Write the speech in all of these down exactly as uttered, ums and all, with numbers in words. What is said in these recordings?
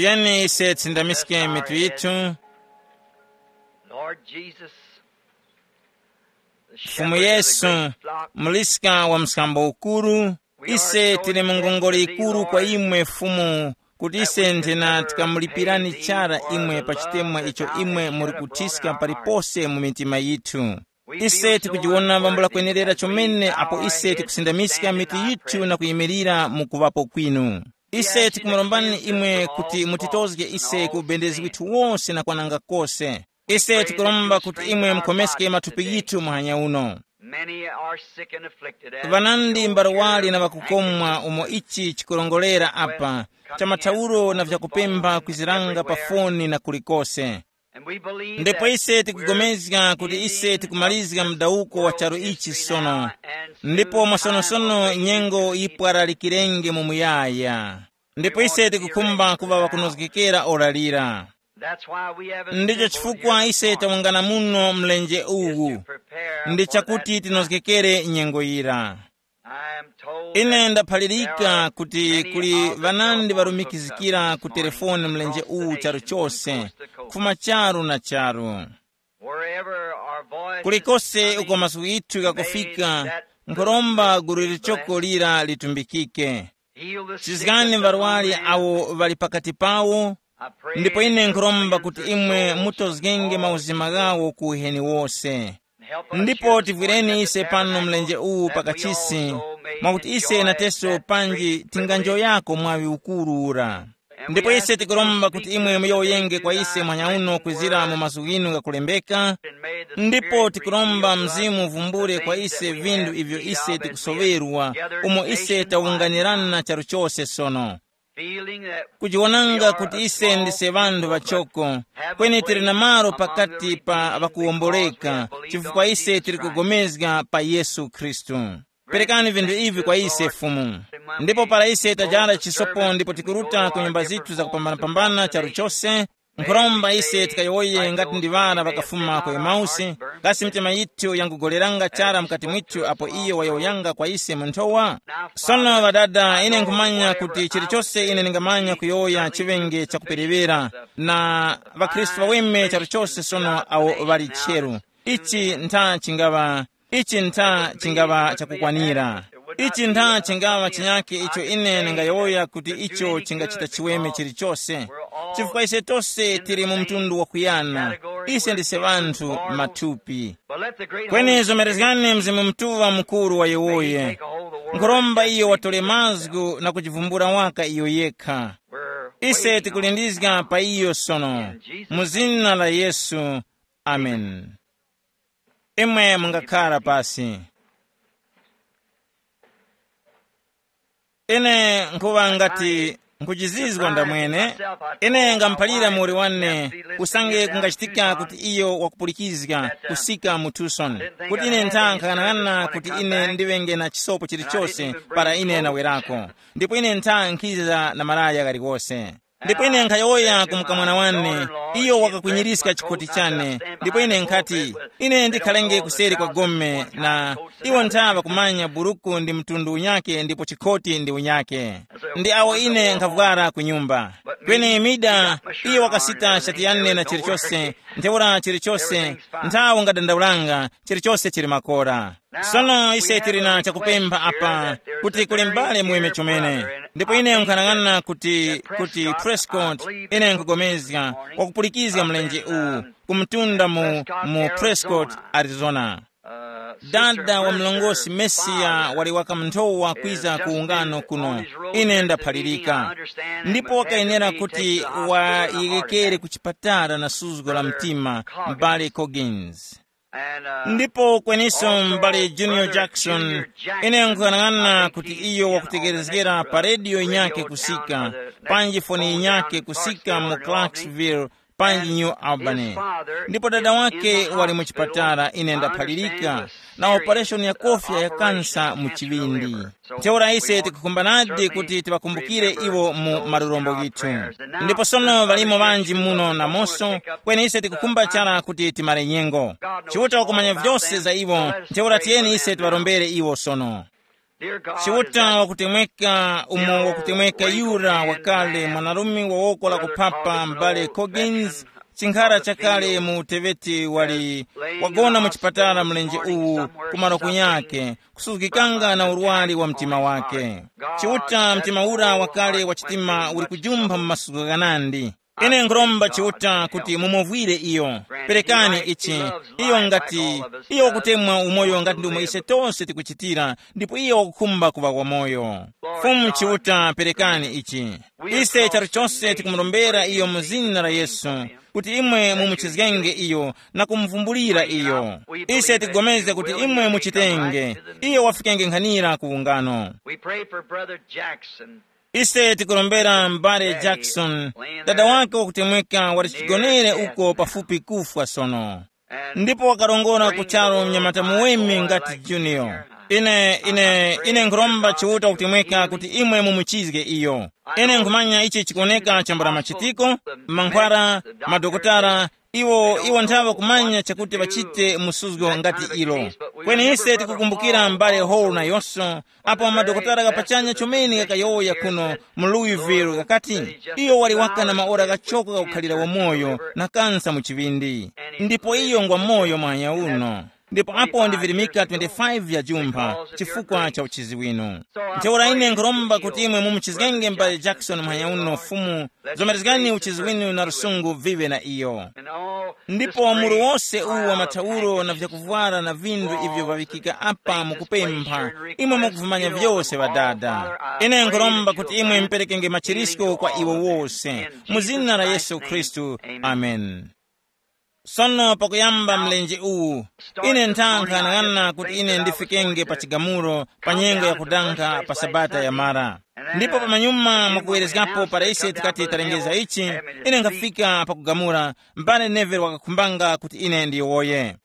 Tiyeni ise tsindamiske mitu yithu. Lord Jesus, the Mfumu shepherd of the Yesu, great flock, muliska wa msambo ukuru, ise tili mu ngongole ikuru kwa imwe Fumu, kuti ise nthena tikamulipirani chara imwe pa chitemwa icho imwe muri kutiska palipose mu mitima yithu. Ise tikujiwona vambula kwenerera chomene apo ise tikusindamiska mitu yithu na kuyimirira mu kuŵapo kwinu. Ise tikumurombani imwe kuti mutitozge ise ku ubendezi withu wose na kwananga kose. Ise tikuromba kuti imwe mukhomeske mathupi yithu muhanya uno. Many are sick and afflicted, and vanandi mbarwali na ŵakukomwa umo ichi chikurongolera apa, cha mathauro na vyakupemba kwiziranga pa foni na kulikose. And we believe ndipo that ise we're tikugomezga kuti ise tikumalizika mdawuko wa charu ichi sono, ndipo mwasonosono nyengo yipwaralikirenge mu muyaya. Ndipo ise tikukhumba kuŵa ŵakunozgekera ora lira. That's why we have ndicho assembled chifukwa here ise this morning, tawungana muno mlenje is to uwu prepare ndi for chakuti that time. Tinozgekere nyengo yira. I am told ine that ndaphalirika there are kuti many kuli of the vanandi telephones hooked up varumikizikira this ku morning telefoni mlenje across the uwu charu nation, from chose coast to coast. Kufuma charu na charu. Wherever our voice is kulikose coming, uko mazgu ithu may gakufika that nkhoromba gulu lichoko lira litumbikike. Heal the sick chizgani that among varwari them. Awo vari pakati pawo. I pray ndipo ine that you'll nkhuromba cleanse kuti their imwe souls mutozgenge from all mauzima ghawo ku uheni wose. Ndipo tivwireni ise pano mlenje uwu pakachisi, mwakuti ise nateso panji tinganjoyako mwaŵi ukuru ura. Ndipo ise tikuromba kuti imwe muyowoyenge kwa ise mwanyauno kwizira mu mazgu ghinu ghakulembeka, ndipo tikuromba Mzimu uvumbule kwa ise vinthu ivyo ise tikusoŵerwa, umo ise tawunganirana charu chose sono. Kujiwonanga kuti ise ndise ŵanthu ŵachoko, kweni tili na malo pakati pa ŵakuwomboleka, chifukwa ise tili kugomezga pa Yesu Khristu. Perekani vinthu ivi kwa ise Fumu. Ndipo para ise tajara chisopo ndipo tikuruta ku nyumba zithu zakupambanapambana charu chose, nkhuromba ise tikayowoye ngati ndi ŵana ŵakafuma ku Emausi, kasi mitima yithu yangugoleranga chara mukati mwithu apo iyo wayowoyanga kwa ise mu nthowa? Sono ŵadada, ine nkhumanya kuti chilichose ine ndingamanya kuyowoya chiŵenge chakuperewera, na ŵakhristu ŵaweme chalichose sono awo ŵali cheru. Ichi ntha chingaŵa, ichi ntha chingaŵa chakukwanira. Ichi ntha chingaŵa chinyake icho ine ndingayowoya kuti icho chingachita chiweme chilichose, chifukwa ise tose tili mu mtundu wakuyana. Ise ndise ŵanthu mathupi. Kweni zomerezgani Mzimu Mutuŵa mukuru wayowoye. Nkhuromba iyo watole mazgu na kujivumbula waka iyo yekha. Ise tikulindizga pa iyo sono, mu zina la Yesu. Amen. Imwe mungakhara pasi. Ine nkhuŵa ngati nkhujizizwa ndamwene. Ine ngamuphalira muwoli wane, usange kungachitika kuti iyo wakupulikizga kusika mu Tucson, kuti ine ntha nkhang'anang'ana kuti ine ndiŵenge na chisopo chilichose para ine nawerako, ndipo ine ntha nkhiza na malaya ghalikose. Ndipo ine nkhayowoya ku mukamwana wane, iyo wakakwinyirizga chikhoti chane, ndipo ine nkhati, ine ndikhalenge kuseri kwa gome na iwo ntha ŵakumanya buruku ndi mtundu unyake ndipo chikhoti ndi unyake. Ndi awo ine nkhafwara ku nyumba. Kweni Mida, iyo wakasita shati yane na chilichose, ntheura chilichose, nthawi ungadandaulanga, chilichose chili makora. Sono ise tili na chakupempha apa, kuti kuli m'bale muweme chomene. Ndipo ine nkhanang'ana kuti, kuti Prescott, ine nkugomezga, wakupulikizga mlenje uwu, kumtunda mu, mu Prescott, Arizona. Dada wa mlongosi Mesiya wali wakamnthowa kwiza ku ungano kuno. Ine ndaphalirika. Ndipo wakayenera kuti wayegekere ku chipatala na suzgo la mtima, m'bale Coggins. Ndipo kweniso m'bale Junior Jackson, ine nkuyang'ana kuti iyo wakutekerezgera pa rediyo inyake kusika, panji foni inyake kusika mu Clarksville, panji New Albany. Ndipo dada wake wali mu chipatala, ine ndaphalirika, na opereshoni ya kofya ya kansa mu chiŵindi. Ntheura ise tikukhumbanadi kuti tiŵakumbukire iwo mu malurombo ghithu. Ndipo sono ŵalimo ŵanji muno namonso, kweni ise tikukhumba chara kuti timare nyengo. Chiuta wakumanya vyose za iwo, ntheura tiyeni ise tiŵarombere iwo sono. Chiuta wakutemweka umo wakutemweka yura wakale mwanarume wa woko la kuphapa m'bale Coggins, chinkhara chakale mu uteweti wali wagona mu chipatala mlenje uwu, kumaro kunyake kusuzgikanga na urwari wa mtima wake. Chiuta mtima ura wakale wa chitima uli kujumpha mu masuzgo ghanandi. Ine nkhuromba Chiuta kuti mumuvwire iyo. Perekani ichi. Iyo ngati iyo wakutemwa umoyo ngati ndomwe ise tonse tikuchitira, ndipo iyo wakukhumba kuŵa wamoyo. Fumu Chiuta, perekani ichi. Ise charo chose tikumurombera iyo mu zina la Yesu, kuti imwe mumuchizgenge iyo na kumuvumbulira iyo. Ise tigomezga kuti imwe muchitenge, iyo wafikenge nkhanira ku ungano. We pray for Brother Jackson. Ise tikurombera m'bale Jackson, dada wake wakutemweka wali chigonere uko pafupi kufwa sono. Ndipo wakarongora ku charu mnyamata muweme ngati Junior. Ine ine ine nkhuromba Chiuta wakutemweka kuti imwe mumuchizge iyo. Ine nkhumanya ichi chikuoneka chambula machitiko, mankhwara, madokotala, iwo iwo nthawe kumanya chakuti ŵachite musuzgo ngati ilo. Kweni ise tikukumbukira m'bale Hall nayonso, apo madokotala ghapachanya chomene ghakayowoya kuno mu Louisville ghakati, iyo wali waka na maora ghachoko ghakukhalira wamoyo na kansa mu chiŵindi. Ndipo iyo ngwa moyo mwanya uno. Ndipo apo ndivirimika twenty-five ya jumpha chifukwa cha uchizi winu. Ntheura ine nkhuromba kuti imwe mumuchizgenge m'bale Jackson mwanya uno Fumu, zomerezgani uchizi winu na lusungu vive na iyo. Ndipo muru wose uwu wa mathauro na vyakuvwara na vinthu ivyo vaŵikika apa mukupempha, imwe mukuvumanya vyose ŵadada. Ine nkhuromba kuti imwe muperekenge machirisko kwa iwo wose, mu zina la Yesu Khristu. Amen. Sono pakuyamba mlenje uwu, ine nthankhanang'ana kuti ine ndifikenge pa chigamulo pa nyengo yakudanga pa sabata yamara. Ndipo pamanyuma mwakuwerezgapo para ise tikati talengeza ichi, ine nkhafika pakugamula, mbale Neville wakakhumbanga kuti ine ndiyowoye.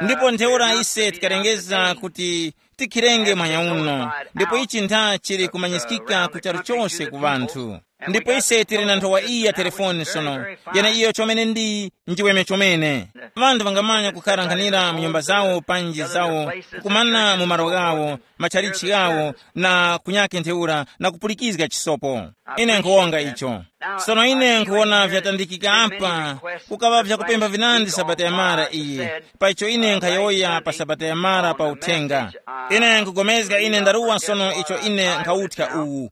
Ndipo ntheura ise tikalengeza kuti tikhirenge mwanya uno, ndipo ichi ntha chili kumanyiskika ku charu chose ku ŵanthu. Ndipo ise tili na nthowa iyi ya telefoni sono, yene iyo chomene ndi njiweme chomene. Ŵanthu ŵangamanya kukharanghanira mu nyumba zawo panji zawo, kukumana mu malo ghawo, matchalichi ghawo, na kunyake ntheura na kupulikizga chisopo. Ine nkhuwonga icho. Sono ine nkhuwona vyatandikika apa, kukaŵa vyakupempha vinandi sabata yamara iyi, pa icho ine nkhayowoya pa sabata yamara pa uthenga. Ine nkugomezga ine ndaruwa sono icho ine nkhawuthya uwu.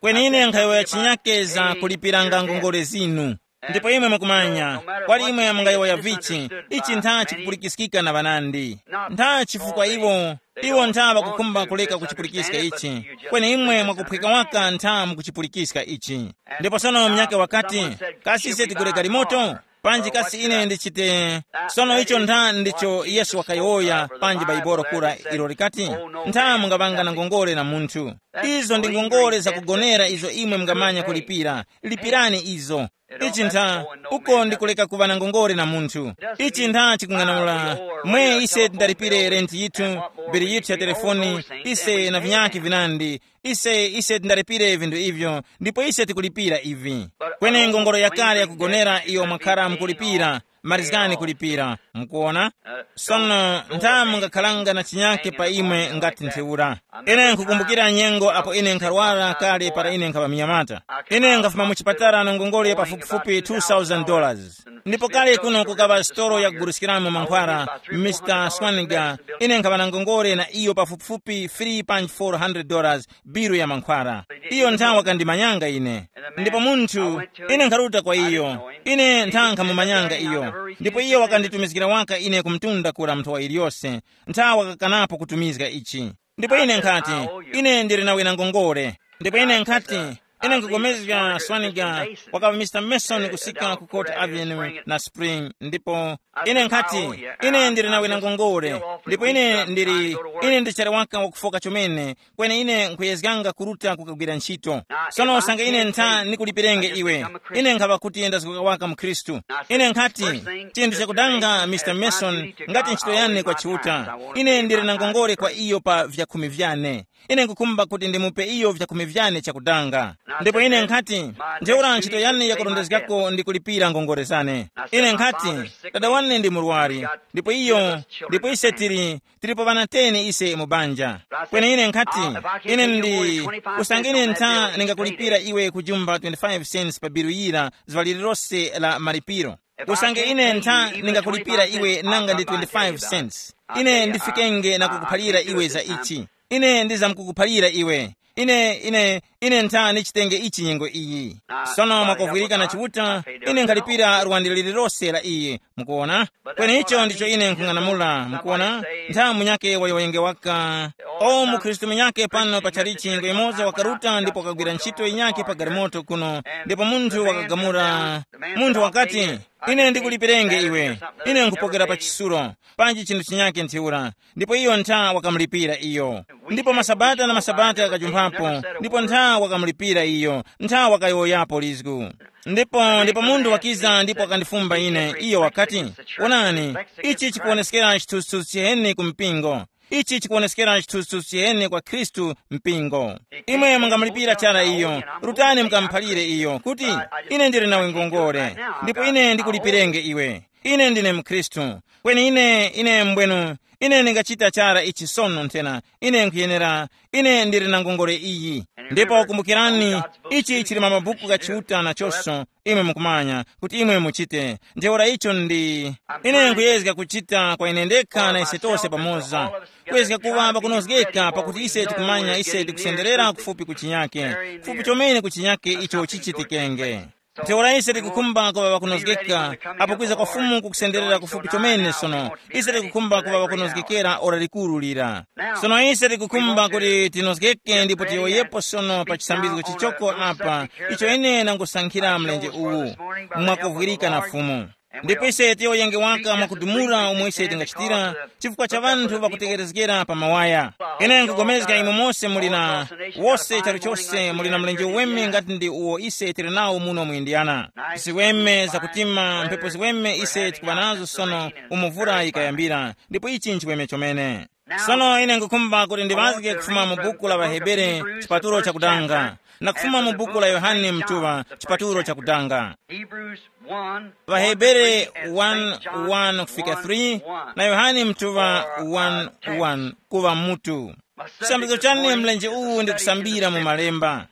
Kweni ine nkhayowoya chinyake za kulipiranga ngongole zinu. Ndipo imwe mukumanya, kwali imwe mungayowoya vichi, ichi ntha chikupulikiskika na ŵanandi. Ntha chifukwa iwo, iwo ntha ŵakukhumba kuleka kuchipulikiska ichi, kweni imwe mwakuphweka waka ntha mukuchipulikiska ichi. Ndipo sono munyakhe wakati, kasi ise tigule galimoto? Panji kasi ine ndichite? Sono icho ntha ndicho Yesu wakayowoya panji Baibolo kura ilo likati, ntha mungaŵanga na ngongole na munthu. Izo ndi ngongole zakugonera izo imwe mungamanya kulipira. Lipirani izo. Ichi ntha, uko ndi kuleka kuŵa na ngongole na munthu. Ichi ntha chikung'anamula, mwe ise tindalipire renti yithu, bili yithu ya telefoni, ise na vinyakhe vinandi, ise ise tindalipire vinthu ivyo, ndipo ise tikulipira ivi. Kweni ngongole yakale yakugonera iyo mwakhara mukulipira, marizgani kulipira. Mukuona? Sono ntha mungakhalanga na chinyake pa imwe ngati ntheura. Ine nkhukumbukira nyengo apo ine nkharwara kale para ine nkhaŵa mnyamata. Ine nkhafuma mu chipatala na ngongole pafupifupi two thousand dollars. Ndipo kale kuno kukaŵa sitolo yakuguliskiramo mankhwara, Mr Swaniga, ine nkhaŵa na ngongole na iyo pafupifupi three point four hundred dollars, biru ya mankhwara. Iyo ntha wakandimanyanga ine. Ndipo munthu, ine nkharuta kwa iyo, ine ntha nkhamumanyanga iyo. Ndipo iyo wakanditumizgira waka ine kumtunda kura mnthowa iliyose, ntha wakakanapo kutumizga ichi. Ndipo ine nkhati, ine ndili na wina ngongole. Ndipo ine nkhati, ine nkugomezga Swaniga, wakaŵa Mr Mason kusika ku Court Avenue na Spring. Ndipo ine nkhati, ine ndili na wina ngongole. Ndipo ine ndili, ine ndichali waka wakufoka chomene, kweni ine nkhuyezganga kuruta kukagwira ntchito. Sono usange ine ntha nikulipirenge iwe, ine nkhaŵa kuti ndazgoka waka mkhristu. Ine nkhati, chinthu chakudanga Mr Mason, ngati ntchito yane kwa Chiuta, ine ndili na ngongole kwa iyo pa vyakhumi vyane. Ine nkukhumba kuti ndimupe iyo vyakhumi vyane chakudanga. Ndipo ine nkhati, ntheura ntchito yane yakurondezgako ndi kulipira ngongole zane. Ine nkhati, dada wane ndi murwari, ndipo iyo, ndipo ise tili, tilipo ŵana teni ise mu banja. Kweni ine nkhati, ine ndi, usange ine ntha ningakulipira iwe kujumba twenty-five cents pa bilu yira zuŵa lililose la malipiro. Usange ine ntha ningakulipira iwe nanga ndi twenty-five cents, ine ndifikenge na kukuphalira iwe za ichi. Ine ndizamkukuphalira iwe. Ine ine ine ntha nichitenge ichi nyengo iyi. Sono mwakuvwirika na Chiuta, ine nkhalipira lwandi lililose la iye. Mukuona? Kweni icho ndicho ine nkhung'anamula. Mukuona? Nthawi munyake wayowoyenge waka, o mukhristu munyake pano pa chalichi nyengo imoza wakaruta ndipo wakagwira ntchito yinyake pa galimoto kuno, ndipo munthu wakagamula. Munthu wakati, ine ndikulipirenge iwe. Ine nkupokera pa chisulo, panji chinthu chinyake ntheura. Ndipo iyo ntha wakamulipira iyo. Ndipo masabata na masabata akajumphapo, ndipo ntha wakamulipira iyo, ntha wakayowoyapo lizgu. Ndipo ndipo munthu wakiza ndipo wakandifumba ine, iyo wakati, onani, ichi chikuwoneskera chithunzithunzi chiheni ku mpingo. Ichi chikuwoneskera chithunzithunzi chiheni kwa Khristu, mpingo. Imwe mungamulipira chara iyo. Rutani mukamuphalire iyo kuti, ine ndili nawe ngongole, ndipo ine ndikulipirenge iwe. Ine ndine mkhristu. Kweni ine ine mbwenu, ine ndingachita chara ichi sono nthena. Ine nkhuyenera, ine ndili na ngongole iyi. Ndipo kumbukirani, ichi chili mwa mabuku gha Chiuta nachonso. Imwe mukumanya kuti imwe muchite. Ntheura icho ndi, ine nkuyezga kuchita kwa ine ndekha na ise tose pamoza, kuyezga kuŵa pakunozgeka pakuti ise tikumanya ise tikusenderera kufupi ku chinyake, kufupi chomene ku chinyake icho chichitikenge. Ntheura ise tikukhumba kuŵa pakunozgeka, apo kwiza kwa Fumu kukusenderera kufupi chomene sono. Ise tikukhumba kuŵa pakunozgekera ora likuru lira. Sono ise tikukhumba kuti tinozgeke ndipo tiyowoyepo sono pa chisambizgo chichoko apa, icho ine nangusankhira mlenje uwu, mwakuvwirika na Fumu. Ndipo ise tiyowoyenge waka mwakudumula umo ise tingachitira, chifukwa cha ŵanthu ŵakutekerezgera pa mawaya. Ine nkugomezga imwe mose muli na, wose chalichose muli na mlenje uweme ngati ndi uwo ise tili nawo muno mu Indiana. Ziweme zakutima, mphepo ziweme ise tikuŵa nazo sono umo vura yikayambira, ndipo ichi nchiweme chomene. Sono ine nkukhumba kuti ndiŵazge kufuma mu buku la ŵahebere, chipatulo chakudanga, na kufuma mu buku la Yohane mtuŵa, chipatulo chakudanga. Hebrews one, ŵahebere one, one kufika three, na Yohane mtuŵa one, one kuŵa mutu. Chisambizo chane mlenje uwu ndi kusambira mu malemba.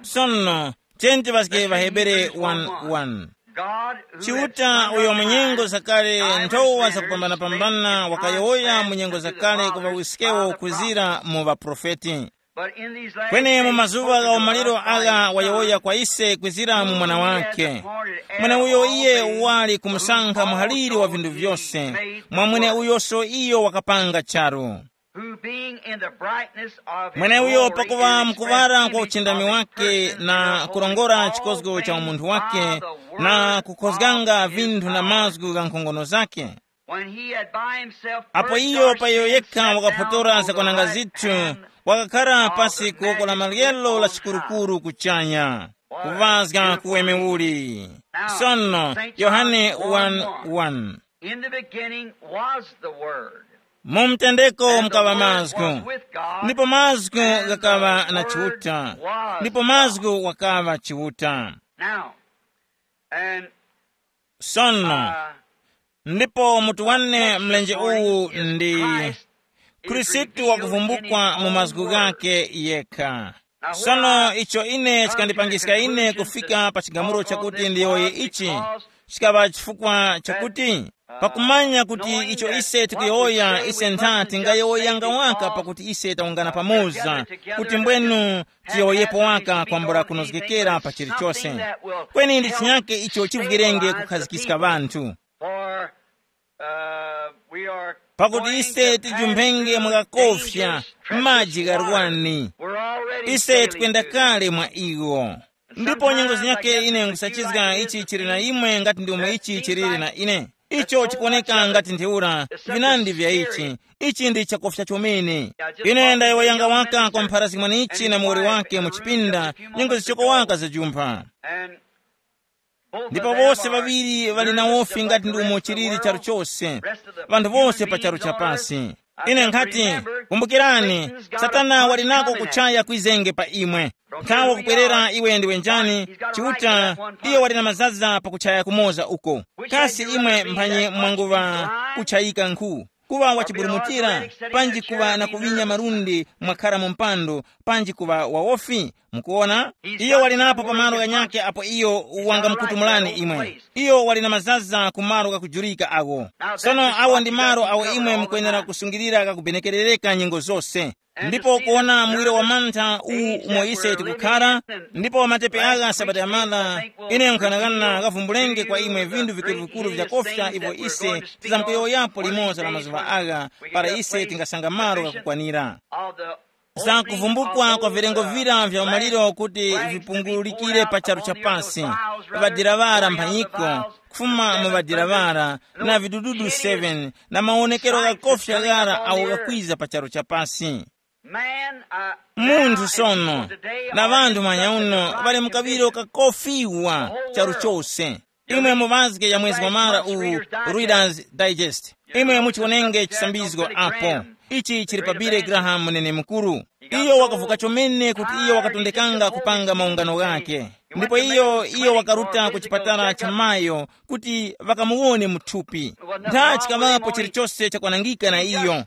Sono, tiyeni tiŵazge ŵahebere one, one. Chiuta uyo mu nyengo zakale nthowa zakupambanapambana wakayowoya mu nyengo zakale ku ŵawiskewo kuzira mu ŵaprofeti. Kweni mu mazuŵa gha umaliro agha wayowoya kwa ise kwizira mu Mwana wake, mweneuyo iye wali kumusankha muhaliri wa vinthu vyose, mwa mweneuyoso iyo wakapanga charu. Who being in the brightness of his mweneuyo glory pakuŵa and mkuŵara kwa expressed uchindami in his wake person na the kulongora holiness of chikozgo cha all umunthu things wake, by the na word kukhozganga of his vinthu na power. Mazgu gha nkhongono zake. When he had by himself apo purged iyo our pa iyo sins, yekha sat down wakapotora on the zakwananga right zithu, hand wakakhala of pasi the ku woko la majesty maryelo on la high. Chikurukuru kuchanya. Kuvazga kuweme uli. Sono, Yohane one one. In the beginning was the Word. Mu mtendeko mukaŵa mazgu, ndipo mazgu ghakaŵa na Chiuta, ndipo mazgu wakaŵa Chiuta. Now, and sono uh, ndipo mutu wane mlenje uwu ndi Khristu wakuvumbukwa mu mazgu ghake yekha. Sono icho ine chikandipangiska ine kufika pa chigamulo chakuti ndiyowoye ichi, chikaŵa chifukwa chakuti pakumanya kuti icho ise tikuyowoya ise ntha tingayowoyanga waka pakuti ise tawungana pamoza, kuti mbwenu tiyowoyepo waka kwambula kunozgekera pa chilichose. Kweni ndi chinyake icho chivwirenge kukhazikiska ŵanthu. Pakuti ise tijumphenge mwakakofya maji gharwani. Ise tikwenda kale mwa iwo. Ndipo nyengo zinyake ine nkusachizga ichi chili na imwe ngati ndi umo ichi chilili na ine. Icho chikuoneka ngati ntheura, vinandi vya ichi. Ichi ndi chakofya chomene. Ine ndayowoyanga waka kwa mpharazi mwanichi na muwoli wake mu chipinda, nyengo zichoko waka zajumpha. Ndipo wose ŵaŵiri ŵali na wofi ngati ndi umo chilili charu chose, ŵanthu wose pa charu chapasi. Ine nkhati, kumbukirani, Satana wali nako kuchaya kwizenge pa imwe. Nthawi wakupwerera iwe ndiwe njani? Chiuta, iyo wali na mazaza pakuchaya kumoza uko. Kasi imwe mphanye mwanguŵa kuchayika nkhu, kuŵa wachiburumutira, panji kuŵa na kuŵinya malundi mwakhara mu mpando, panji kuŵa wawofi? Mukuona, iyo wali napo pamalo ghanyakhe apo iyo wangamukutumulani imwe. Iyo wali na mazaza ku malo ghakujurika agho. Sono awo ndi malo awo imwe mukwenera kusungilira kakubenekerereka nyengo zose. Ndipo kuona muwiro wa mantha uwu umo ise tikukhara, ndipo matepe agha sabata yamala, ine nkhanakana ghavumbulenge kwa imwe vinthu vikuru-vikuru vyakofya ivyo ise tizamkuyowoyapo limoza la mazuŵa agha, para ise tingasanga malo ghakukwanira. Za kuvumbukwa kwa vilengo vira vya umaliro kuti vipungulikire pa charu cha pasi, ŵadilaŵara mphanyiko, kufuma mu ŵadilaŵara, na vidududu seven, na mawonekero ghakofya ghara awo ghakwiza pa charu cha pasi. Munthu sono, na ŵanthu manyauno ŵali mu kaŵiro kakofiwa charu chose. Imwe mu mazge ya mwezi wa mara uwu, Reader's Digest, imwe muchiwonenge chisambizgo apo. Ichi chili pa Billy Graham, munene mukuru. Iyo wakavuka chomene kuti iyo wakatondekanga kupanga maungano ghake. Ndipo iyo iyo wakaruta ku chipatala cha mayo kuti ŵakamuwone mu thupi. Ntha chikaŵapo chilichose chakwanangika na iyo.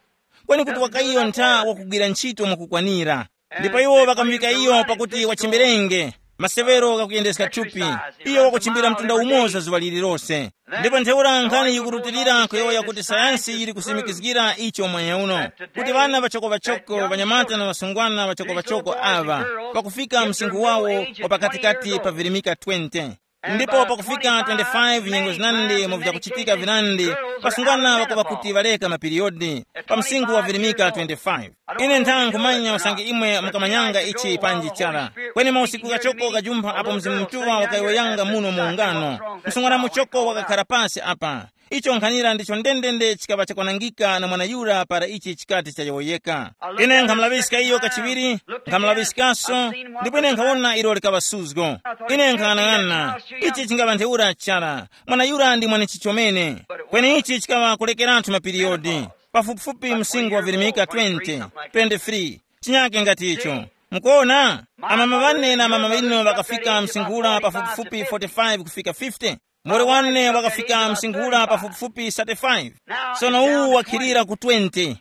Kweni kuti wakaiyo ntha wakugwira ntchito mwakukwanira. Ndipo iwo ŵakamuŵika iyo pakuti wachimberenge masewero ghakuyendeska thupi. Iyo wakuchimbira mtunda umoza zuŵa lililose. Ndipo ntheura nkhani yikurutilira kuyowoya kuti sayansi yili kusimikizgira icho mwanya uno, kuti ŵana ŵachoko-ŵachoko, ŵanyamata na ŵasungwana ŵachoko-ŵachoko aŵa, pakufika msinkhu wawo wa pakatikati pa virimika twenty. Ndipo pakufika twenty-five nyengo zinandi mu vyakuchitika vinandi, pasungwana ŵakuŵa kuti ŵaleka mapiriyodi pa msinkhu wa virimika twenty-five. Ine ntha nkhumanya usange imwe mukamanyanga ichi panji chara. Kweni mausiku ghachoko ghajumpha apo Mzimu Mutuŵa wakayowoyanga muno mu ungano, msungwana muchoko wakakhara pasi apa. Icho nkhanira ndicho ndendende chikaŵa chakwanangika na mwana yura para ichi chikati chayowoyeka. Ine nkhamulaŵiska iyo kachiŵiri, nkhamulaŵiskaso, ndipo ine nkhawona ilo likaŵa suzgo. Ine nkhang'anang'ana, ichi chingaŵa ntheura chara, mwana yura ndi mwanichi chomene. Kweni ichi chikaŵa kulekeratu mapiriyodi, pafupifupi msinkhu wa virimika twenty, twenty-three, chinyake ngati icho. Mukuona, amama ŵane na amama ŵinu ŵakafika msinkhu ura pafupifupi forty-five kufika fifty. Mure wane wakafika msingula pafupifupi thirty-five. Sono uwu wakhilira ku twenty.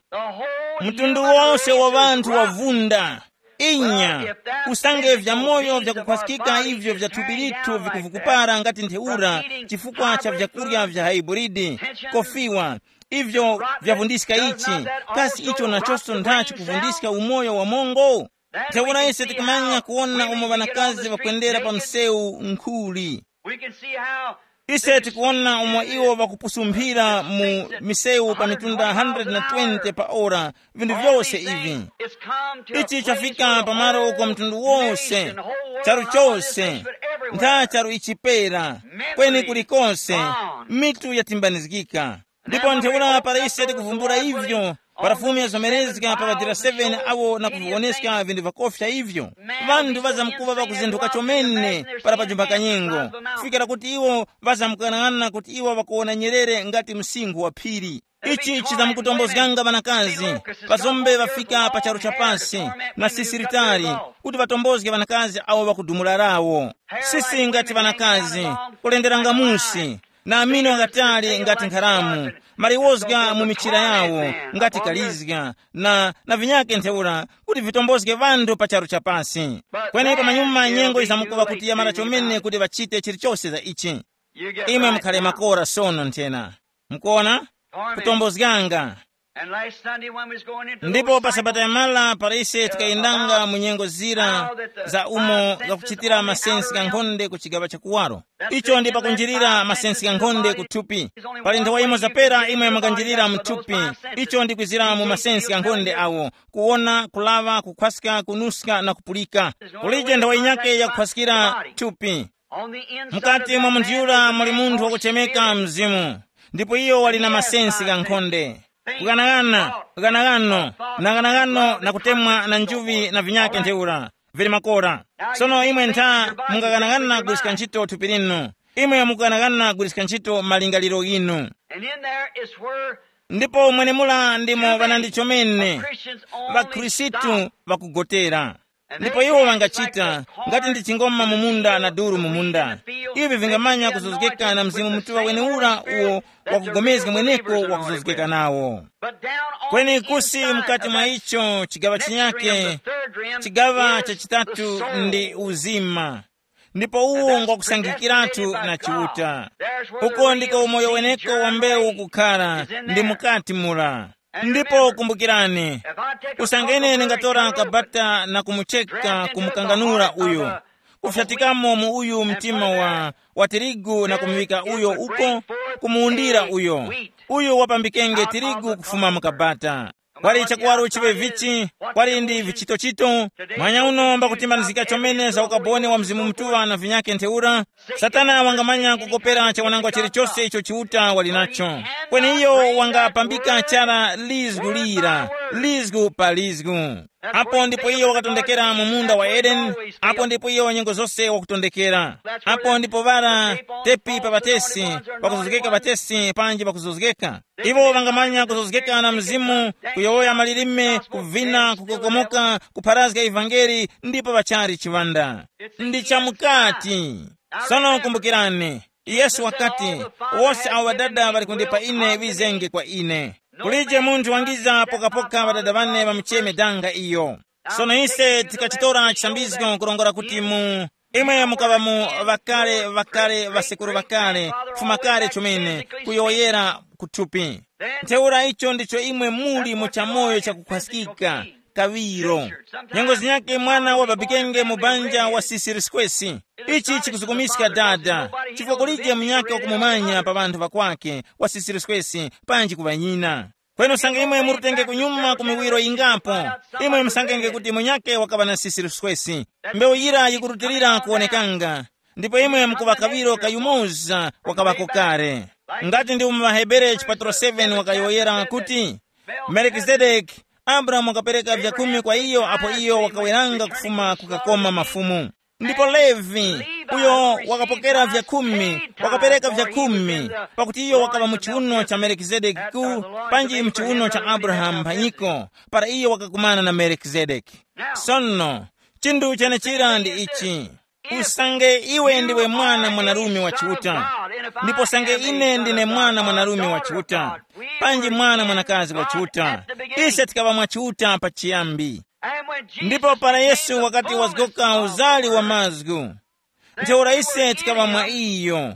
Mtundu wose wa ŵanthu wavunda. Inya, usange vyamoyo vyakukhwaskika ivyo vya thupi lithu vikuvukupara ngati ntheura chifukwa cha vyakurya vya haiburidi, kofiwa, ivyo vyavundiska ichi, kasi icho nachonso nthachi kuvundiska umoyo wa mongo? Ntheura ise tikumanya kuwona umo ŵanakazi ŵakwendera pa msewu nkhuli. We can see how ise tikuwona umo iwo ŵakupusumphira mu misewu pa mitunda one hundred twenty pa ora, vinthu vyose ivi. Ichi chafika pamalo uko mtundu wose, charu chose, ntha charu ichipera, kweni kulikonse, mitu yatimbanizgika. Ndipo ntheura para ise tikuvumbula ivyo, para Fumu yazomerezga pa ŵadira seven awo na kuviwoneska vinthu vakofya ivyo, ŵanthu ŵazamkuŵa ŵakuzinthuka chomene para pajumba kanyengo, kufikira kuti iwo ŵazamkung'anang'ana kuti iwo ŵakuwona nyerere ngati msinkhu wa phiri. Ichi chizamkutombozganga ŵanakazi, ŵazombe ŵafika pa charu cha pasi, na sisi litali, kuti ŵatombozge ŵanakazi awo ŵakudumula lawo. Sisi ngati ŵanakazi, kulenderanga musi, na amino ghakatali ngati nkharamu, maliwozga mu michira yawo ngati kalizga, na, na vinyake ntheura, kuti vitombozge ŵanthu pa charu cha pasi. Kweni pamanyuma nyengo yizamkuŵa kuti yamara chomene kuti ŵachite chilichose za ichi. Imwe mukhale makora sono nthena. Mukuona? Kutombozganga. And last Sunday when we was going into ndipo pa sabata yamala para ise tikayendanga mu nyengo zira za umo zakuchitira masensi gha nkhonde ku chigaŵa cha kuwaro. Icho ndi pakunjirira masensi gha nkhonde kuthupi. Pali nthawa imo zapera imwe mukanjirira mu thupi. Icho ndi kwizira mu masensi gha nkhonde awo, kuwona, kulaŵa, kukhwaska, kunuska na kupulika. Kulije nthawa yinyake yakukhwaskira thupi. Mukati mwa munthu yura muli munthu wakuchemeka mzimu, ndipo iyo wali na masensi gha nkhonde. Kughanagana, ghanagano, na ghanagano na kutemwa na njuvi na vinyake ntheura, vili makora. Sono imwe ntha mungaghanagana kugwiriska ntchito thupi linu. Imwe mukughanagana kugwiriska ntchito malingaliro ghinu. And in there is where Ndipo mwenemula ndimo ŵanandi chomene, ŵakhristu vakugotera. Ndipo iwo ŵangachita ngati ndi chingoma mu munda na duru mu munda. Ivi vingamanya kuzozgeka na Mzimu Mutuŵa wenewura uwo wakugomezga mweneko wakuzozgeka nawo. Kweni kusi mukati mwa icho chigaŵa chinyake, chigaŵa chachitatu ndi uzima, ndipo uwo ngwakusangikiratu na Chiuta. Uko ndiko umoyo weneko wa mbewu kukhara, ndi mukati mura. Ndipo kumbukirani, usange ine ndingatora kabata na kumucheka kumukanganura uyo, kufyatikamo mu uyu mtima wa, wa tirigu na kumuŵika uyo uko, kumuwundira uyo, uyo wapambikenge tirigu kufuma mu kabata. Kwali chakuwaro chiŵe vichi, kwali ndi vichitochito. Mwanya uno mbakutimbanizika chomene za ukaboni wa Mzimu Mutuŵa na vinyake ntheura. Satana wangamanya kukopera chawanangwa chilichose icho Chiuta wali nacho. Kweni iyo wangapambika chara lizgu lira, lizgu pa lizgu. Apo ndipo iyo wakatondekera mu munda wa Edeni. Apo ndipo iyo nyengo zose wakutondekera. Apo ndipo ŵara tepi pa ŵatesi, pakuzozgeka ŵatesi panji pakuzozgeka. Iwo ŵangamanya kuzozgeka na mzimu, kuyowoya malilime, kuvina, kukokomoka, kupharazga ivangeli, ndipo ŵachali chiŵanda. Ndi chamukati. Sono kumbukirani, Yesu wakati, wose awo ŵadada ŵali kundipa ine ŵizenge kwa ine. Kulije munthu wangiza pokapoka ŵadada ŵane ŵamucheme danga iyo. Sono ise tikachitora chisambizgo kurongora kuti mu imwe mukaŵa mu ŵakale ŵakale ŵasekuru ŵakale, kufuma kale chomene, kuyowoyera kuthupi. Ntheura icho ndicho imwe muli mu chamoyo chakukhwaskika, kaŵiro. Nyengo zinyakhe mwana wababikenge mu banja wa sisiri skwesi. Ichi chikuzukumiska dada, chifukwa kulije munyakhe wakumumanya pa ŵanthu ŵakwakhe wa sisiri skwesi, panji ku ŵanyina. Kweni usange imwe murutenge kunyuma ku miwiro yingapo, imwe musangenge kuti munyakhe wakaŵa na sisiri skwesi. Mbewu yira yikurutilira kuwonekanga, ndipo imwe mukuŵa kaŵiro kayumoza wakaŵako kale. Ngati ndi mu ŵaHebere chipatro seven wakayowoyera kuti, Melikizedeki, Abrahamu wakapereka vyakhumi kwa iyo apo iyo wakaweranga kufuma kukakoma mafumu. Ndipo Levi, uyo wakapokera vyakhumi, wakapereka vyakhumi, pakuti iyo wakaŵa mu chiuno cha Melekizedekiku, panji mu chiuno cha Abrahamu mphanyiko, para iyo wakakumana na Melekizedekiku. Sono, chinthu chenechira ndi ichi. Usange iwe ndiwe mwana mwanarume wa Chiuta, ndipo sange ine ndine mwana mwanarume wa Chiuta, panji mwana mwanakazi wa Chiuta, ise tikaŵa mwa Chiuta pachiyambi. Ndipo para Yesu wakati wazgoka uzali wa mazgu, ntheura ise tikaŵa mwa iyo,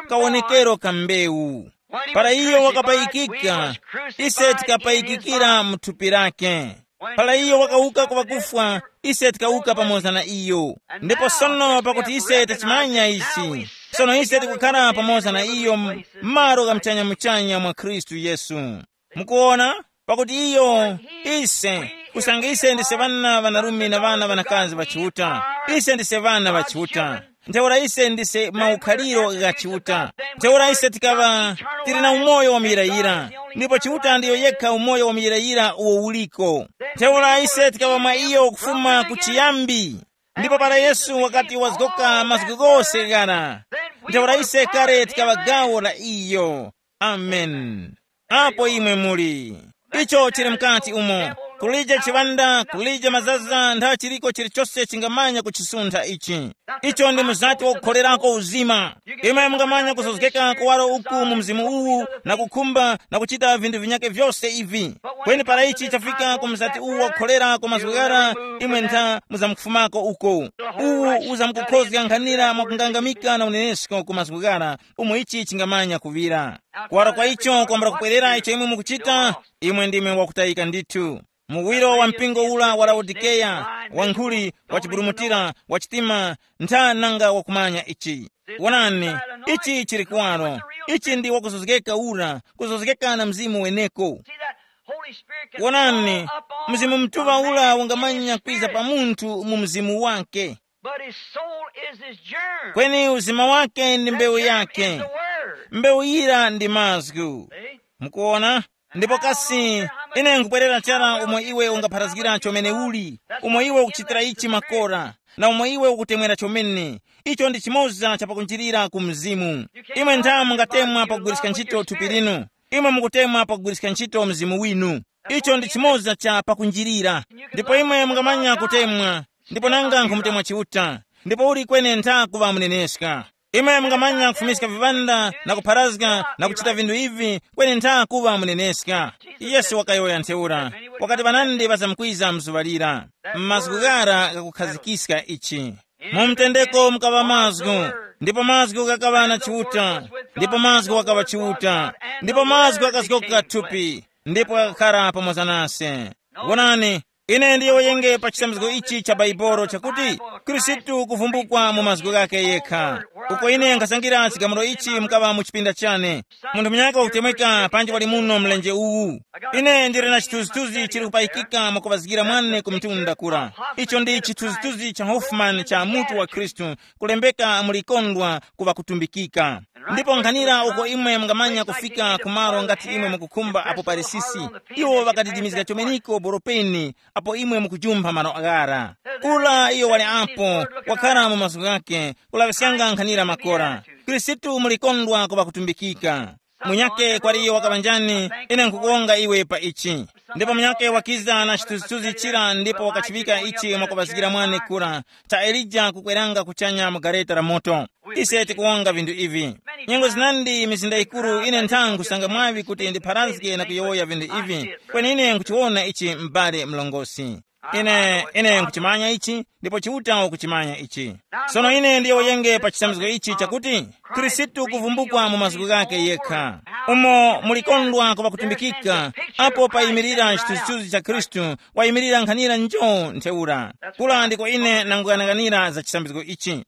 kawonekero ka mbewu. Para iyo wakapayikika, ise tikapayikikira mu thupi lake. Para iyo wakawuka ku ŵakufwa, ise tikawuka pamoza na iyo. Ndipo sono pakuti ise tachimanya ichi, sono ise tikukhara pamoza na iyo m-, m'malo gha muchanya-muchanya mwa Khristu Yesu. Mukuwona? Pakuti iyo, ise, kusanga ise ndise ŵana ŵanarume na ŵana ŵanakazi ŵa Chiuta, ise ndise ŵana ŵa Chiuta. Ntheura ise ndise maukhaliro gha Chiuta. Ntheura ise tikaŵa tili na umoyo wa muyirayira, ndipo Chiuta ndiyo yekha umoyo wa muyirayira uwo uliko. Ntheura ise tikaŵa mwa iyo kufuma ku chiyambi. Ndipo para Yesu wakati wazgoka mazgu ghose ghara, ntheura ise kale tikaŵa gawo la iyo. Amen. Apo imwe muli. Icho chili mkati umo. Kulije chiŵanda, kulije mazaza, ntha chiliko chilichose chingamanya kuchisuntha ichi. Icho ndi muzati wakukholerako uzima. Imwe mungamanya kuzozgeka kuwaro uku mu mzimu uwu na kukhumba na kuchita vinthu vinyake vyose ivi. Kweni para ichi chafika ku muzati uwu wakukholera ku mazgu ghara, imwe ntha muzamkufumako uko. Uwu uzamkukhozga nkhanira mwakungangamika na unenesko ku mazgu ghara, umo ichi chingamanya kuŵira. Kuwara kwa icho kwambula kupwerera icho imwe mukuchita, imwe ndimwe wakutayika ndithu. Muwiro wa mpingo ula wa Laodikeya, wa nkhuli, wa chiburumutira, wa chitima, ntha nanga wakumanya ichi. Wonani, ichi chili kuwaro. Ichi ndi wakuzozgeka ura, kuzozgeka na mzimu weneko. Wonani, mzimu mtuŵa ura ungamanya kwiza pa munthu mu mzimu wake. But his soul is his germ. Kweni uzima wake ndi mbewu yake. Mbewu yira ndi mazgu. Mukuona? Ndipo kasi, ine nkubwerera chara umo iwe ungapharazgira chomene uli, umo iwe ukuchitira ichi makora, na umo iwe ukutemwera chomene. Icho ndi chimoza cha pakunjirira ku mzimu. Imwe nthamu mungatemwa pakugwiriska ntchito thupi linu. Imwe mukutemwa pakugwiriska ntchito mzimu winu. Icho ndi chimoza cha pakunjirira. Ndipo imwe mungamanya kutemwa, ndipo nanga nkhumutemwa Chiuta, ndipo uli kweni ntha kuŵa muneneska. Imwe mungamanya kufumiska vivanda na kupharazga na kuchita vinthu ivi, kweni ntha kuŵa muneneska. Yesu wakayowoya ntheura, wakati ŵanandi ŵazamkwiza mzuŵa lira. M'mazgu ghara ghakukhazgikiska ichi. Mu mtendeko mukaŵa mazgu, ndipo mazgu ghakaŵa na Chiuta, ndipo mazgu wakaŵa Chiuta, ndipo mazgu akazgoka thupi, ndipo ghakakhara pamoza nase. Wonani, ine ndiyowoyenge pa chisamizgo ichi cha Baibolo chakuti Khristu kuvumbukwa mu mazgu ghake yekha. Uko ine nkhasangira chigamulo ichi mukaŵa mu chipinda chane. Munthu munyaka wakutemweka panji wali muno mlenje uwu. Ine ndili na chithunzithunzi chili kupayikika mwakuŵazgira mwane ku mtunda kura. Icho ndi chithunzithunzi cha Hoffman cha mutu wa Khristu, kulembeka mu likondwa ku ŵakutumbikika. Ndipo nkhanira uko imwe mungamanya kufika ku malo ngati imwe mukukhumba apo pali sisi, iwo ŵakadidimizga chomeniko boropeni apo imwe mukujumpha malo aghara. Kula iyo wali apo, wakhala mu mazgu ghake, kulaŵiskanga nkhanira makora. Khristu mulikondwa ku ŵakutumbikika. Munyake kwali iyo wakaŵa njani? Ine nkukuwonga iwe pa ichi. Ndipo munyake wakiza na chithunzithunzi chira ndipo wakachiŵika ichi mwakuŵazgira mwane kura, ta Elija kukweranga kuchanya mu gareta la moto. Ise tikuwonga vinthu ivi. Nyengo zinandi mizinda yikuru ine ntha nkhusanga mwaŵi kuti ndipharazge na kuyowoya vinthu ivi, kweni ine nkhuchiwona ichi m'bale mlongosi. Ine ine nkuchimanya ichi, ndipo Chiuta ukuchimanya ichi. Sono ine ndiyowoyenge pa chisamizgo ichi chakuti Khristu kuvumbukwa mu mazgu ghake yekha, umo mulikondwa kuŵa kutumbikika, apo payimirira chithunzithunzi cha Khristu, wayimirira nkhanira njo ntheura. Kula ndiko ine nanguyang'anira za chisamizgo ichi.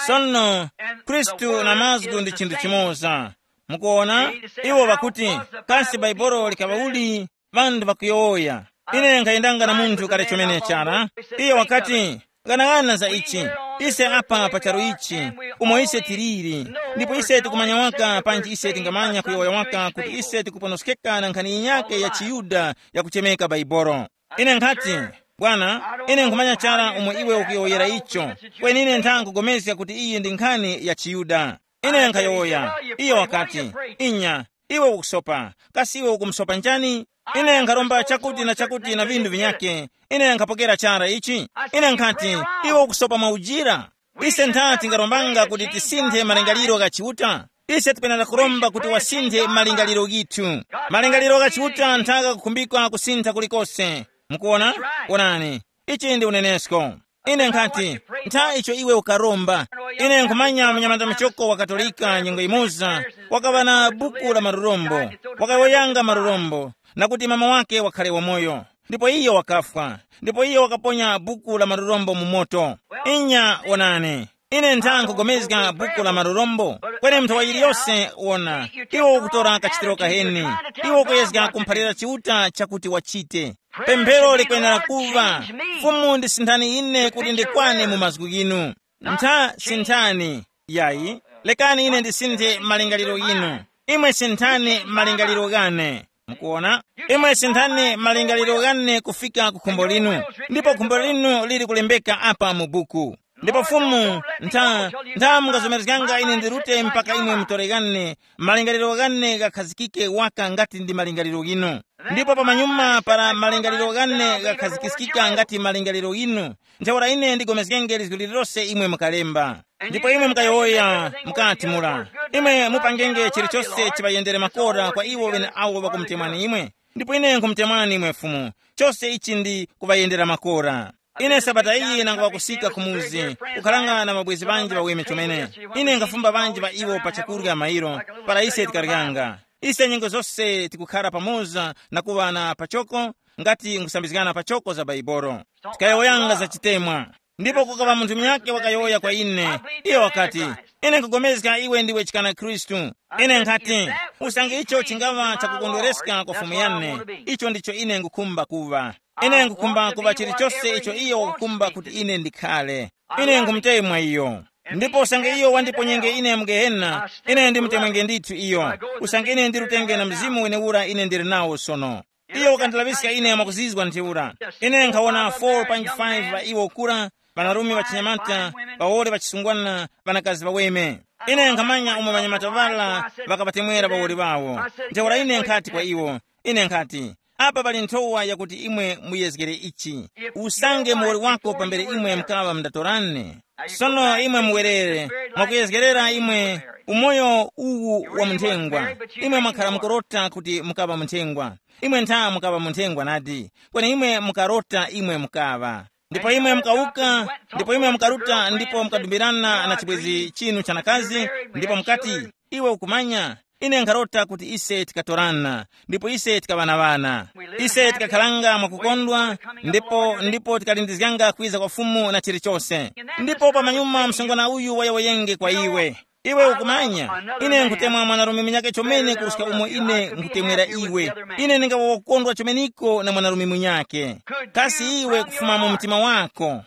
Sono Khristu na mazgu ndi chinthu chimoza. Mukuona, iwo ŵakuti, kasi Baibolo likaŵa uli? Ŵanthu ŵakuyowoya. Ine nkhayendanga na munthu kale chomene chara. Iye wakati, ghanagana za ichi. Ise apa pa charu ichi, umo ise tiliri, ndipo ise tikumanya waka panji ise tingamanya kuyowoya waka kuti ise tikuponoskeka na nkhani yinyakhe ya chiYuda yakuchemeka Baibolo. Ine nkhati, bwana, ine nkhumanya chara umo iwe ukuyowoyera icho, kweni ine ntha nkugomezga kuti iyi ndi nkhani ya chiYuda. Ine nkhayowoya. Iyo wakati, inya, iwe ukusopa. Kasi iwe ukumusopa njani? Ine nkharomba chakuti na chakuti na vinthu vinyakhe. Ine nkhapokera chara ichi. Ine nkhati, iwe ukusopa mwaujira. Ise ntha tingarombanga kuti tisinthe malingaliro gha Chiuta. Ise tipenera kuromba kuti wasinthe malingaliro ghithu. Malingaliro gha Chiuta nthaka kukhumbikwa kusintha kulikose. Mukuona? Wonani, ichi ndi unenesko. Ine nkhati, ntha icho iwe ukaromba. Ine nkhumanya mnyamata muchoko wa Katolika nyengo imoza, wakaŵa na buku la marurombo, wakayowoyanga marurombo, na kuti mama wake wakhale wamoyo. Ndipo iyo wakafwa, ndipo iyo wakaponya buku la marurombo mu moto. Inya, wonani, ine ntha nkugomezga buku la marurombo, kweni munthu wa yiliyose wona, iwo ukutora kachitiro kaheni, iwo ukuyezga kumphalira Chiuta chakuti wachite. Pemphero likwenera kuŵa, Fumu ndisinthani ine kuti ndikwane mu mazgu ghinu. Ntha sinthani, yayi, lekani ine ndisinthe malingaliro ghinu. Imwe sinthani malingaliro ghane. Mukuona? Imwe sinthani malingaliro ghane kufika ku khumbo linu, ndipo khumbo linu lili kulembeka apa mu buku. Ndipo Fumu, ntha, ntha mungazomerezganga ine ndirute mpaka imwe mutore ghane, malingaliro ghane ghakhazikike waka ngati ndi malingaliro ghinu. Ndipo pamanyuma para malingaliro ghane ghakhazikiskika ngati malingaliro ghinu, ntheura ine ndigomezgenge lizgu lililose imwe mukalemba. Ndipo imwe mukayowoya mukati mura, imwe mupangenge chilichose chiŵayendere makora kwa iwo ŵeneawo ŵakumutemwani imwe. Ndipo ine nkhumutemwani imwe Fumu, chose ichi ndi kuŵayendera makora. Ine sabata iyi nangaŵa kusika ku muzi, kukharanga na mabwezi ŵanji ŵaweme chomene. Ine nkhafumba ŵanji ŵa iwo pa chakurya mairo, para ise tikaryanga. Ise nyengo zose tikukhara pamoza na kuŵa na pachoko, ngati nkhusambizgana pachoko za Baibolo. Tikayowoyanga za chitemwa. Ndipo kukaŵa munthu munyakhe wakayowoya kwa ine. Iyo wakati, ine nkhupulikana iwe ndiwe chikana Khristu. Ine nkhati, usange icho chingaŵa chakukondwereska kwa Fumu yane, icho ndicho ine nkhukhumba kuŵa. Ine nkhukhumba kuŵa chilichose icho iyo wakukhumba kuti ine ndikhale. Ine nkhumutemwa iyo. Ndipo usange iyo wandiponyenge ine mu Gehena, ine ndimutemwenge ndithu iyo. Usange ine ndirutenge na mzimu wenewura ine ndili nawo sono. Iyo wakandilaŵiska ine mwakuzizwa ntheura. Ine nkhawona four point five ŵa iwo kura, ŵanarume ŵachinyamata, ŵawole ŵachisungwana, ŵanakazi ŵaweme. Ine nkhamanya umo ŵanyamata ŵara ŵakapatemwera pawoli ŵawo. Ntheura ine nkhati kwa iwo, ine nkhati, apa pali nthowa yakuti imwe muyezgere ichi. Usange muwoli wako pambere imwe mkaŵa mdatorane. Sono imwe muwerere, mwakuyezgerera imwe umoyo uwu wa munthengwa. Imwe mwakhala mukurota kuti mukaŵa munthengwa. Imwe ntha mukaŵa munthengwa nadi, kweni imwe mukarota imwe mukaŵa. Ndipo imwe mukawuka, ndipo imwe mukaruta ndipo mukadumbirana na chibwezi chinu chanakazi, ndipo mukati, iwe ukumanya, ine nkharota kuti ise tikatorana, ndipo ise tikaŵana ŵana. Ise tikakhalanga mwakukondwa, ndipo ndipo tikalindizganga kwiza kwa Fumu na chilichose. Ndipo pamanyuma msungwana uyu wayowoyenge kwa iwe, iwe ukumanya, ine nkutemwa mwanarume munyake chomene kuruska umo ine nkutemwera iwe. Ine ndingawa wakukondwa chomeniko na mwanarume munyake. Kasi iwe kufuma mu mtima wako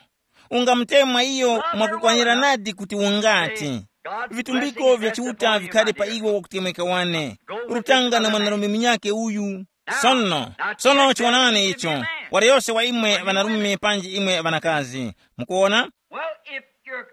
ungamutemwa iyo mwakukwanira nadi kuti ungati, vitumbiko vya Chiuta vikhale pa iwe wakutemweka wane, rutanga na mwanarume munyake uyu? Sono, sono chiwonani icho, wali yose wa imwe ŵanarume panji imwe ŵanakazi, mukuona? Well, if your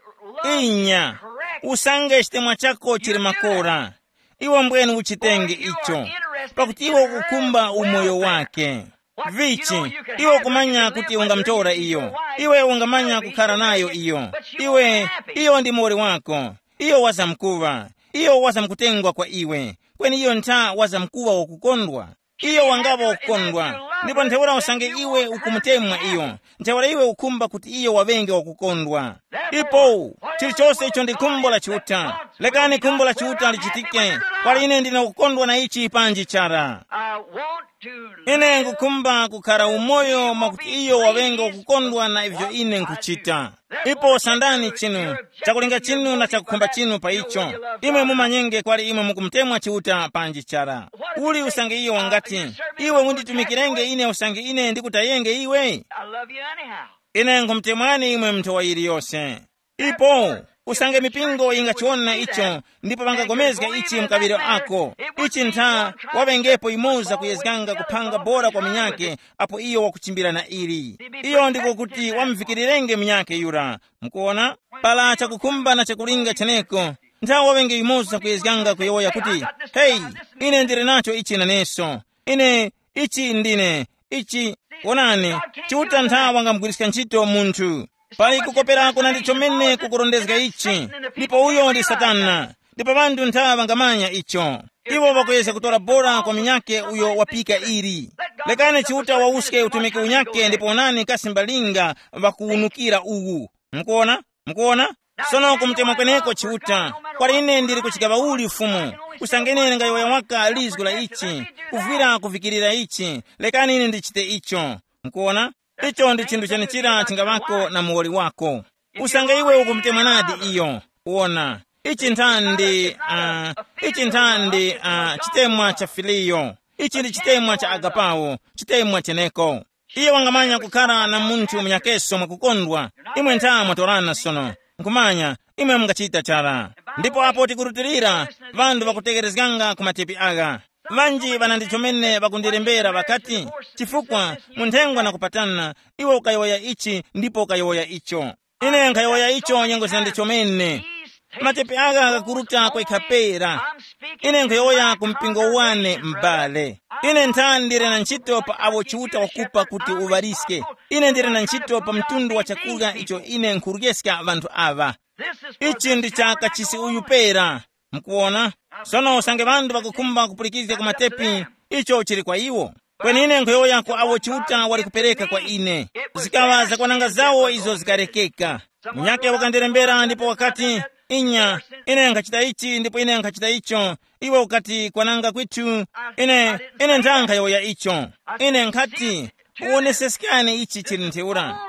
love is inya correct, usange chitemwa chako chili makora, iwe mbweni uchitenge icho, pakuti iwe ukukhumba umoyo wake. Vichi, iwe ukumanya kuti ungamtora iyo, iwe ungamanya kukhala nayo iyo, iwe, iyo ndi muwoli wako, iyo wazamkuŵa, iyo wazamkutengwa kwa iwe, kweni iyo ntha wazamkuŵa wakukondwa. Iyo wangaŵa wakukondwa, ndipo ntheura usange iwe ukumutemwa iyo, ntheura iwe ukhumba kuti iyo waŵenge wakukondwa. Ipo, chilichose icho ndi khumbo la Chiuta. Lekani khumbo la Chiuta lichitike. Kwali ine ndine kukondwa na ichi panji chara. I want to ine live nkukhumba kukhala umoyo mwakuti iyo waŵenge wakukondwa na ivyo ine nkuchita. Ipo sandani chinu, chakulinga chinu na chakukhumba chinu pa icho. Imwe mumanyenge kwali imwe mukumutemwa Chiuta panji chara. Uli usange iyo wangati, iwe unditumikirenge ine usange ine ndikutayenge iwe? I love you anyhow. Ine nkumutemwani imwe mnthowa yiliyose. Ipo, usange mipingo yingachiwona icho, ndipo ŵangapulikana ichi mkaŵiro ako. Ichi ntha, waŵengepo yumoza kuyezganga kuphanga bora kwa munyakhe, apo iyo wakuchimbira na ili. Iyo ndiko kuti wamuvikirirenge munyakhe yura. Mukuona? Para chakukhumba na chakulinga cheneko, ntha waŵenge yumoza kuyezganga kuyowoya kuti, heyi, ine ndili nacho ichi naneso. Ine, ichi ndine, ichi. Wonani, Chiuta ntha wangamugwiriska ntchito munthu. Pali kukoperako na ndi chomene kukurondezga ichi, ndipo uyo ndi Satana. Ndipo ŵanthu ntha ŵangamanya icho. Iwo ŵakuyezga kutora bora kwa munyakhe uyo wapika ili. Lekani Chiuta wawuske utumiki unyakhe ndipo onani kasi mbalinga ŵakuwunukira uwu. Mukuona? Mukuona? Sono kumutemwa kweneko Chiuta, kwali ine ndili kuchigaŵa uli Fumu, usange ine ndingayowoya waka lizgu la ichi, kuvwira kuvikirira ichi, lekani ine ndichite icho. Mukuona? Icho ndi chinthu chenichira chingaŵako na muwoli wako. Usange iwe ukumutemwa nadi iyo, wona, ichi nthandi, uh, ichi nthandi uh, chitemwa cha filiyo. Ichi ndi chitemwa cha agapawo, chitemwa cheneko. Iye wangamanya kukhala na munthu munyakeso mwakukondwa. Imwe ntha mwatorana sono, nkhumanya, imwe mungachita chara. Ndipo apo tikurutilira, ŵanthu ŵakutekerezganga ku matepi agha. Ŵanji ŵanandi chomene ŵakundilembera ŵakati, chifukwa, munthengwa na kupatana, iwe ukayowoya ichi ndipo ukayowoya icho. Ine nkhayowoya icho nyengo zina ndi chomene. Matepi agha ghakuruta kwa ikhapera. Ine nkhayowoya ku mpingo wane m'bale. Ine nthani ndili na ntchito pa awo Chiuta wakupa kuti uŵaliske. Ine ndili na ntchito pa mtundu wa chakurya icho ine nkhuryeska ŵanthu aŵa. Ichi ndi cha kachisi uyu pera. Mukuwona? Sono usange ŵanthu ŵakukhumba kupulikizga ku matepi, icho chili kwa iwo. Kweni ine nkhuyowoya ku awo Chiuta wali kupereka kwa ine. Zikaŵa zakwananga zawo izo zikarekeka. Munyakhe wakandilembera ndipo wakati, inya, ine nkhachita ichi ndipo ine nkhachita icho. Iwe ukati kwananga kwithu, ine, ine nthanga yowoya icho. Ine nkhati, uwoneseskani ichi chili ntheura.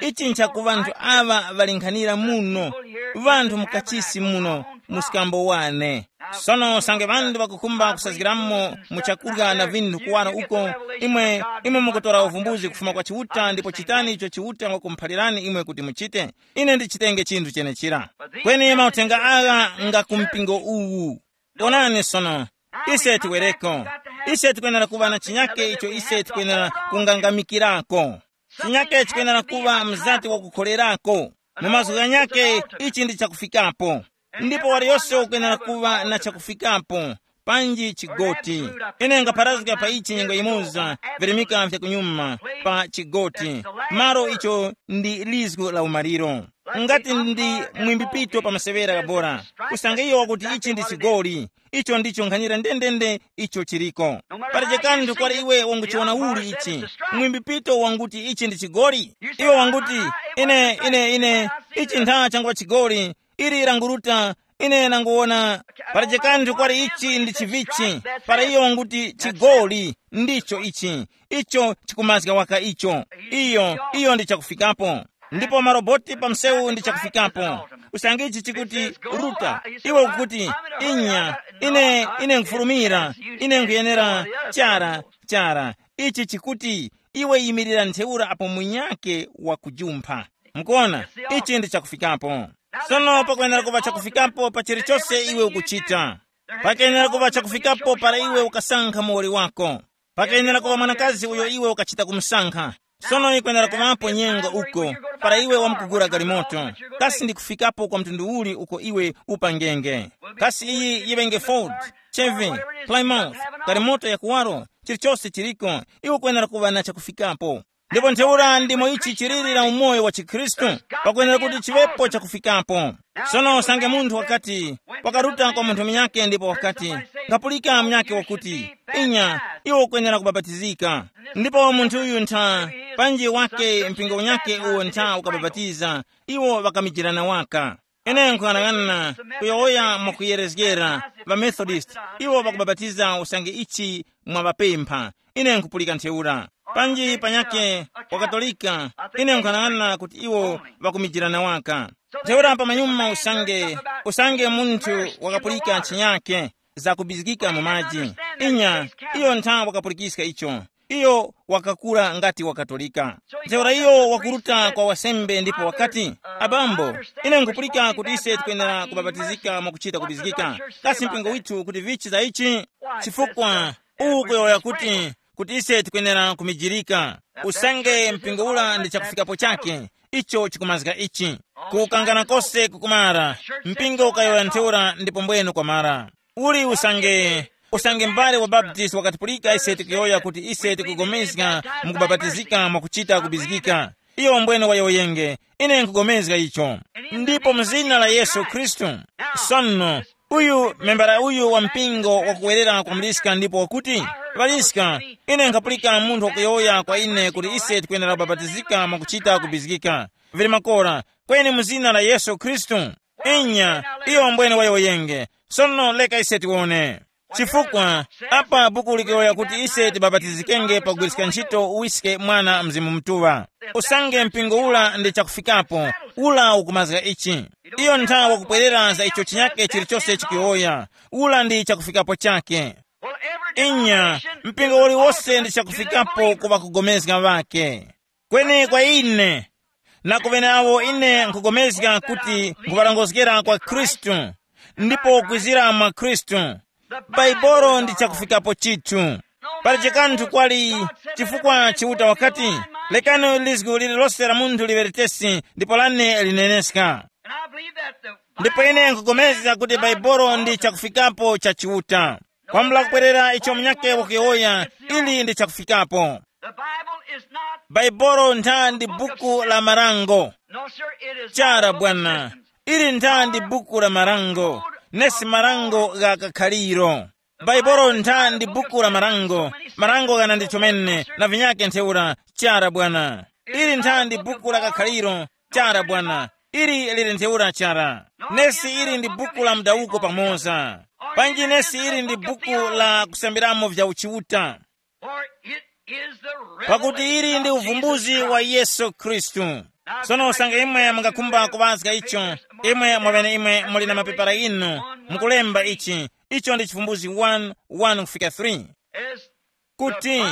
Ichi nchakuŵa nthu aŵa ŵalinkhanira muno, ŵanthu mukachisi muno, muskambo wane. Sono usange ŵanthu ŵakukhumba kusazgiramo mu chakurya na vinthu kuwara uko, imwe, imwe mukutora uvumbuzi kufuma kwa Chiuta ndipo chitani icho Chiuta wakumuphalirani imwe kuti muchite. Ine ndichitenge chinthu chenechira. Kweni mauthenga agha nga ku mpingo uwu. Onani sono, ise tiwereko. Ise tikwenera kuŵa na chinyake icho ise tikwenera kungangamikirako. Chinyake chikwenera kuŵa mzati wakukholerako. Mu mazgu ghanyake ichi ndi chakufikapo. Ndipo waliyose ukwenera kuŵa na chakufikapo. Panji chigoti. Ine ngapharazga pa ichi nyengo yimoza, virimika vya kunyuma, pa chigoti, malo icho ndi lizgu la umaliro. Ngati ndi mwimbipito pa masewera kabora, usange iyo wakuti ichi ndi chigoli, icho ndicho nkhanira ndendende icho chiriko. Palibe kanthu kwali iwe wanguchiwona uli ichi, mwimbipito wanguti ichi ndi chigoli. Iwe wanguti, ine ine ine ichi ntha changuŵa chigoli. Ili languruta, ine nanguwona. Palibe kanthu kwali ichi ndi chivichi. Para iyo wanguti chigoli ndicho ichi, icho chikumazga waka icho. Iyo iyo ndi chakufikapo. Ndipo maroboti pa msewu ndi chakufikapo. Usange ichi chikuti, ruta, iwe ukuti, inya, ine ine nkufulumira, ine nkuyenera, chara, chara. Ichi chikuti, iwe yimirira ntheura apo munyake wakujumpha. Mukuona, ichi ndi chakufikapo. Sono pakwenera kuŵa chakufikapo pa chilichose iwe ukuchita. Pakenera kuŵa chakufikapo para iwe ukasankha muwoli wako. Pakenera kuŵa mwanakazi uyo iwe ukachita kumusankha. Sono ikwenera kuŵapo nyengo uko para iwe wamkugula galimoto. Kasi ndi kufikapo kwa mtundu uli uko iwe upangenge? Kasi iyi yiŵenge Ford, Chevy, Plymouth, galimoto ya kuwaro, chilichose chiliko, iwe ukwenera kuŵa na chakufikapo. Ndipo ntheura ndimo ichi chiliri na umoyo wa chikhristu, pakwenera kuti chiŵepo chakufikapo. Sono usange munthu wakati, wakaruta kwa munthu munyake ndipo wakati, ngapulika munyake wakuti, inya, iwe ukwenera kubapatizika. Ndipo munthu uyu ntha, panji wake mpingo unyake uwo ntha ukabapatiza, iwo ŵakamijirana waka. Ine nkuyang'ana kuyowoya mwakuyerezgera, ŵamethodist, iwo ŵakubapatiza usange ichi mwaŵapempha. Ine nkupulika ntheura. Panji panyakhe, wakatolika, ine nkuyang'ana kuti iwo ŵakumijirana waka. Ntheura pamanyuma usange, usange munthu wakapulika chinyakhe, zakubizgika mu maji. Inya, iyo ntha wakapulikiska icho. Iyo wakakula ngati wakatolika. Ntheura iyo wakuruta kwa wasembe ndipo wakati, abambo, ine nkupulika kuti ise tikwenera kubapatizika mwakuchita kubizgika. Kasi mpingo withu kuti vichi za ichi? Chifukwa uwu kuyowoya kuti, kuti ise tikwenera kumijirika. Usange mpingo ula ndi chakufikapo chake, icho chikumazga ichi. Kukangana kose kukumara, mpingo ukayowoya ntheura ndipo mbwene kwamara. Uli usange, usange mbale wa Baptist wakatipulika ise tikuyowoya kuti ise tikugomezga mukubapatizika mwakuchita kubizgika. Iyo mbwene wayowoyenge, ine nkugomezga icho. Ndipo mu zina la Yesu Khristu. Sono, uyu membara uyu wa mpingo wakuwerera kwa muliska ndipo wakuti, ŵaliska, ine nkhapulika munthu wakuyowoya kwa ine kuti ise tikwenera kubapatizika mwakuchita kubizgika. Vili makora, kweni mu zina la Yesu Khristu. Inya, iyo mbwene wayowoyenge. Sono leka ise tiwone. Chifukwa, apa buku likuyowoya kuti ise tibapatizikenge pakugwiriska ntchito uwiske Mwana Mzimu Mutuŵa. Usange mpingo ula ndi chakufikapo, ula ukumazga ichi. Iyo nthawi wakupwerera za icho chinyake chilichose chikuyowoya, ula ndi chakufikapo chake. Inya, mpingo uliwose ndi chakufikapo ku ŵakugomezga ŵake. Kweni kwa ine, na ku ŵeneawo ine nkugomezga kuti nkhuŵarongozgera kwa Khristu, ndipo kwizira mwa Khristu, Baibolo ndi chakufikapo chithu. Pali chikanthu kwali, chifukwa Chiuta wakati, lekani lizgu lililose la munthu liŵeretesi ndipo lane lineneska. Ndipo ine nkugomezga kuti Baibolo ndi chakufikapo cha Chiuta. Kwambula kupwerera icho munyake wakuyowoya, ili ndi chakufikapo. Baibolo ntha ndi buku la marango. Chara bwana, ili ntha ndi buku la marango, nesi marango gha kakhaliro. Baibolo ntha ndi buku la marango, marango ghana ndi chomene na vinyake ntheura. Chara bwana, ili ntha ndi buku la kakhaliro. Chara bwana, ili lili ntheura chara. Nesi ili ndi buku la mdawuko pamoza. Panji nesi ili ndi buku la kusambiramo vya uchiuta. Pakuti ili ndi uvumbuzi wa Yesu Khristu. Sono usange imwe mungakhumba kuŵazga icho, imwe mwabene imwe muli na mapepala inu, mukulemba ichi. Icho ndi chivumbuzi one one kufika three, kuti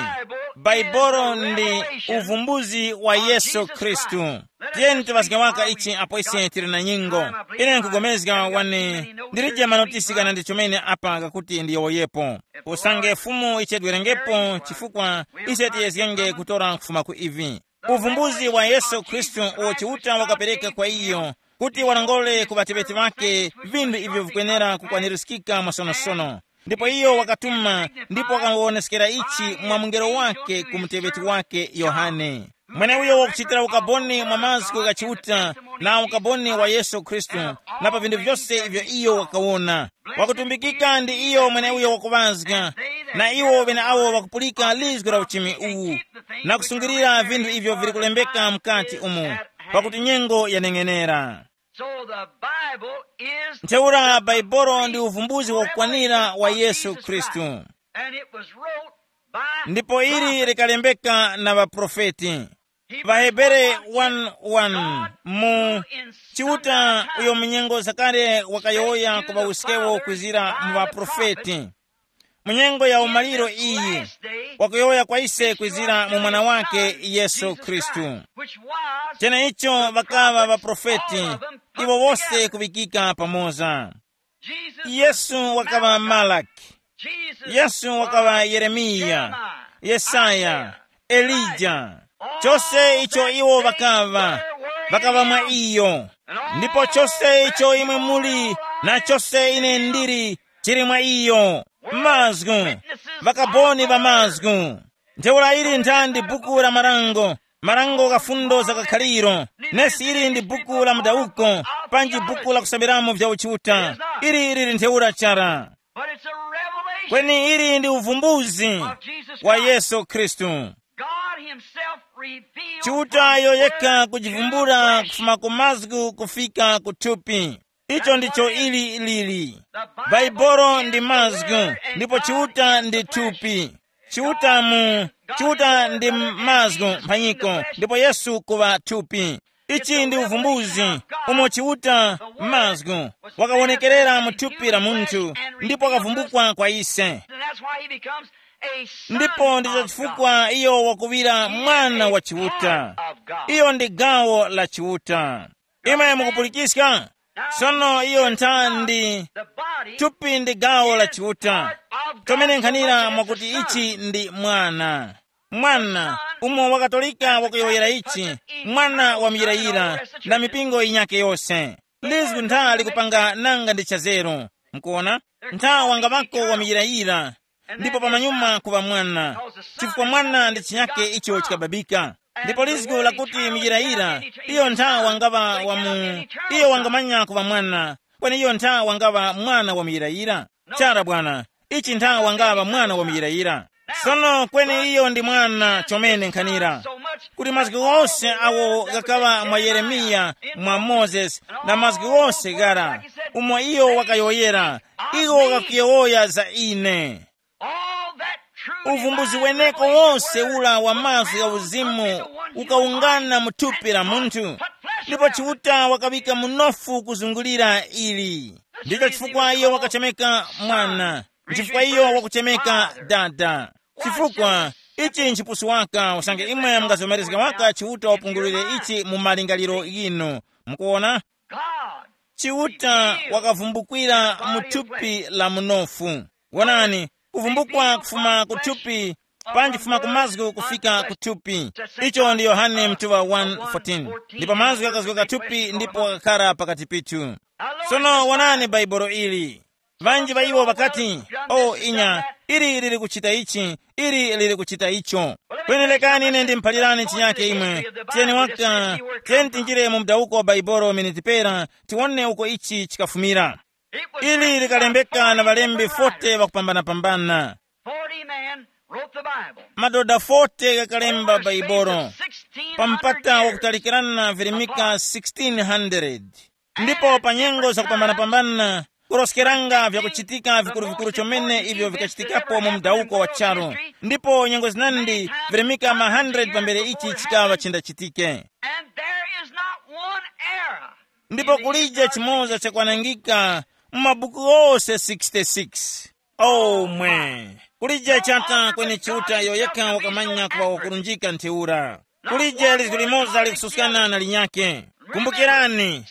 Baibolo ndi uvumbuzi wa Yesu Khristu. Tiyeni tiŵazge waka ichi apo ise tili na nyingo. Ine nkugomezga wani, ndilije manotisi kana ndi chomene apa kakuti ndiyowoyepo. Usange Fumu ichedwerengepo, chifukwa ise tiyezgenge kutora kufuma ku ivi. Uvumbuzi wa Yesu Khristu uwo Chiuta wakapereka kwa iyo, kuti walongole ku ŵateŵeti ŵake vinthu ivyo vikwenera kukwanirizikika mwasonosono. Ndipo iyo wakatuma, ndipo wakawoneskera ichi mwa mungelo wake ku muteŵeti wake Yohane, mweneuyo wakuchitira ukaboni mwa mazgu gha Chiuta, na ukaboni wa Yesu Khristu, na pa vinthu vyose ivyo iyo wakawona. Wakutumbikika ndi iyo mweneuyo wakuŵazga, na iwo ŵeneawo ŵakupulika lizgu la uchimi uwu, na kusungilira vinthu ivyo vili kulembeka mukati umu, pakuti nyengo yaneng'enera. So the Bible is ntheura the Baibulo ndi uvumbuzi wakukwanira wa Yesu Khristu. And it was wrote by ndipo ili likalembeka na ŵaprofeti. Vahebere one one mu Chiuta uyo munyengo zakale wakayowoya ku ŵawuskewo kwizira mu ŵaprofeti. Munyengo ya umaliro iyi, wakuyowoya kwa ise kwizira mu mwana wake Yesu Khristu. Cheneicho ŵakaŵa ŵaprofeti, iwo wose kuŵikika pamoza. Yesu wakaŵa Malaki, Yesu wakaŵa Yeremiya, Yesaya, Elija. Chose icho iwo ŵakaŵa, ŵakaŵa mwa iyo. Ndipo chose icho imwe muli, na chose ine ndili, chili mwa iyo. Mazgu, ŵakaboni ŵa mazgu. Ntheura ili nthandi buku la marango, marango gha fundo za kakhaliro. Nesi ili ndi buku la mudawuko, panji buku la kusambilamo vya uchiuta. Ili lili ntheura chara. But it's a revelation kweni ili ndi uvumbuzi of Jesus wa Christ. Yesu Khristu. God himself revealed Chiuta from yo yekha word kujivumbula to flesh. Kufuma ku mazgu kufika ku thupi. Icho ndicho ili lili. Baibulo ndi mazgu, ndipo Chiuta ndi thupi. Chiuta mu, Chiuta ndi mazgu mphanyiko, ndipo Yesu kuŵa thupi. Ichi ndi uvumbuzi, umo Chiuta mazgu wakawonekerera mu thupi la munthu, ndipo wakavumbukwa kwa ise. And that's why he becomes a son ndipo ndicho of God. Chifukwa iyo wakuŵira mwana wa Chiuta. Iyo ndi gawo la Chiuta. Imwe mukupulikiska? Sono iyo nthandi, thupi ndi gawo la Chiuta. Tomene nkhanira mwakuti ichi ndi mwana. Mwana, umo wakatolika wakuyowoyera ichi, mwana wa muyirayira, na mipingo yinyake yose. Lizgu ntha likupanga nanga ndi chazeru. Mukuona? Ntha wanga ŵako wa muyirayira, ndipo pamanyuma kuŵa mwana. Chifukwa mwana ndi chinyake icho chikababika. Ndipo lizgu lakuti muyirayira, iyo ntha wangaŵa wa mu, iyo wangamanya kuŵa mwana, kweni iyo ntha wangaŵa mwana wa muyirayira. Chara bwana, ichi ntha wangaŵa mwana wa muyirayira. Sono kweni iyo ndi mwana chomene nkhanira, kuti mazgu ghose awo ghakaŵa mwa Yeremiya, mwa Mozesi, na mazgu ghose ghara, umo iyo wakayowoyera, iwo ghakuyowoya za ine. Uvumbuzi weneko wose ula wa mazgu ya uzimu ukawungana mu thupi la munthu, ndipo Chiuta wakaŵika munofu kuzungulira ili. Ndicho chifukwa iyo wakachemeka mwana, nchifukwa iyo wakuchemeka dada. Chifukwa ichi nchipusu waka usange imwe mungazomerezga waka Chiuta wapungulire ichi mu malingaliro yinu. Mukuona? Chiuta wakavumbukira mu thupi la munofu. Wonani, kuvumbukwa kufuma ku thupi, panji kufuma ku mazgu kufika ku thupi. Icho ndi Yohane mtuŵa one fourteen. Ndipo mazgu ghakazgoka thupi ndipo ghakakhara pakati pithu. Sono wonani Baibulo ili. Ŵanji ŵa iwo ŵakati, "O inya, ili lili kuchita ichi, ili lili kuchita icho." Kweni lekani ine ndimuphalirani chinyake imwe. Tiyeni waka, tiyeni tinjire mu mdawuko wa Baibulo miniti pera, tiwone uko ichi chikafumira. Ili likalembeka na ŵalembi forty ŵakupambanapambana. Forty men wrote the Bible. Madoda forty ghakalemba Baibulo pa mpata wakutalikirana virimika sixteen hundred. Ndipo pa nyengo zakupambanapambana, kuroskeranga vyakuchitika vikuru-vikuru chomene ivyo vikachitikapo mu mudawuko wa charu. Ndipo nyengo zinandi virimika ma hundred pambere ichi chikaŵa chindachitike. And there is not one error. Ndipo kulije chimoza chakwanangika mu mabuku ghose sixty-six. Oh mwe, kulije chata kweni Chiuta iyo yekha wakamanya kuŵa wakurunjika ntheura. Kulije lizgu limoza likususkana na linyakhe. Kumbukirani,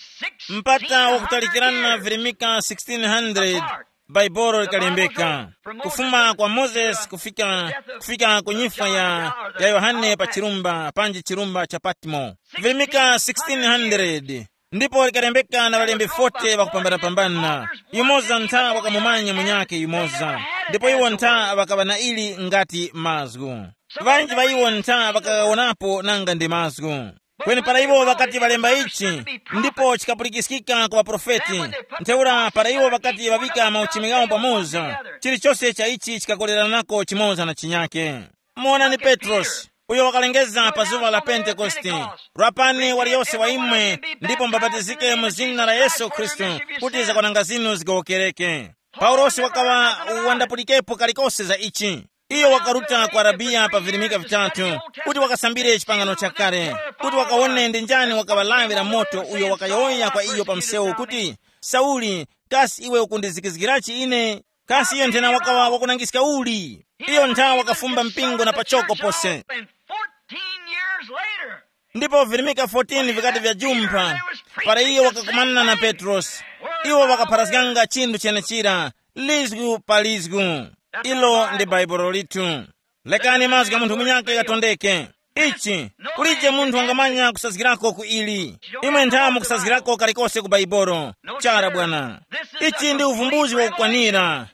mpata wakutalikirana virimika sixteen hundred, Bhaibuli likalembeka, kufuma kwa Mozesi kufika, kufika ku nyifwa ya, ya Yohane pa chirumba, panji chirumba cha Patmo. Virimika sixteen hundred. Ndipo likalembeka na ŵalembi forty ŵakupambanapambana. Yumoza ntha wakamumanya munyakhe yumoza, ndipo iwo ntha ŵakaŵa na ili ngati mazgu. Ŵanji ŵa iwo ntha ŵakawonapo nanga ndi mazgu. Kweni para iwo ŵakati ŵalemba ichi, ndipo chikapulikiskika ku ŵaprofeti, ntheura para iwo ŵakati ŵaŵika mauchimi ghawo pamoza, chilichose cha ichi chikakoleranako chimoza na chinyake. Muonani Petrosi, uyo wakalengeza pa zuŵa la Pentekoste, rapani waliyose wa imwe, ndipo mbabatizike mu zina la Yesu Khristu, kuti zakwananga zinu zigowokereke. Paulosi wakaŵa wandapulikepo kalikose za ichi. Iyo wakaruta ku Arabiya pa virimika vitatu, kuti wakasambire chipangano chakale, kuti wakawone ndi njani wakaŵa lawi la moto uyo wakayowoya kwa iyo pa msewu kuti, Sauli, kasi iwe ukundizikizgirachi ine? Kasi iyo nthena wakaŵa wakunangiska uli? Iyo nthawa wakafumba mpingo na pachoko pose. And fourteen years later, ndipo virimika fourteen vikati vyajumpha, para iyo wakakumana na Petrosi, iwo wakapharazganga chinthu chenechira, lizgu pa lizgu. Ilo ndi baibulo lithu. Lekani mazgu gha munthu munyakhe ghatondeke. Ichi, kulije munthu wangamanya kusazgirako ku ili. Imwe nthamu kusazgirako kalikose ku bhaibolo. Chara bwana. Ichi ndi uvumbuzi wakukwanira.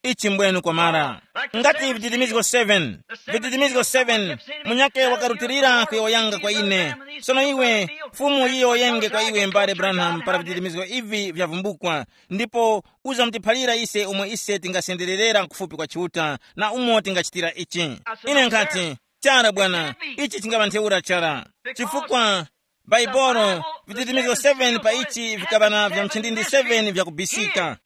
Ichi mbwenu kwamara. Ngati vititimizgo seven, vititimizgo seven, munyakhe wakarutilira kuyowoyanga kwa ine. Sono iwe, fumu yiyowoyenge kwa iwe mbale Branham para vititimizgo ivi vyavumbukwa, ndipo uzamutiphalira ise umo ise tingasendererera kufupi kwa Chiuta na umo tingachitira ichi. Ine nkhati, chara bwana, ichi chingaŵa ntheura chara. Chifukwa bhaibolo, vititimizgo seven pa ichi vikaŵa na vya mchindindi seven vyakubisika.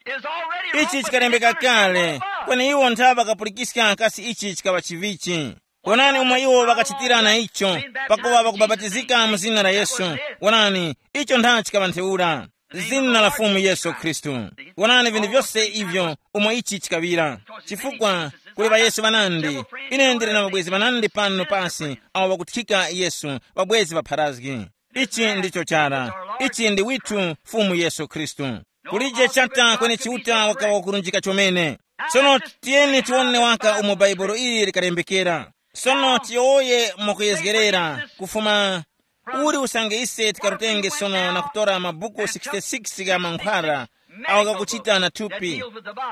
Ichi chikalembeka kale, kweni iwo ntha ŵakapulikiska kasi ichi chikaŵa chivichi. Wonani umo iwo ŵakachitira na icho, pakuwa ŵakubapatizika mu zina la Yesu. Wonani, icho ntha chikaŵa ntheura. Zina la Fumu Yesu Khristu. Wonani vinthu vyose ivyo umo ichi chikaŵira. Chifukwa kuli ŵaYesu ŵanandi. Ine ndili na mabwezi ŵanandi pano pasi awo ŵakuthika Yesu, ŵabwezi ŵapharazgi. Ichi ndicho chara. Ichi ndi withu Fumu Yesu Khristu. Kulije chata kweni Chiuta wakawa wakurunjika chomene. Sono tiyeni tiwone waka umo Bhaibuli ili likalembekera. Sono tiyowoye mwakuyezgerera kufuma uli usange ise tikarutenge sono na kutora mabuku sixty-six gha mankhwara awo ghakuchita na thupi,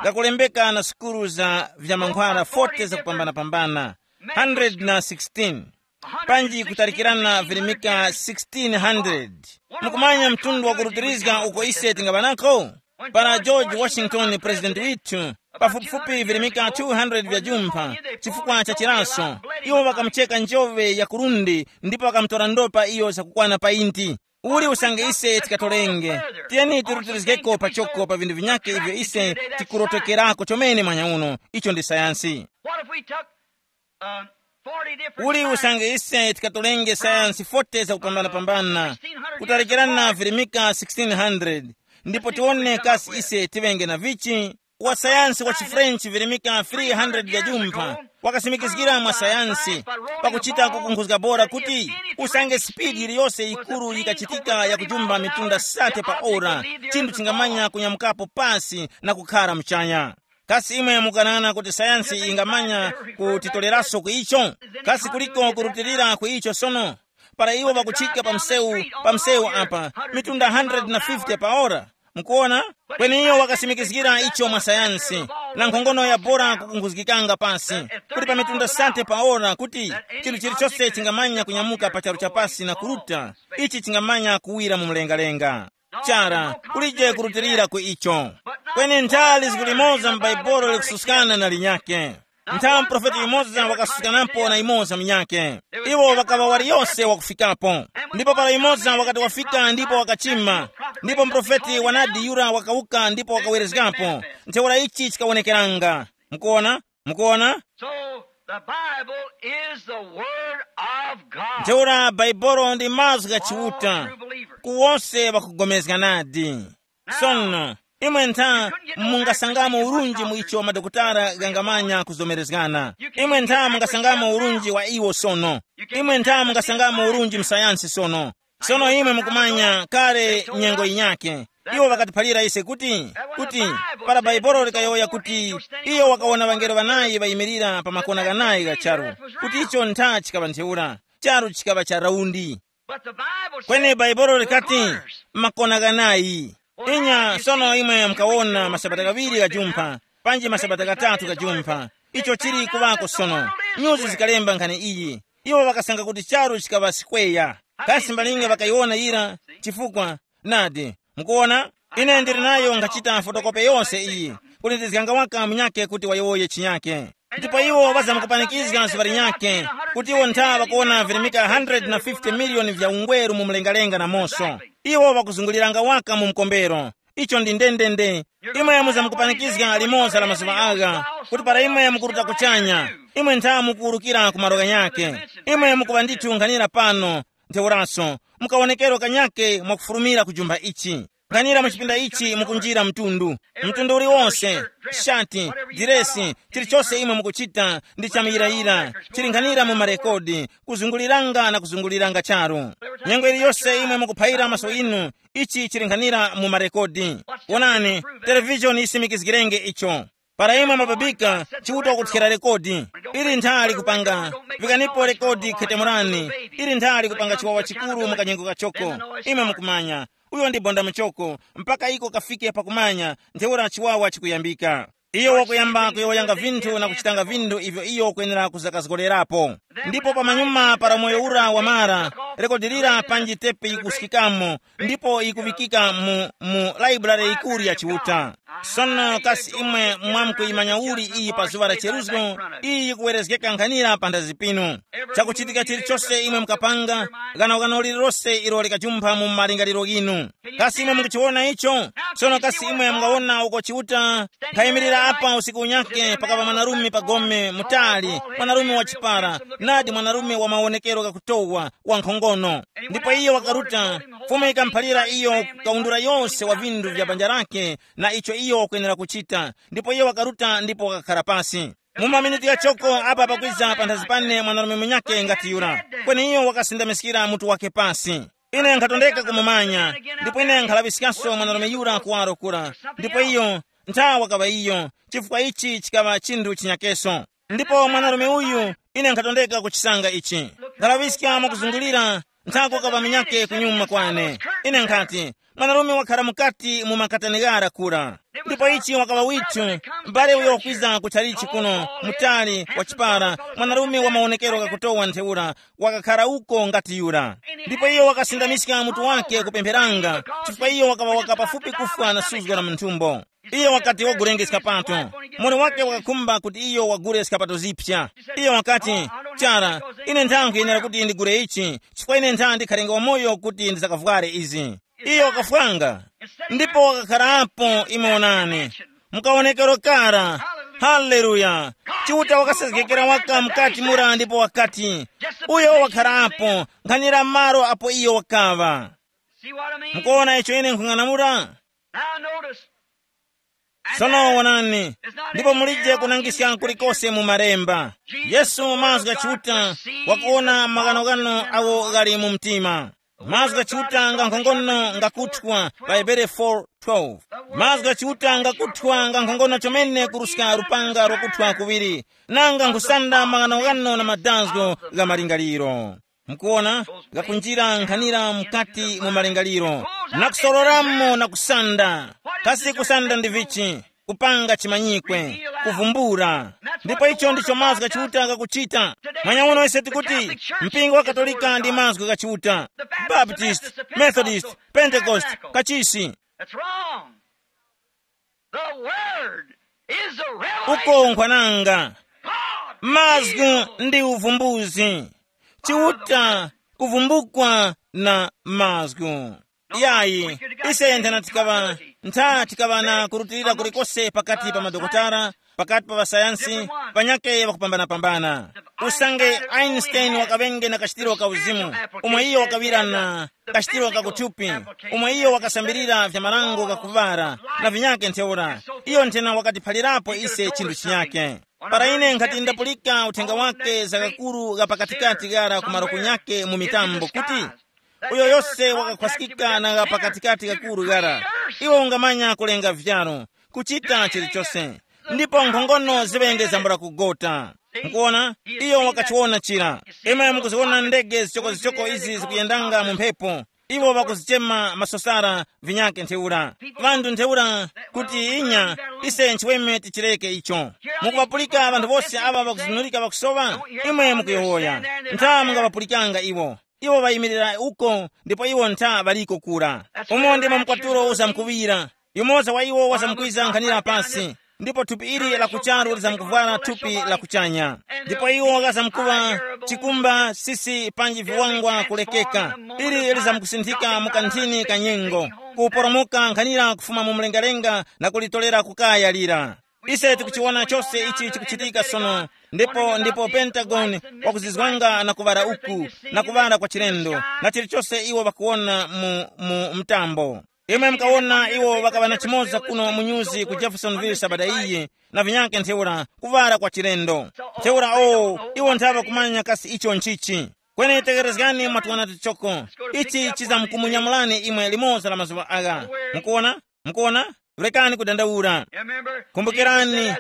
ghakulembeka na sukulu za vya mankhwara forty zakupambanapambana, hundred na sixteen, panji kutalikirana virimika sixteen hundred. Mukumanya mtundu wa kurutirizga uko ise tingaŵa nako? Para George Washington, president withu, pafupifupi virimika two hundred vya jumpha, chifukwa cha chiraso, iwo ŵakamucheka njove ya kurundi ndipo ŵakamutora ndopa iyo zakukwana painti. Uli usange ise tikatorenge, tiyeni tirutirizgeko pachoko pa vinthu vinyakhe ivyo ise tikurotokerako chomene mwanya uno. Icho ndi sayansi. What if we took uh, forty different uli science? Usange ise tikatorenge sayansi forty zakupambanapambana, kutalikirana virimika sixteen hundred, ndipo tiwone kasi ise tivenge na vichi. Wasayansi wa chifrenchi virimika three hundred vya jumpha wakasimikizgira mwa sayansi pakuchita kukunkhuzga bora kuti usange sipidi iliyose yikuru yikachitika ya kujumba mitunda sate pa ora, chinthu chingamanya kunyamukapo pasi na kukhara muchanya. Kasi imwe mukanana kuti sayansi ingamanya kutitoleranso ku icho? Kasi kuliko kurutilira ku icho sono? Para iwo ŵakuchika pa msewu, pa msewu apa, mitunda hundred na fifty pa ora. Mukuona? Kweni iyo wakasimikizgira icho mwa sayansi, na nkhongono ya bora kukunkhuzgikanga pasi, kuti pa mitunda sate pa ora kuti chinthu chilichonse chingamanya kunyamuka pa charu cha pasi na kuruta, ichi chingamanya kuwira mu mlengalenga. Chara, kulije kurutilira ku icho. Kweni nthali zikulimoza m'Baibulo likususkana na linyakhe. Nthawi muprofeti yumoza wakasuskanapo na yumoza munyakhe. Iwo ŵakaŵa waliyose wakufikapo. Ndipo para yumoza wakati wafika ndipo wakachima, ndipo muprofeti wanadi yura wakawuka ndipo wakawerezgapo. Ntheura ichi chikawonekeranga. Mukuona? Mukuona? So the Bible is the Word of God. Ntheura Bhaibolo ndi mazgu gha Chiuta. All true believers. Ku wose ŵakugomezga nadi. Sono, imwe ntha mungasangamo urunji mu icho madokotala ghangamanya kuzomerezgana. Imwe ntha mungasangamo urunji wa iwo sono. Imwe ntha mungasangamo urunji mu sayansi sono. Sono imwe mukumanya kale nyengo yinyakhe. Iwo ŵakatiphalira ise kuti, kuti para Bhaibolo likayowoya kuti iyo wakawona ŵangelo ŵanayi ŵayimirira pa makona ghanayi gha charu, kuti icho ntha chikaŵa ntheura, charu chikaŵa cha raundi. But the Bible kweni said baibulo likati, makona ghanayi. Inya sono imwe mukawona masabata ghaŵiri ghajumpha, panji masabata ghatatu ghajumpha, icho chili kuŵako sono. Nyuzi zikalemba nkhani iyi. Iwo ŵakasanga kuti charu chikaŵa sikweya. Kasi mbalinga ŵakayiwona yira? Chifukwa, nadi, mukuwona, ine ndili nayo nkhachita fotokope yonse iyi, kuti ndizganga waka munyake kuti wayowoye chinyake. Ndipo iwo ŵazamkupanikizga zuŵa linyakhe, kuti iwo ntha ŵakuwona virimika hundred na fifty miliyoni vya ungweru mu mlengalenga na moso. Iwo ŵakuzunguliranga waka mu mkombero. Icho ndi ndendende. Imwe muzamkupanikizga limoza la mazuŵa agha, kuti para imwe mukuruta kuchanya, imwe ntha mukuwurukira ku malo ghanyakhe. Imwe mukuŵa ndithu nkhanira pano, ntheuraso mukawonekero kanyakhe mwakufulumira ku jumba ichi. Nkhanira mu chipinda ichi mukunjira mtundu, mtundu uliwonse, shati, diresi, chilichose imwe mukuchita ndi chamuyirayira, chili nkhanira mu marekodi, kuzunguliranga na kuzunguliranga charu. Nyengo iliyose imwe mukuphayira maso inu, ichi chili nkhanira mu marekodi. Wonani, televishoni yisimikizgirenge icho. Para imwe mababika, Chiuta wakuthyera rekodi. Ili nthali kupanga, vikanipo rekodi khetemurani. Ili nthali kupanga chiwawa chikuru mu kanyengo kachoko. Imwe mukumanya, uyo ndi bonda muchoko, mpaka iko kafike pakumanya, ntheura chiwawa chikuyambika. Iyo wakuyamba kuyowoyanga vinthu na kuchitanga vinthu ivyo iyo ukwenera kuzakazgorerapo. Ndipo pamanyuma para moyo ura wamara, rekodi lira panji tepe yikusikikamo, ndipo yikuŵikika mu, mu laibulare yikuru ya Chiuta. Sono kasi imwe mwamkuyimanya uli iyi pa zuŵa la cheruzgo? Iyi yikuwerezgeka nkhanira panthazi pinu. Chakuchitika chilichose imwe mukapanga, ghanogano lililose ilo likajumpha mu malingaliro ghinu. Kasi imwe mukuchiwona icho? Sono kasi imwe mungawona uko Chiuta? Nkhayimirira apa usiku unyake pakapa mwanarume pagome mutali, mwanarume wa chipara, nadi mwanarume wa mawonekero ghakutowa, wa nkhongono. Ndipo iyo wakaruta, Fumu ikamuphalira iyo kawundura yose wa vinthu vya banja lake na icho iyo wakwenera kuchita, ndipo iyo wakaruta ndipo wakakhara pasi. Mu maminiti ghachoko apa pakwiza panthazi pane mwanarume munyakhe ngati yura, kweni iyo wakasindamiskira mutu wake pasi. Ine nkhatondeka kumumanya, ndipo ine nkhalaŵiskanso mwanarume yura kuwaro kura, ndipo iyo ntha wakaŵa iyo, chifukwa ichi chikaŵa chinthu chinyakeso. Ndipo mwanarume uyu, ine nkhatondeka kuchisanga ichi. Nkalaŵiska mwakuzungulira, nthako kaŵa minyake kunyuma kwane. Ine nkhati, mwanarume wakhara mukati mu makatani ghara kura. Ndipo ichi wakaŵa withu, m'bale uyo wakwiza ku chalichi kuno, mutali wa chipara, mwanarume wa mawonekero ghakutowa ntheura, wakakhara uko ngati yura. Ndipo iyo wakasindamiska mutu wake kupempheranga, chifukwa iyo wakaŵa waka pafupi kufwa na suzgo la munthumbo. Iyo wakati wagulengeska pato. Muli wake wakakhumba kuti iyo wagule skapato zipya. Iyo wakati, chara, ine ntha nkhuyenera kuti ndigule ichi, chifukwa ine ntha ndikhalenga wamoyo kuti ndizakavware izi. Iyo wakafwanga, ndipo wakakharapo imwe onani, mukawonekero kara. Haleluya! Chiuta wakasezgekera waka mukati mura ndipo wakati, uyo wakharapo, nkhanira malo apo iyo wakaŵa. See what I mean? Mukuwona icho ine nkhung'anamula? Now notice. Sono wonani, ndipo mulije kunangiska kulikose mu malemba. Yesu mazgu gha Chiuta wakuwona maghanoghano awo ghali mu mtima. Mazgu gha Chiuta nga nkhongono ngakuthwa pa Hebere four twelve. Mazgu gha Chiuta ngakuthwa nga nkhongono chomene kuruska lupanga lwakuthwa kuŵiri, nanga nkhusanda maghanoghano na madazgo gha malingaliro. Mukuwona, ghakunjira nkhanira mukati mu malingaliro, na kusororamo na kusanda. Kasi kusanda ndi vichi? Kupanga chimanyikwe, kuvumbula. Ndipo icho ndicho mazgu gha Chiuta ghakuchita. Manyauno ise tikuti mpingo wa Katolika ndi mazgu gha Chiuta, Baptist, Methodist, Pentecost, kachisi. That's wrong. The word is the uko revelation. Nkwananga. God mazgu ndi uvumbuzi. Chiuta kuvumbukwa na mazgu. Yayi, ise nthena tikaŵa, ntha tikaŵa na kurutilira kulikose pakati pa madokotala, pakati pa ŵasayansi, panyake ŵakupambanapambana. Usange Einstein wakaŵenge na kachitiro ka uzimu, umwe iyo wakaŵira na kachitiro ka kuthupi, umwe iyo wakasambirira vya marango ghakuŵara na vinyake ntheura, iyo nthena wakatiphalirapo ise chinthu chinyake. Para ine nkhati ndapulika uthenga wake za kakuru gha pakatikati ghara ku maroko nyake mu mitambo kuti, uyo yose wakakhwasikika na gha pakatikati kakuru ghara, iwe ungamanya kulenga vyaro, kuchita chilichose, ndipo nkhongono ziŵenge zambula kugota. Mukuona, iyo wakachiwona chira. Imwe mukuziwona ndege zichokozichoko izi zikuyendanga mu mphepo. Iwo ŵakuzichema masosara vinyake ntheura. Ŵanthu ntheura kuti inya, ise nchiweme tichireke icho. Mukuŵapulika ŵanthu wose aŵa ŵakuzunulika ŵakusowa? Imwe mukuyowoya. Ntha mungaŵapulikanga iwo. Iwo ŵayimirira uko ndipo iwo ntha ŵaliko kura. Umo ndimo mkwatulo uzamkuŵira. Yumoza wa iwo wazamkwiza nkhanira pasi, ndipo thupi ili la kucharu lizamkuvwara thupi la kuchanya. Ndipo iwo ghazamkuŵa chikumba sisi panji viwangwa kulekeka, ili lizamkusinthika mu kanthini ka nyengo, kuporomoka nkhanira kufuma mu mlengalenga na kulitorera kukaya lira. Ise tikuchiwona chose ichi chikuchitika sono. Ndipo ndipo pentagon wakuzizwanga na kuŵala uku, na kuŵala kwa chilendo, na chilichose iwo ŵakuwona mu, mu mtambo. Imwe mukawona iwo ŵakaŵa na chimoza kuno mu nyuzi ku Jeffersonville sabata iyi, na vinyake ntheura kuŵala kwa chilendo. Ntheura o, iwo nthaŵa kumanya kasi icho nchichi. Kweni tekerezgani mwatwana tichoko. Ichi chizamkumunyamulani imwe limoza la mazuŵa agha. Mukuona? Mukuona? Rekani kudandaula. Kumbukirani,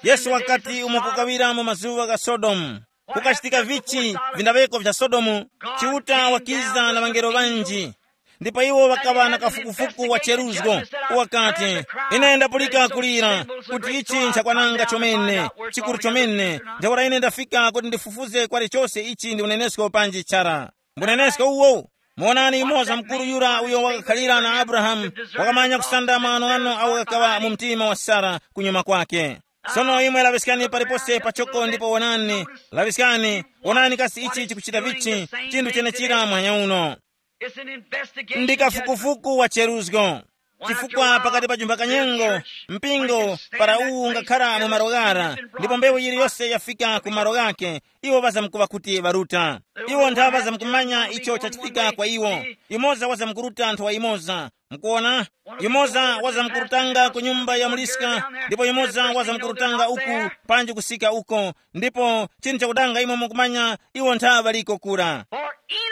Yesu wakati umo kukawira mu mazuŵa gha Sodomu, kukachitika vichi vindaŵeko vya Sodomu, Chiuta wakiza na ŵangelo ŵanji. Ndipo iwo ŵakaŵa na kafukufuku wa cheruzgo, wakati, ine ndapulika kulira, kuti ichi nchakwananga chomene, chikuru chomene. Ntheura ine ndafika kuti ndifufuze kwali chose ichi ndi unenesko panji chara. Mbunenesko uwo. Muonani yumoza mukuru yura uyo wakakhalira na Abrahamu, wakamanya kusanda maghanoghano awo ghakaŵa mu mtima wa Sara kunyuma kwake. Sono imwe laŵiskani palipose pachoko ndipo wonani, laŵiskani, wonani kasi ichi chikuchita vichi, chinthu chenechira muhanya uno. It's an investigation. Ndi kafukufuku wa cheruzgo. Chifukwa pakati pa jumba kanyengo, mpingo, para uwu ungakhara mu malo ghara, ndipo mbewu yiliyose yafika ku malo ghake, iwo ŵazamkuŵa kuti ŵaruta. Iwo nthaŵa zamkumanya icho chachitika kwa iwo. Yumoza wazamkuruta nthowa imoza. Mukuona? Yumoza wazamkurutanga ku nyumba ya muliska, ndipo yumoza wazamkurutanga uku, panji kusika uko. Ndipo chinthu chakudanga imwe mukumanya, iwo nthaŵa liko kura.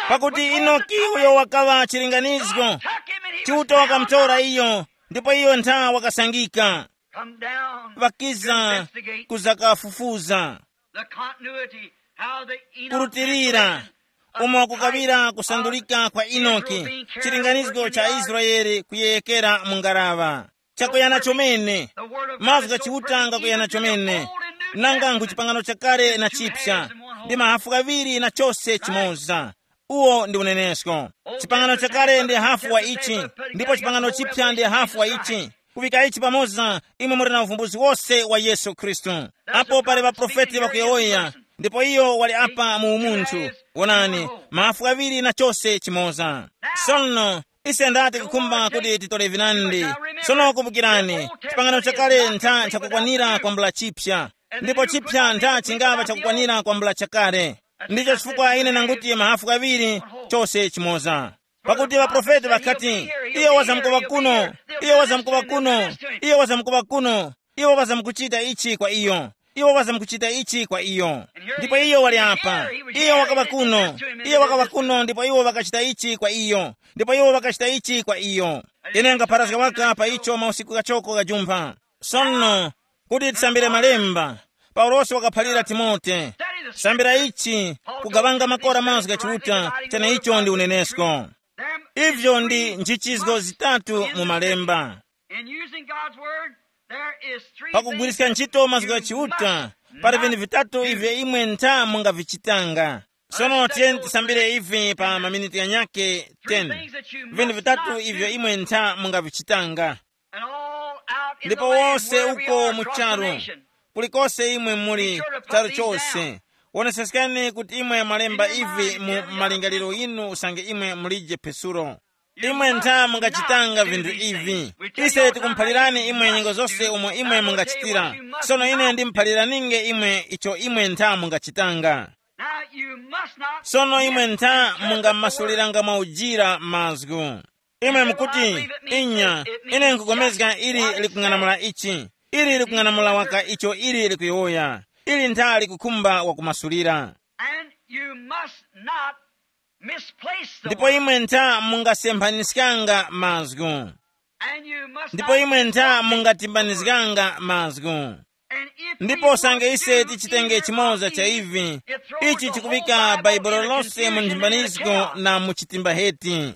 Pakuti Inoki uyo wakaŵa chilinganizgo, Chiuta wakamutora iyo, ndipo iyo ntha wakasangika. Come down. Ŵakiza kuzakafufuza. The continuity, how the Enoch kurutilira, umo kukawira kusandulika kwa Inoki, chilinganizgo cha Israeli kuyeyekera mu ngaraŵa. Chakuyana chomene. Mazgu gha Chiuta ngakuyana chomene. Nanga ngu chipangano chakale na chipsa, ndi mahafu ghaŵiri na chose chimoza. Uwo ndi unenesko. Chipangano chakale ndi hafu wa ichi, ndipo chipangano chipya ndi hafu wa ichi. Kuŵika ichi pamoza, imwe muli na uvumbuzi wose wa Yesu Khristu. Apo pali ŵaprofeti ŵakuyowoya, ndipo iyo wali apa mu umunthu. Wonani, mahafu ghaŵiri na chose chimoza. Sono, ise ndati kukhumba kuti titole vinandi. Sono kumbukirani, chipangano chakale ntha nchakukwanira kwambula chipya, ndipo chipya ntha chingava chakukwanira kwambula chakale. Ndicho chifukwa ine nanguti mahafu ghaŵiri chose chimoza. Pakuti ŵaprofeti ŵakati, iyo wazamkuŵa kuno, iyo wazamkuŵa kuno, iyo wazamkuŵa kuno, iwo wazamkuchita ichi kwa iyo, iwo wazamkuchita ichi kwa iyo. Ndipo iyo wali apa, iyo wakaŵa kuno, iyo wakaŵa kuno ndipo iwo ŵakachita ichi kwa iyo, ndipo iwo ŵakachita ichi kwa iyo. Ine ngapharazga waka pa icho mausiku ghachoko ghajumpha. Sono, kuti tisambire malemba, Paulosi wakaphalira Timote, sambira ichi, kugawanga makora mazgu gha Chiuta, cheneicho ndi unenesko. Ivyo ndi nchichizgo zitatu mu malemba. In using God's word, there is three pakugwiriska things ntchito mazgu gha you Chiuta, must pali vinthu not vitatu do. Ivyo imwe ntha mungavichitanga. Sono tiyeni tisambire ivi pa maminiti yanyake ten. Vinthu vitatu ivyo imwe ntha mungavichitanga. And all out in the ndipo land wose wherever we uko are mu across the charu nation. Kulikose imwe muli charu chose, woneseskani kuti imwe mwalemba ivi mu malingaliro yinu usange imwe mulije pesulo. Imwe ntha mungachitanga vinthu ivi. Ise tikumphalirani imwe nyengo zose umo imwe mungachitira. Sono ine ndimuphaliraninge imwe icho imwe ntha mungachitanga. Now you must not sono imwe ntha mungamasuliranga mwaujira mazgu. Imwe mukuti, inya, ine nkupulikana ili likung'anamula ichi, ili likung'anamula waka icho ili likuyowoya, ili ntha likukhumba wakumasulira. And you must not misplace the ndipo word. Imwe ntha mungasemphanizganga mazgu. And you must ndipo not imwe ntha disturb the word. Mungatimbanizganga mazgu. Ndipo usange ise tichitenge chimoza cha ivi, ichi chikuŵika Baibulo lonse mu nthimbanizgo na mu chitimba heti.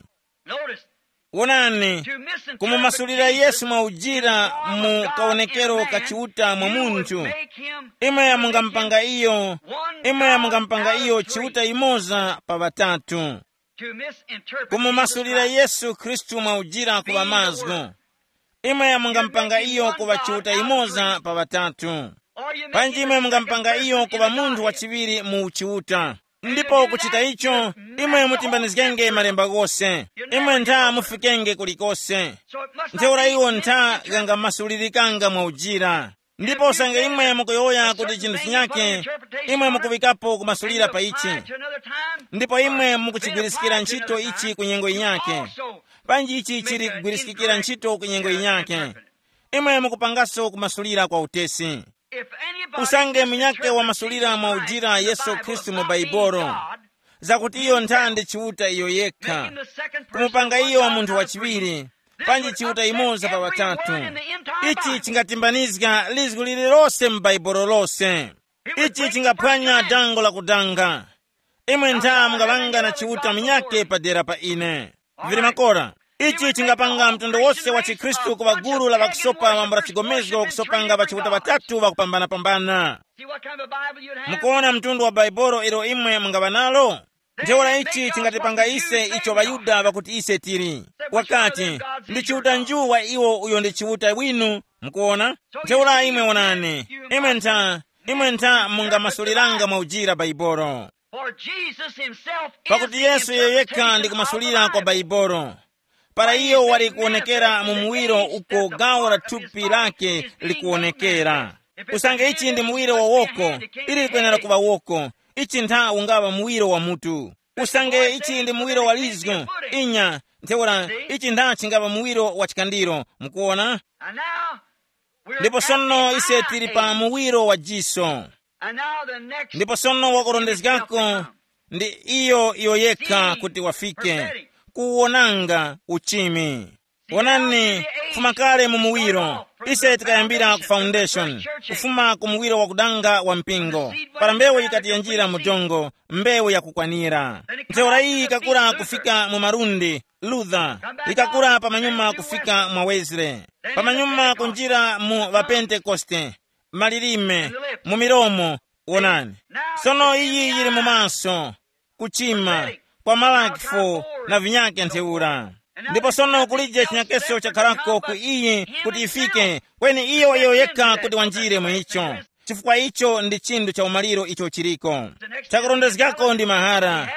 Wonani, kumumasulira Yesu mwa ujira mu kawonekero ka Chiuta mwa munthu, imwe mungampanga iyo, imwe mungampanga iyo Chiuta imoza pa ŵatatu. Kumumasulira Yesu Khristu mwa ujira kuŵa mazgu, imwe mungampanga iyo kuŵa Chiuta imoza pa ŵatatu. Panji imwe mungampanga iyo kuŵa munthu wachiŵiri mu uchiuta. Ndipo kuchita icho, imwe mutimbanizgenge malemba ghose. Imwe ntha mufikenge kulikose. Ntheura iwo ntha ghangamasulilikanga mwa ujira. Ndipo usange imwe mukuyowoya kuti chinthu chinyake, imwe mukuŵikapo kumasulira pa ichi. Ndipo imwe mukuchigwiriskira ntchito ichi ku nyengo yinyake. Panji ichi chili kugwiriskikira ntchito ku nyengo yinyake. Imwe mukupangaso kumasulira kwa utesi. Usange munyakhe wamasulira mwa ujira Yesu Khristu mu Baibolo, zakuti iyo nthandi Chiuta iyo yekha, kumupanga iyo munthu wachiŵiri, panji Chiuta imoza pa ŵatatu. Ichi chingatimbanizga lizgu lililose mu Baibolo lose. Ichi chingaphwanya dango la kudanga. Imwe ntha mungaŵanga na Chiuta munyakhe padera pa ine. Vili makora. Ichi chingapanga mtundu wose wa chikhristu kuŵa gulu la ŵakusopa mambo la chigomezgo kusopanga ŵachiuta ŵatatu ŵakupambanapambana. Mukuwona mtundu wa Baibolo ilo imwe mungaŵa nalo? Ntheura ichi chingatipanga ise icho ŵaYuda ŵakuti ise tili. Wakati, ndi Chiuta nju wa iwo uyo ndi Chiuta winu. Mukuwona? Ntheura imwe wonani, imwe ntha, imwe ntha mungamasuliranga mwa ujira Baibolo. For Jesus himself is pakuti the Yesu iyo yekha ndi interpretation kumasulira of the kwa Bible. Baibolo. Para iyo wali kuwonekera mu muwiro uko gawo la thupi lake likuwonekera. Usange ichi ndi muwiro wa woko, ili likwenera kuŵa woko. Ichi ntha ungaŵa muwiro wa mutu. Usange ichi ndi muwiro wa lizgu, inya, ntheura ichi ntha chingaŵa muwiro wa chikandiro. Mukuwona? And now, we're ndipo at sono the ise tili pa eyegate. Muwiro wa jiso. And now the next ndipo sono wakurondezgako ndi iyo iyo yekha kuti wafike kuwonanga uchimi. Wonani, kufuma kale mu muwiro ise tikayambira ku foundation, kufuma ku muwiro wakudanga wa mpingo, para mbewu yikati yanjira mu dongo, mbewu yakukwanira. Ntheura iyi ikakura kufika mu malundi, Luther, ikakura pamanyuma kufika mwa Wesley, pamanyuma kunjira mu ŵapentekoste, malilime, mu milomo. Wonani, sono iyi yili mu maso, kuchima, kwa malakifo, na vinyake ntheura. Ndipo sono kulije chinyakeso chakharako ku iyi kuti ifike, kweni iyo iyo yekha kuti wanjire mu icho, chifukwa icho ndi chinthu cha umaliro icho chiriko. Chakurondezgako ndi mahara,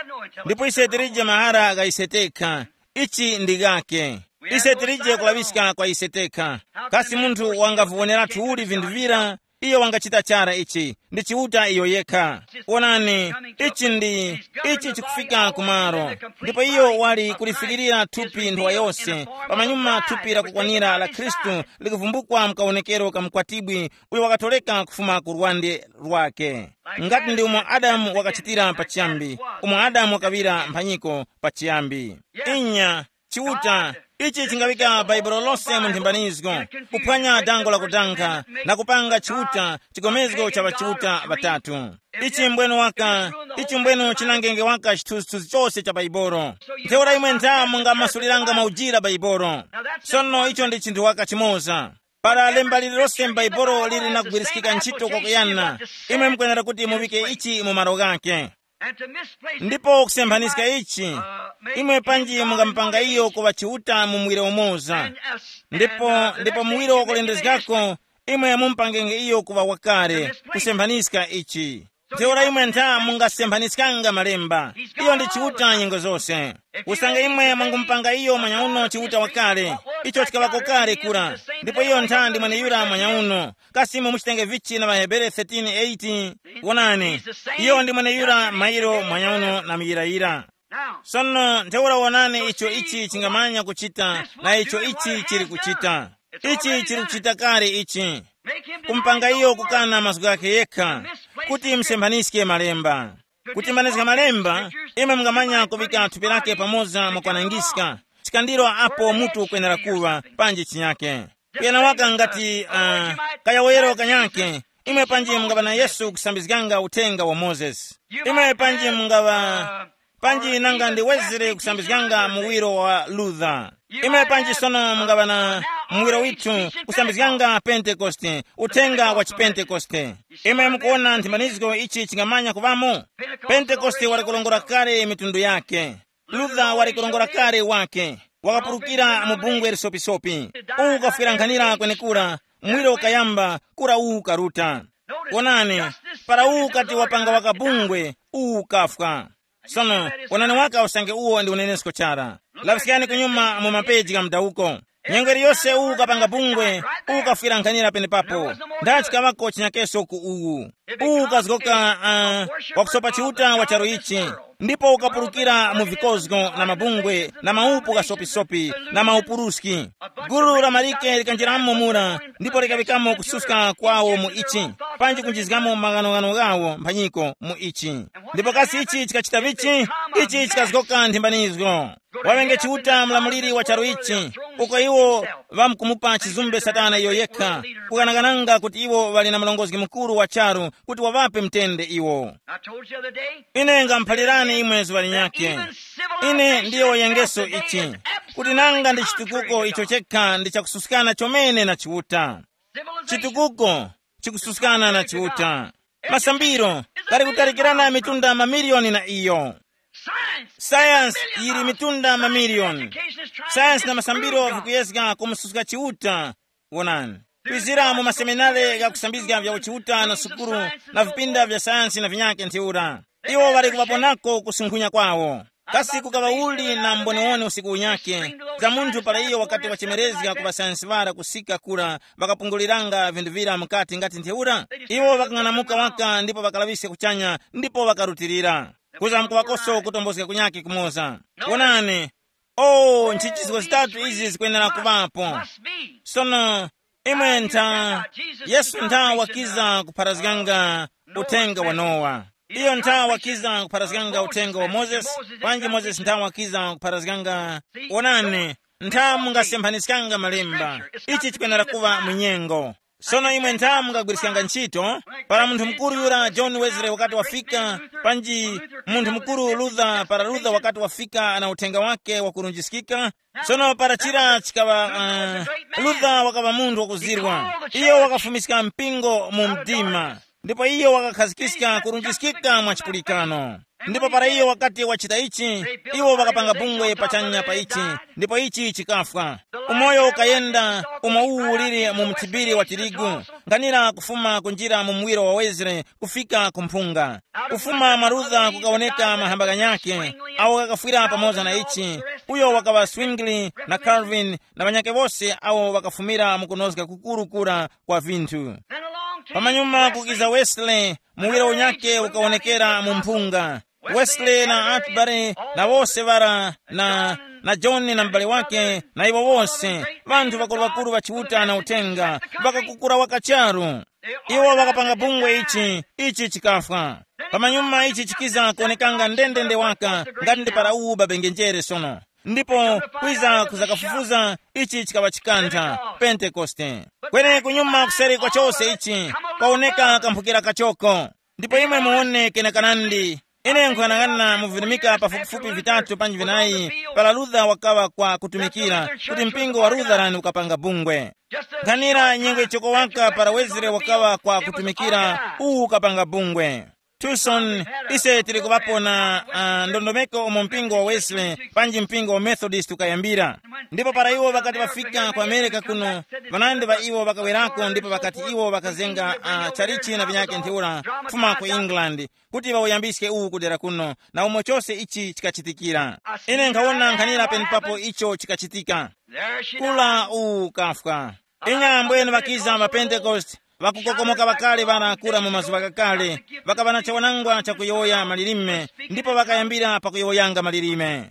ndipo ise tilije mahara gha ise tekha. Ichi ndi gake. Ise tilije kulaŵiska kwa ise tekha. Kasi munthu wangaviwoneratu uli vinthu vira? Iyo wangachita chara ichi, ndi Chiuta iyo yekha. Wonani, ichi ndi, ichi chikufika kumaro. Ndipo iyo wali kulifikirira thupi nthowa yose, pamanyuma thupi lakukwanira la Khristu likuvumbukwa mkawonekero ka mkwatibwi uyo wakatoleka kufuma ku lwande lwake. Ngati ndi umo Adamu wakachitira pachiyambi, umo Adamu wakaŵira mphanyiko pachiyambi. Inya, Chiuta, ichi chingaŵika Baibulo lose mu nthimbanizgo, kuphwanya dango la kudankha, na kupanga Chiuta chigomezgo cha ŵachiuta ŵatatu. Ichi mbwenu waka, ichi mbwenu chinangenge waka chithunzithunzi chose cha Baibulo. Ntheura imwe ntha mungamasuliranga mwaujira Baibulo. Sono icho ndi chinthu waka chimoza. Para lemba lililose m'Baibulo lili na kugwiriskika ntchito kwakuyana, imwe mukwenera kuti muŵike ichi mu malo ghake. Ndipo kusemphanyiska ichi, imwe panji mungamupanga iyo kuŵa Chiuta mu muwiro umoza. Ndipo, ndipo muwiro wakulendezgako, imwe mumupangenge iyo kuŵa wakale, kusemphanyiska ichi. Ntheura imwe ntha mungasemphanyiskanga malemba. Iyo ndi Chiuta nyengo zose. Usange imwe mwangamupanga iyo mwanyauno Chiuta wakale, icho chikaŵako kale kura. Ndipo iyo ntha ndi mweneyura mwanyauno. Kasi imwe muchitenge vichi na ŵaHebere thirteen eight? Wonani, iyo ndi mweneyura mairo mwanyauno na muyirayira. Sono ntheura wonani icho ichi chingamanya kuchita na icho ichi chili kuchita. Ichi chili kuchita kale ichi. Kumpanga iyo kukana mazgu ghakhe yekha, kuti musemphanyiske malemba. Kutembanizga malemba, imwe mungamanya kuŵika thupi lake pamoza mwa kwanangiska, chikandiro apo mutu ukwenera kuŵa, panji chinyake. Kuyana waka ngati, uh, Kayawoyero kanyake, imwe panji mungaŵa na Yesu kusambizganga uthenga wa Mozesi. Imwe panji mungaŵa, panji nanga ndi Wesley kusambizganga muwiro wa Luther. Imwe panji sono mungaŵa na muwiro withu kusambizganga Pentekoste, uthenga wa chipentekoste. Imwe mukuwona nthimbanizgo ichi chingamanya kuŵamo? Pentekoste wali kulongora kale mitundu yake. Luther wali kulongora kale wake. Wakapulukira mu bungwe lisopisopi. Uwu ukafwera nkhanira kwenekura, mwiro ukayamba, kura uwu ukaruta. Wonani, para uwu ukati wapanga wakabungwe, uwu ukafwa. Sono, wonani waka usange uwo ndi unenesko chara. Laŵiskani kunyuma mu mapeji gha mudawuko. Nyengo iliyose uwu ukapanga bungwe, uwu ukafwira nkhanira penepapo. Ndachi kaŵako chinyakeso ku uwu. Uwu ukazgoka, uh, wakusopa Chiuta wa charu ichi. Ndipo ukapulukira mu vikozgo na mabungwe na maupu ghasopisopi na maupuruski. Gulu la malike likanjiramo mura, ndipo likaŵikamo kususka kwawo mu ichi, panji kunjizgamo maghanoghano ghawo mphanyiko mu ichi. Ndipo kasi ichi chikachita vichi? Ichi chikazgoka nthimbanizgo. Wawenge Chiuta mlamuliri wa charu ichi, uko iwo ŵamkumupa chizumbe Satana iyo yekha, kukanakananga kuti iwo ŵali na murongozgi mukuru wa charu kuti waŵape mtende iwo. I told you the other day. Ine ngamuphalirani imwe zuŵa linyakhe. Ine ndiyo yengeso ichi, kuti nanga ndi chitukuko icho chekha ndi chakususkana chomene na Chiuta. Chitukuko chikususkana na Chiuta. Masambiro ghali kutalikirana mitunda mamiliyoni na iyo. Sayansi yili mitunda mamiliyoni. Sayansi na masambiro vikuyezga kumususka Chiuta. Wonani, kwizira mu maseminare ghakusambizga vya uchiuta na sukulu na vipinda vya sayansi na vinyake ntheura, iwo ŵali kuŵaponako kusunkhunya kwawo. Kasi kukaŵa uli na mboniwoni usiku unyake za munthu para iyo wakati wachemerezga ku ŵasayansi ŵara kusika kura ŵakapunguliranga vinthu vira mukati ngati ntheura? Iwo ŵakang'anamuka waka ndipo ŵakalaŵiska kuchanya ndipo ŵakarutilira. Kuza mkuŵakoso kutombozga kunyake kumoza. Wonani, o nchichizgo zitatu izi zikwenera kuŵapo. Sono, imwe ntha, Yesu ntha wakiza kupharazganga uthenga wa Nowa. Iyo ntha wakiza kupharazganga uthenga wa Mozesi. Panji Mozesi ntha wakiza kupharazganga? Wonani, ntha mungasemphanizganga malemba. Ichi chikwenera kuŵa munyengo. Sono imwe ntha mungagwiriskanga ntchito, para munthu mukuru yura John Wesley wakati wafika, panji munthu mukuru Luther, para Luther wakati wafika na uthenga wake wakurunjiskika. Sono para chira chikaŵa, uh, Luther wakaŵa munthu wakuzirwa. Iyo wakafumiska mpingo mu mdima, ndipo iyo wakakhazikika kurunjiskika mwa chipulikano. Ndipo para iyo wakati wachita ichi, iwo ŵakapanga bungwe pachanya pa ichi, ndipo ichi chikafwa. Umoyo ukayenda umo uwu uliri mu mthibiri wa tirigu, nkhanira kufuma kunjira mu muwiro wa Wesley kufika ku mphunga. Kufuma mwa Luther kukawoneka mahamba ghanyakhe, awo ghakafwira pamoza na ichi. Uyo wakaŵa Zwingli na Calvin na ŵanyakhe wose awo ŵakafumira mu kunozga kukuru kura kwa vinthu. Pamanyuma kukiza Wesley, muwiro unyakhe ukawonekera mu mphunga. Wesley na Atbury na wose ŵara na, na John na m'bale wake na iwo wose, ŵanthu ŵakuluŵakulu ŵa Chiuta na uthenga, ŵakakukura waka charu. Iwo ŵakapanga bungwe ichi, ichi chikafwa. Pamanyuma ichi chikiza kuonekanga ndendende waka ngati ndi para uwu babengenjere sono. Ndipo kwiza kuzakafufuza ichi chikaŵa chikantha, Pentekoste. Kweni kunyuma kuseri kwa chose ichi, kwawoneka kamphukira kachoko. Ndipo imwe muwone kenakanandi. Ine nkuyang'ana mu virimika pafupifupi vitatu panji vinayi, para Luther wakaŵa kwa kutumikira, kuti mpingo wa Lutheran ukapanga bungwe. Nkhanira nyengo ichoko waka para Wesley wakaŵa kwa kutumikira, uwu ukapanga bungwe. Tucson, ise tili kuŵapo na, uh, ndondomeko umo mpingo wa Wesley panji mpingo wa Methodist ukayambira. Ndipo para iwo ŵakati ŵafika ku Amerika kuno, ŵanandi ŵa iwo ŵakawerako ndipo ŵakati iwo ŵakazenga, uh, chalichi na vinyake ntheura kufuma ku England, kuti ŵawuyambiske uwu kudera kuno, na umo chose ichi chikachitikira. Ine nkhawona nkhanira penepapo icho chikachitika. Kula uwu ukafwa. Inya ambwene ŵakiza ma Pentekoste, ŵakukokomoka ŵakale ŵanakura mu mazuŵa ghakale, ŵakaŵa na chawanangwa chakuyowoya malilime, ndipo ŵakayambira pakuyowoyanga malilime.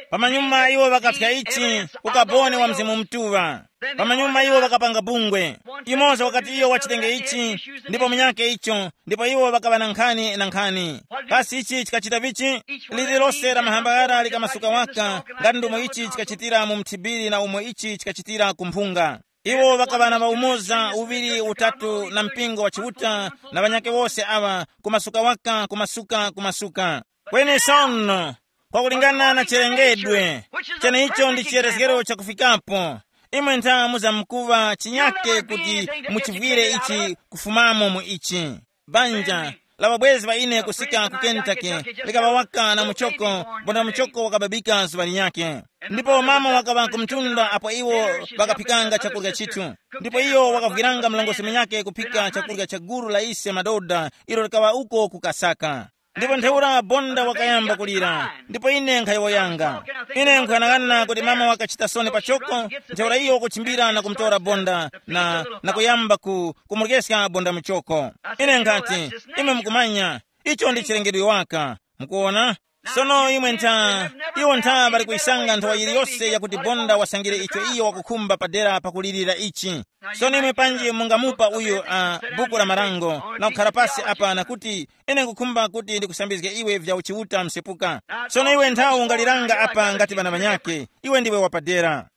Pamanyuma iwo ŵakathya ichi, ukaboni wa Mzimu Mutuŵa. Pamanyuma iwo ŵakapanga bungwe. Imoza wakati iyo wachitenge ichi, ndipo munyake icho, ndipo iwo ŵakaŵa na nkhani na nkhani. Kasi ichi chikachita vichi? Lililose la mahamba ghara likamasuka waka, ngati ndomwe ichi chikachitira mu mthibiri na umo ichi chikachitira ku mphunga. Iwo ŵakaŵa na ŵaumoza uŵiri utatu na mpingo wa Chiuta na ŵanyakhe wose aŵa, kumasuka waka, kumasuka, kumasuka. Kweni sono, kwakulingana na chilengedwe, cheneicho ndi chiyerezgero chakufikapo. Imwe ntha muzamkuŵa chinyake kuti muchivwire ichi kufumamo mu ichi. Banja la ŵabwezi ŵa ine kusika ku Kentucky likaŵa waka na muchoko, bonda muchoko wakababika zuŵa linyakhe. Ndipo mama wakaŵa ku mtunda apo iwo ŵakaphikanga chakurya chithu. Ndipo iyo wakavwiranga mlongosi munyakhe kuphika chakurya cha gulu la ise madoda ilo likaŵa uko kukasaka. Ndipo ntheura bonda wakayamba kulira, ndipo ine nkhayowoyanga. Ine nkuyang'ana kuti mama wakachita soni pachoko. Ntheura iyo kuchimbira na kumutora bonda na, na kuyamba ku, kumuryeska bonda muchoko. Ine nkhati, imwe mukumanya, icho ndi chilengedwe waka. Mukuona? Sono imwe ntha, iwo ntha ŵali kuyisanga nthawa yiliyose yakuti bonda wasangire icho iyo wakukhumba padera pakulirira ichi. Sono imwe panji mungamupa uyu uh, buku la marango na kukhala pasi apa na kuti, ine nkukhumba kuti ndikusambizge iwe vya uchiuta msepuka. Sono iwe nthawi ungaliranga apa ngati ŵana ŵanyakhe, iwe ndiwe wapadera.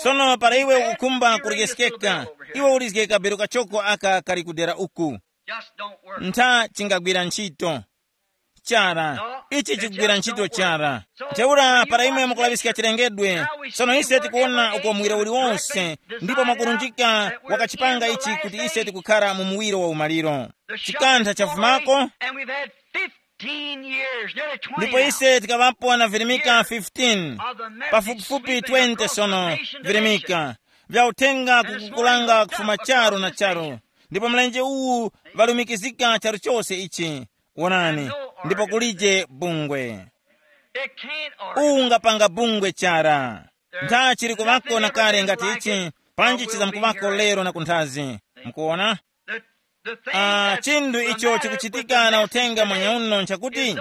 Sono para iwe ukukhumba kuryeskeka, iwe ulizge kabero kachoko aka kali kudera uku. Ntha chingagwira ntchito chara. Ichi chikugwira ntchito chara. Ntheura para imwe mukulaŵiska chilengedwe, sono ise tikuwona uko mwira uliwonse, ndipo mwakurunjika wakachipanga ichi kuti ise tikukhara mu muwiro wa umaliro. Chikantha chafumako, ndipo ise tikaŵapo na virimika fifteen, pafupifupi twenty sono, virimika vya uthenga kukukulanga kufuma charu na charu. Ndipo mlenje uwu valumikizika charu chose ichi. Wonani, ndipo kulije bungwe. Uwu ungapanga bungwe chara. Ntha chili kuvako na kale ngati ichi, panji chizamkuvako lero na kunthazi. Mukuona? Ah, chinthu icho chikuchitika na uthenga mwanyauno nchakuti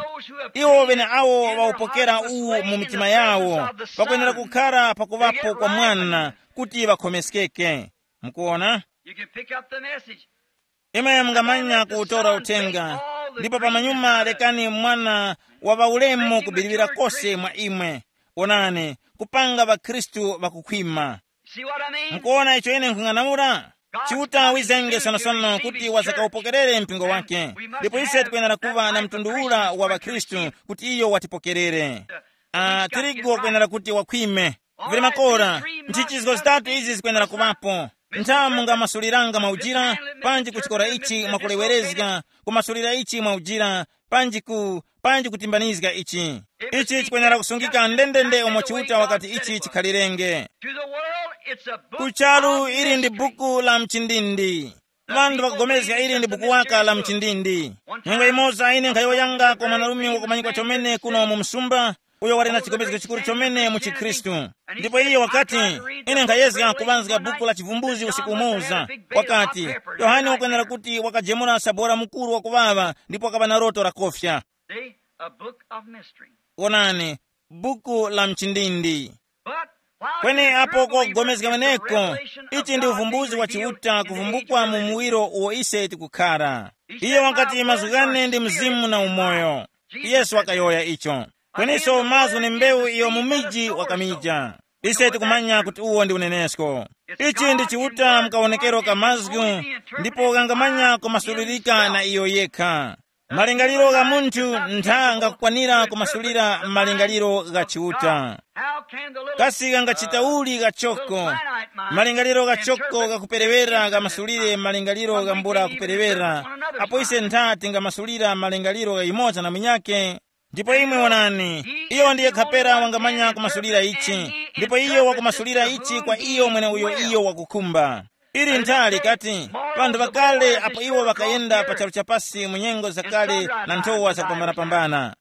iwo bene awo ŵawupokera uwu mu mitima yawo, pakwenera kukhara pakuŵapo kwa mwana kuti ŵakhomeskeke. Mukuona? You can pick up the message. Imwe mungamanya kuwutora uthenga, ndipo pamanyuma lekani mwana wa ŵaulemu kubirira kose mwa imwe. Onani, kupanga ŵakhristu ŵakukhwima. See what I mean? Mukuona icho ine nkhung'anamula? Chiuta wizenge sonosono kuti wasakawupokerere mpingo wake, ndipo ise tikwenera kuva na mtundu ula wa ŵakhristu kuti iyo watipokerere. Ah, tirigu wakwenera kuti wakhwime. Vili makora, nchichizgo zitatu izi zikwenera kuŵapo. Nthamu ngamasuliranga mwaujira, panji kuchikora ichi mwakulewerezga, kumasulira ichi mwaujira, panji ku, panji kutimbanizga ichi. Ichi chikwenera kusungika ndendende umo Chiuta wakati ichi chikhalirenge. To the world, it's a book Kucharu of ili ndi mystery. Buku la mchindindi. Vanthu vakugomezga ili ndi buku waka la mchindindi. Nyengo imoza ine nkhayowoyanga kwa mwanarume wakumanyikwa chomene kuno mu msumba, uyo wali na chigomezgo chikuru chomene mu chikhristu. Ndipo iye wakati, ine nkhayezga kuŵanzga buku la chivumbuzi usiku umoza. Wakati, yohane wakwenera kuti wakajemura sabora mukuru wakuŵaŵa ndipo wakaŵa na loto lakofya. See, a book of mystery. Wonani, buku la mchindindi. But while kweni apo kokugomezga weneko, ichi ndi uvumbuzi wa Chiuta kuvumbukwa mu muwiro uwo ise tikukhara. Iye wakati mazgu ghane ndi mzimu na umoyo. Yesu wakayowoya icho. Kweniso mazgu ni mbewu iyo mu miji wakamija. Ise tikumanya kuti uwo ndi unenesko. Ichi ndi Chiuta mukawonekero ka mazgu, ndipo ghangamanya kumasulirika na iyo yekha. Malingaliro gha munthu ntha ngakukwanira kumasulira malingaliro gha Chiuta. Kasi ghangachita uli ghachoko? Malingaliro ghachoko ghakuperewera ghamasulire malingaliro ghambula kuperewera, apo ise ntha tingamasulira malingaliro gha yumoza na munyakhe. Ndipo imwe wonani, iyo ndiye khapera wangamanya kumasulira ichi, ndipo iyo wakumasulira ichi kwa iyo mwene uyo iyo wakukhumba. Ili ntha likati, vanthu ŵakale apo iwo ŵakayenda pa charu chapasi mu nyengo zakale na nthowa zakupambanapambana.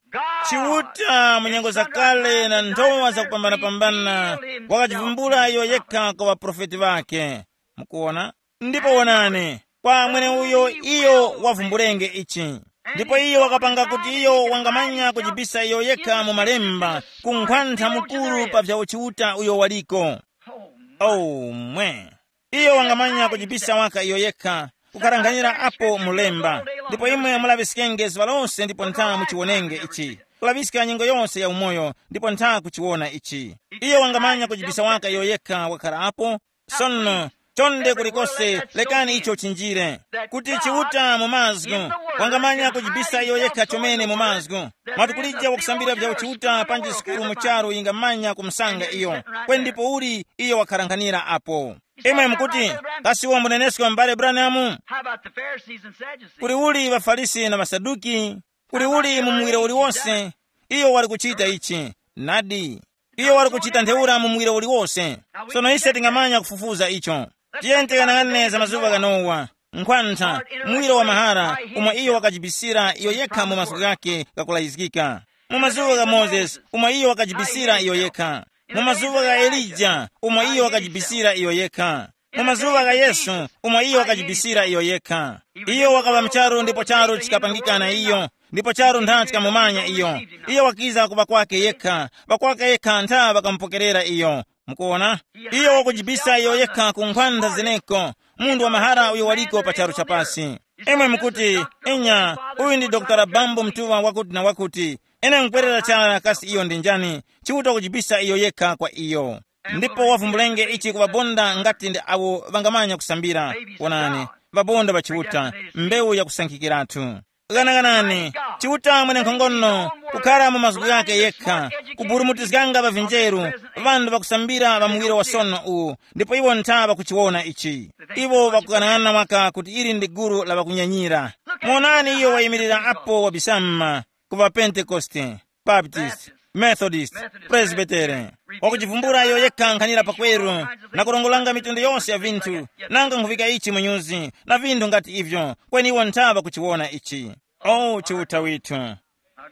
Chiuta mu nyengo zakale na nthowa zakupambanapambana wakachivumbula iyo yekha kwa ŵaprofeti ŵake. Mukuona? Ndipo wonani, kwa mweneuyo iyo wavumbulenge ichi. Ndipo iyo wakapanga kuti iyo wangamanya kujibisa iyo yekha mu malemba, kunkhwantha mukuru pa vya uchiuta uyo waliko. Oh, mwe. Iyo wangamanya kujibisa waka iyo yekha, kukaranganyira apo mulemba. Ndipo imwe mulaŵiskenge zuŵa lose ndipo ntha muchiwonenge ichi. Kulaŵiska nyengo yose ya umoyo ndipo ntha kuchiwona ichi. Iyo wangamanya kujibisa waka iyo yekha wakhala apo. Sono, chonde kulikose, lekani icho chinjire. Kuti Chiuta mu mazgu wangamanya kujibisa iyo yekha chomene mu mazgu. Mwatukulija wakusambira vya uchiuta panji sukulu mu charu yingamanya kumsanga iyo. Kwe ndipo uli iyo wakharanghanira apo. Imwe mukuti, kasi uwo munenesko m'bale Branham? How about the Pharisees and Sadducees? Kuli uli ŵafarisi na ŵasaduki? Kuli uli mu muwiro uliwose? Iyo wali kuchita ichi. Nadi, iyo wali kuchita ntheura mu muwiro uliwose. Sono ise tingamanya kufufuza icho. Tiyeni tikanang'ane za mazuŵa gha Nowa, nkhwantha, muwiro wa mahara, umo iyo wakajibisira iyo yekha mu mazgu ghake ghakulayizgika. Mu mazuŵa gha Mozesi, umo iyo wakajibisira iyo yekha. Mu mazuŵa gha Elija, umo iyo wakajibisira iyo yekha. Mu mazuŵa gha Yesu, umo iyo wakajibisira iyo yekha. Iyo wakaŵa mcharu ndipo charu chikapangikana iyo, ndipo charu ntha chikamumanya iyo. Iyo wakiza kuŵa kwake yekha, ŵakwake yekha ntha ŵakamupokerera iyo. Mukuona? Iyo wakujibisa iyo yekha ku nkhwanda zeneko, munthu wa mahara uyo waliko pa charu chapasi. Imwe mukuti, inya, uyu ndi Dr. Bambo Mtuŵa wakuti na wakuti. Ine nkwerera chara kasi iyo ndi njani, Chiuta wakujibisa iyo yekha kwa iyo. Ndipo wavumbulenge ichi kuŵabonda ngati ndi awo ŵangamanya kusambira. Wonani, ŵabonda ŵa Chiuta, mbewu yakusankhikiratu. Ghanaghanani, Chiuta mwenenkhongono, kukhala mu mazgu ghake yekha, kuburumutizganga ŵa vinjeru, ŵanthu ŵakusambira ŵa muwiro wa sono uwu, ndipo iwo ntha ŵakuchiwona ichi. Iwo ŵakughanaghanana waka kuti ili ndi gulu la ŵakunyanyira. Monani iyo wayimirira apo wabisama, ku ŵapentekoste, Baptist, Methodist, Presbytere. Wakuchivumbula iyo yekha nkhanira pakweru, na kurongolanga mitundu yose ya vinthu, nanga nkhuvika ichi mu nyuzi, na vinthu ngati ivyo, kweni iwo ntha ŵakuchiwona ichi. O Chiuta withu,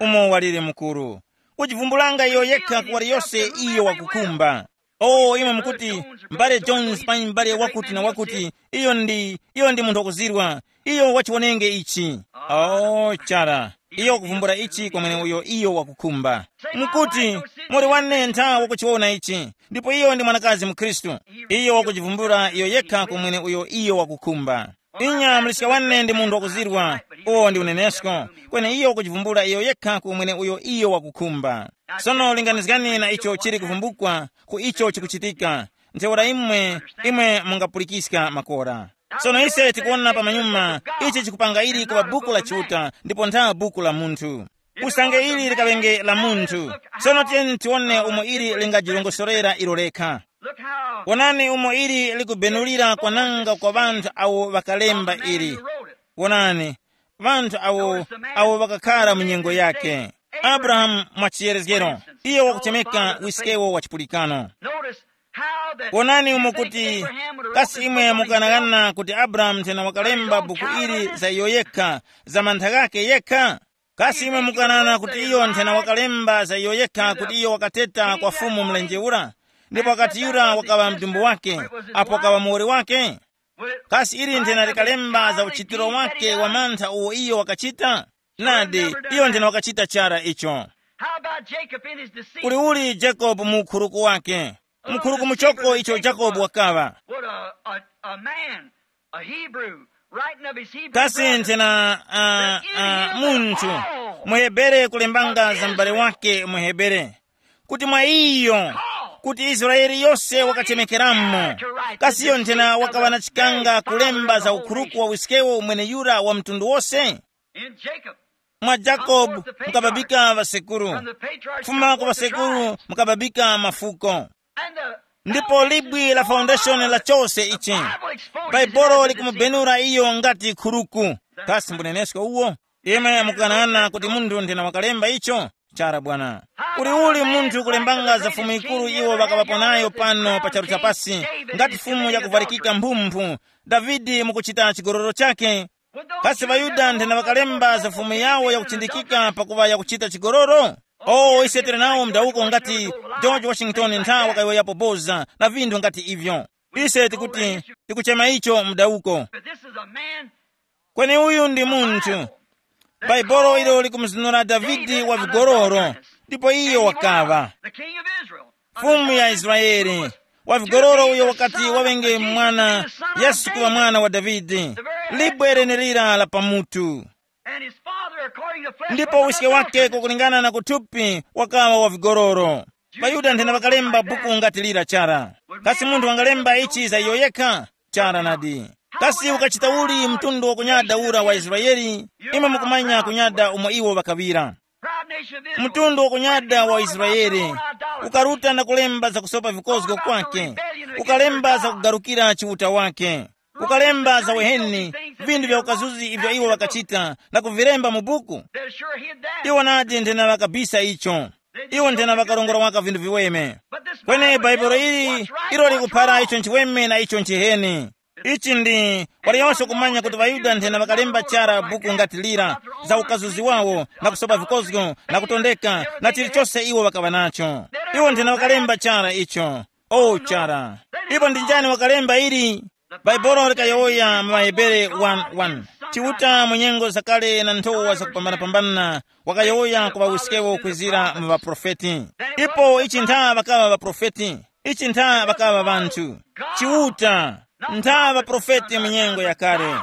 umo walire mukuru, kuchivumbulanga iyo yekha ku waliyose iyo wakukhumba. O imwe mukuti, mbale Jones panyi mbale wakuti na wakuti, iyo ndi iyo ndi munthu wakuzirwa, iyo wachiwonenge ichi. O chara, iyo wakuvumbula ichi kwa mweneuyo iyo wakukhumba. Mukuti, muli wane ntha wakuchiwona ichi, ndipo iyo ndi mwanakazi mukhristu. Iyo wakuchivumbula iyo yekha kwa mweneuyo iyo wakukhumba. Inya muliska wane ndi munthu wakuzirwa, uwo ndi unenesko, kweni iyo wakuchivumbula iyo yekha kwa mweneuyo iyo wakukhumba. Sono linganizgani na icho chili kuvumbukwa ku icho chikuchitika. Ntheura imwe, imwe mungapulikiska makora. Sono ise tikuwona pamanyuma, ichi chikupanga ili kuŵa buku la Chiuta ndipo ntha buku la munthu. Usange ili likaŵenge la munthu. Sono tiyeni tiwone umo ili lingajirongosorera ilo lekha. Wonani umo ili likubenulira kwananga kwa ŵanthu awo ŵakalemba ili. Wonani, ŵanthu awo awo ŵakakhara mu nyengo yake. Abrahamu, mwa chiyerezgero, iyo wakuchemeka wiskewo wa chipulikano. Wonani umo kuti, kasi imwe mukanang'ana kuti Abrahamu nthena wakalemba buku ili za iyo yekha, za mantha ghake yekha? Kasi imwe mukanana kuti iyo nthena wakalemba za iyo yekha kuti iyo wakateta kwa Fumu mlenje ura, ndipo wakati yura wakaŵa mdumbu wake, apo wakaŵa muwoli wake? Kasi ili nthena likalemba za uchitiro wake wa mantha uwo iyo wakachita? Nadi, iyo nthena wakachita chara icho. How about Jacob in his deceit? Kuli uli Jacob mu ukhuruku wake? Mukhuruku muchoko icho Jacob wakaŵa. What a, a, a man, a Hebrew, writing of his Hebrew Kasi brother. Nthena uh, uh, munthu muhebere kulembanga za m'bale wake muhebere, kuti mwa iyo, kuti Israeli yose wakachemekeramo. Kasi iyo nthena wakaŵa na chikanga kulemba za ukhuruku wa wiskewo umwene yura wa mtundu wose? In Jacob, Mwa Jacob mukababika ŵasekuru, from the patriarchs kufuma ku upward the ŵasekuru tribe. Mukababika mafuko. And the Ndipo libwi la foundation la chose ichi, Bible exposes Bhaibolo it as a likumubenura iyo ngati khuruku. Kasi mbunenesko uwo? Imwe mukukanana kuti munthu nthena wakalemba icho? Chara bwana. Kuli uli munthu kulembanga za fumu ikuru iwo ŵakaŵapo nayo pano pa charu chapasi, ngati fumu yakuvwarikika mphumphu, Davide mukuchita chigororo chake? Kasi ŵaYuda nthena ŵakalemba za fumu yawo yakuchindikika pakuŵa yakuchita chigororo? O ise tili nawo mdawuko ngati George Washington nthawi wakayowoyapo boza na vinthu ngati ivyo. Ise tikuti, tikuchema icho mdawuko. But this is a man. Kweni uyu ndi munthu. Bhaibolo ilo likumuzinura Davide wa vigororo, ndipo iyo wakaŵa The king of Israel. Fumu ya Israeli, wa vigororo uyo wakati wawenge mwana, Yesu kuŵa mwana wa Davide, libwe lenelira la pamutu. And his father, according to flesh, Ndipo uske wake kukulingana na kuthupi wakawa wa vigororo. ŵaYuda nthena ŵakalemba buku ngati lira chara. Kasi munthu wangalemba ichi za iyo yekha? Chara nadi. Kasi ukachita uli mtundu wakunyada ura wa Israeli? Imwe mukumanya kunyada umo iwo ŵakaŵira. Mtundu wakunyada wa Israeli ukaruta na kulemba za kusopa vikozgo kwake, ukalemba za kugarukira chiuta wake, ukalemba za uheni, vinthu vya ukazuzi ivyo iwo ŵakachita na kuvilemba mu buku. Iwo nadi nthena ŵakabisa icho. Iwo nthena ŵakarongora waka vinthu viweme. Kweni bhaibuli ili, ilo likuphara icho nchiweme na icho nchiheni. Ichi ndi waliyonse kumanya kuti ŵaYuda nthena ŵakalemba chara buku ngati lira, za ukazuzi wawo na kusopa vikozgo na kutondeka na chilichose iwo ŵakaŵa nacho. Iwo nthena ŵakalemba chara icho. O chara. Ipo ndi njani wakalemba ili? Bhaibuli likayowoya mu ŵaHebere one one, Chiuta mu nyengo zakale na nthowa zakupambanapambana wakayowoya ku ŵawiskewo kwizira mu ŵaprofeti. Ipo ichi ntha ŵakaŵa ŵaprofeti, ichi ntha ŵakaŵa ŵanthu. Chiuta ntha ŵaprofeti mu nyengo yakale.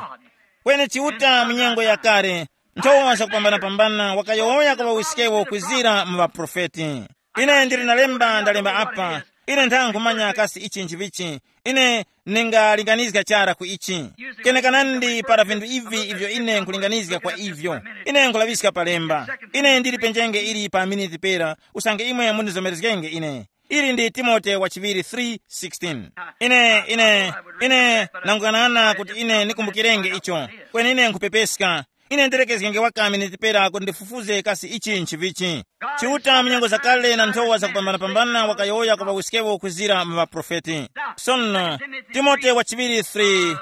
Kweni Chiuta mu nyengo yakale, nthowa zakupambanapambana wakayowoya ku ŵawiskewo kwizira mu ŵaprofeti. Ine ndili na lemba ndalemba apa. Ine ntha nkhumanya kasi ichi nchivichi. Ine ningalinganizga chara ku ichi. Kenekanandi para vinthu ivi ivyo ine nkulinganizga kwa ivyo, ine nkulaŵiska pa lemba. Ine ndili penjenge ili pa miniti pera, usange imwe mundizomerezgenge ine. Ili ndi Timote wa chiŵiri three sixteen. Ine ine ine nangukana kuti ine nikumbukirenge icho. Kweni ine nkhupepeska. Ine ndilekezgenge waka miniti pera kuti ndifufuze kasi ichi nchivichi. Chiuta mu nyengo zakale na nthowa zakupambanapambana wakayowoya kwa ŵawiskewo kuzira mu ŵaprofeti. Sono, Timote wa chiŵiri three,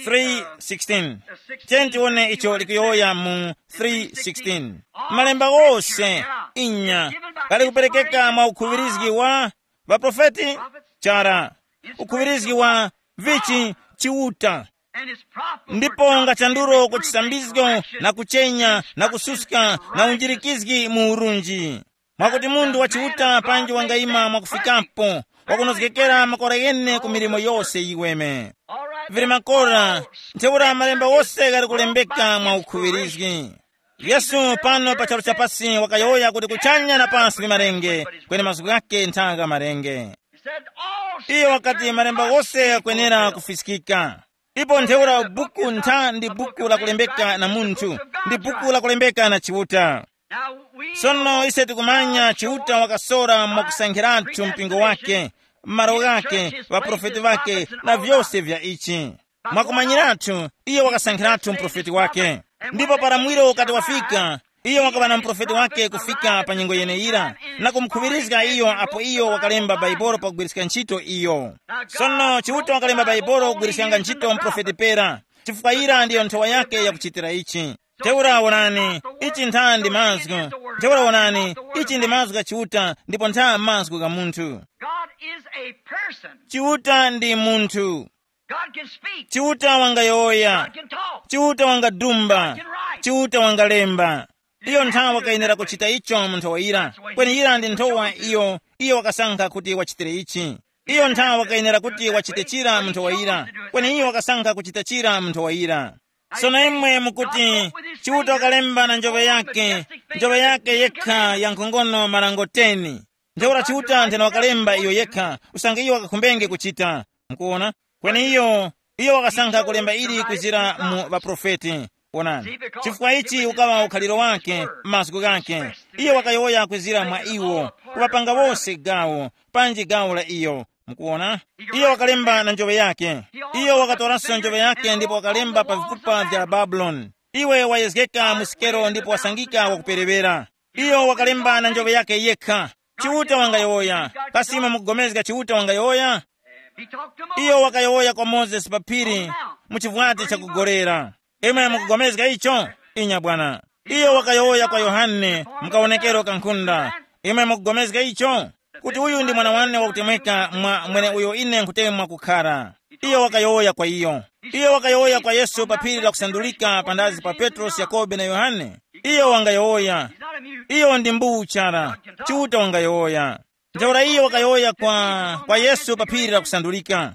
three sixteen. Tiyeni tiwone icho likuyowoya mu three sixteen. Malemba ghose inya ghali kuperekeka mwa ukhuŵirizgi wa ŵaprofeti chara, ukhuŵirizgi wa vichi, Chiuta. Ndipo ngachandulo ku chisambizgo na kuchenya na kususka na unjirikizgi mu urunji, mwakuti munthu wa Chiuta panji wangayima mwakufikapo, wakunozgekera makora ghene ku milimo yose yiweme. Vili makora, ntheura malemba wose ghali kulembeka mwa ukhuŵirizgi. Yesu pano pa charu cha pasi wakayowoya kuti kuchanya na pasi vimarenge, kweni mazgu ghake ntha gha marenge. Iyo wakati malemba ghose ghakwenera kufiskika. Ipo ntheura buku ntha ndi buku lakulembeka na munthu, ndi buku lakulembeka na Chiuta. Sono ise tikumanya Chiuta wakasora mwakusankhiratu mpingo wake, malo ghake, ŵaprofeti ŵake, na vyose vya ichi. Mwakumanyiratu, iyo wakasankhiratu muprofeti wake. Ndipo para mwiro ukati wafika, iyo wakaŵa na muprofeti wake kufika pa nyengo yeneyira, na kumukhuŵirizga iyo apo iyo wakalemba Baibolo pakugwiriska ntchito iyo. Sono Chiuta wakalemba Baibolo kugwiriskanga ntchito muprofeti pera, chifukwa yira ndiyo nthowa yake yakuchitira ichi. Ntheura wonani, ichi ntha ndi mazgu. Ntheura wonani, ichi ndi mazgu gha Chiuta ndipo ntha mazgu gha munthu. God is a person. Chiuta ndi munthu. God can speak. Chiuta wangayowoya. God can talk. Chiuta wangadumba. God can write. Chiuta wangalemba. Iyo nthawi wakayenera kuchita icho mu nthowa yira. Kweni yira ndi nthowa iyo, iyo wakasankha kuti wachitire ichi. Iyo nthawi wakayenera kuti wachite chira mu nthowa yira. Kweni iyo wakasankha kuchita chira mu nthowa yira. Sono imwe mukuti, Chiuta wakalemba na njoŵe yake, njoŵe yake yekha ya nkhongono marango ten. Ntheura Chiuta nthena wakalemba iyo yekha, usange iyo wakakhumbenge kuchita. Mukuona? Kweni iyo, iyo wakasankha kulemba ili kuzira mu ŵaprofeti. Wonani, chifukwa ichi ukaŵa ukhaliro wake, mazgu ghake. Iyo wakayowoya kuzira mwa iwo, kuŵapanga wose gawo, panji gawo la iyo. Mukuona? Iyo wakalemba na njoŵe yake. Iyo wakatoranso njoŵe yake ndipo wakalemba pa vikupa vya Babuloni. Iwe wayezgeka mu sikero ndipo wasangika wakuperewera. Iyo wakalemba na njoŵe yake yekha. Chiuta wangayowoya. Kasi imwe mukugomezga Chiuta wangayowoya? Iyo wakayowoya kwa Mozesi pa phiri, mu chivwati chakugolera. Imwe mukugomezga icho? Inya bwana. Iyo wakayowoya kwa Yohane mu kawonekero ka nkhunda. Imwe mukugomezga icho? Kuti uyu ndi mwana wane wakutemweka mwa mwene uyo ine nkhutemwa kukhara. Iyo wakayowoya kwa iyo. Iyo wakayowoya kwa Yesu pa phiri la kusandulika pandazi pa Petrosi, Yakobe na Yohane. Iyo wangayowoya. Iyo ndi mbuwu chara. Chiuta wangayowoya. Ntheura iyo wakayowoya kwa, kwa Yesu pa phiri la kusandulika.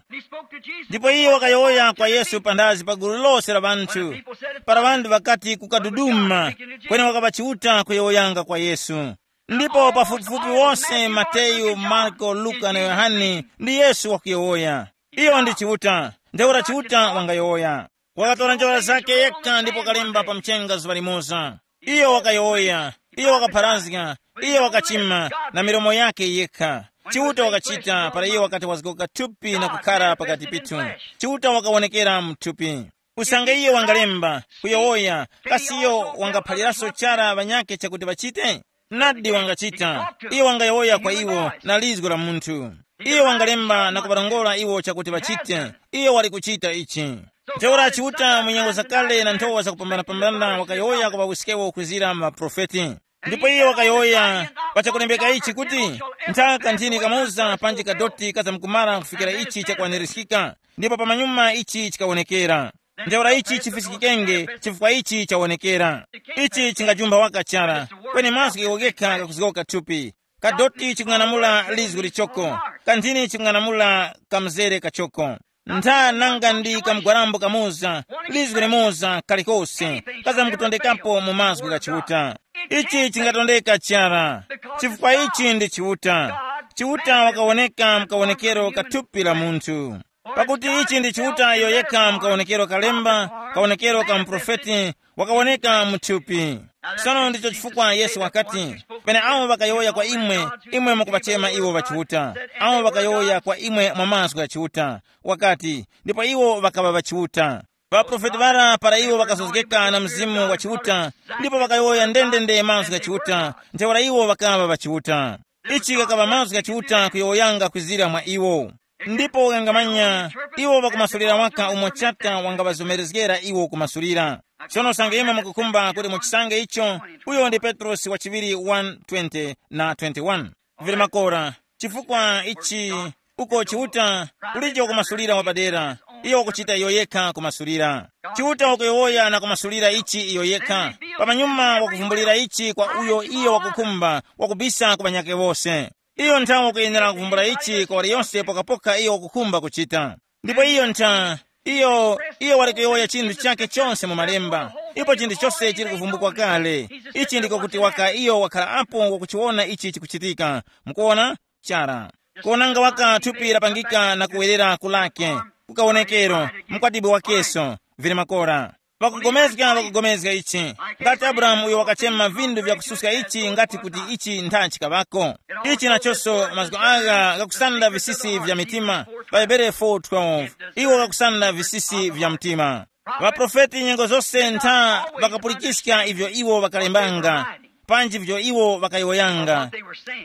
Ndipo iyo wakayowoya kwa Yesu pandazi pa gulu lose la ŵanthu. Para ŵanthu ŵakati kukaduduma, kweni wakaŵa Chiuta kuyowoyanga kwa Yesu. Ndipo pafupifupi wose Mateyu, Marko, Luka na Yohane ndi Yesu wakuyowoya. Iyo ndi Chiuta. Ntheura Chiuta wangayowoya. Wakatora njola zake yekha ndipo wakalemba pa mchenga zuŵa limoza. Iyo wakayowoya, iyo wakapharazga, iyo wakachima na milomo yake yekha. Chiuta wakachita para iyo wakati wazgoka thupi na kukhara pakati pithu. Chiuta wakawonekera mu thupi. Usange iyo wangalemba, kuyowoya, kasi iyo wangaphaliranso chara ŵanyakhe chakuti ŵachite? Nadi wangachita. Iyo wangayowoya kwa iwo na lizgo la munthu. Iyo wangalemba na kuŵarongora iwo chakuti ŵachite. Iyo wali kuchita ichi. Ntheura Chiuta mu nyengo zakale na nthowa zakupambanapambana wakayowoya kwa ŵawiskewo kuzira mu maprofeti. Ndipo iyo wakayowoya pa chakulembeka ichi kuti, nthaka nthini kamoza panji kadoti kazamkumara kufikira ichi chakwanirizgika, ndipo pamanyuma ichi chikawonekera. Ntheura ichi chifiskikenge chifukwa ichi chawonekera. Ichi chingajumba waka chara, kweni mazgu iwo ghekha kakuzgoka thupi. Kadoti chikung'anamula lizgu lichoko, kanthini chikung'anamula kamzere kachoko. Ntha nanga ndi kamgwarambo kamoza, lizgu limoza kalikose kazamkutondekapo mu mazgu gha Chiuta. Ichi chingatondeka chara, chifukwa ichi ndi Chiuta. Chiuta wakawoneka mkawonekero ka thupi la munthu. Pakuti ichi ndi Chiuta iyo yekha mkawonekero kalemba, kawonekero ka muprofeti, wakawoneka mu thupi. Sono ndicho chifukwa Yesu wakati, pene awo ŵakayowoya kwa imwe, imwe mukupachema iwo ŵachiuta. Awo ŵakayowoya kwa imwe mwa mazgu gha Chiuta, wakati, ndipo iwo ŵakaŵa ŵachiuta. Ŵaprofeti ŵara para iwo ŵakazozgeka na Mzimu wa Chiuta, ndipo ŵakayowoya ndendende mazgu gha Chiuta, ntheura iwo ŵakaŵa ŵachiuta. Ichi ghakaŵa mazgu gha Chiuta kuyowoyanga kwizira mwa iwo. Ndipo ghangamanya, iwo ŵakumasulira waka umo Chata wangaŵazomerezgera iwo kumasulira. Sono usange imwe mukukhumba kuti muchisange icho, uyo ndi Petrosi wa chiŵiri one twenty na twenty-one. Vili makora, chifukwa ichi, uko Chiuta, kulijo kumasulira wapadera, iyo wakuchita iyo yekha kumasulira. Chiuta wakuyowoya na kumasulira ichi iyo yekha, pamanyuma wakuvumbulira ichi kwa uyo iyo wakukhumba, wakubisa ku ŵanyakhe wose. Iyo nthawe wakuyenera kuvumbula ichi kwa waliyonse pokapoka iyo wakukhumba kuchita. Ndipo iyo ntha, iyo, iyo wali kuyowoya chinthu chakhe chonse mu malemba, ipo chinthu chose chili kuvumbukwa kale. Ichi ndiko kuti waka iyo wakhala apo wakuchiwona ichi chikuchitika. Mukuwona? Chara. Kuwonanga waka thupi lapangika na kuwerera kulake, kukawonekero, mkwatibwi wakeso, vili makora. Pakugomezga pakugomezga ichi, ngati Abrahamu uyo wakachema vindu vyakususka ichi ngati kuti ichi ntha chikaŵako. Ichi nachonso mazgu agha ghakusanda visisi vya mitima, pa Hebere four twelve, iwo ghakusanda visisi vya mtima. Ŵaprofeti nyengo zose ntha ŵakapulikiska ivyo iwo ŵakalembanga, panji ivyo iwo ŵakayowoyanga,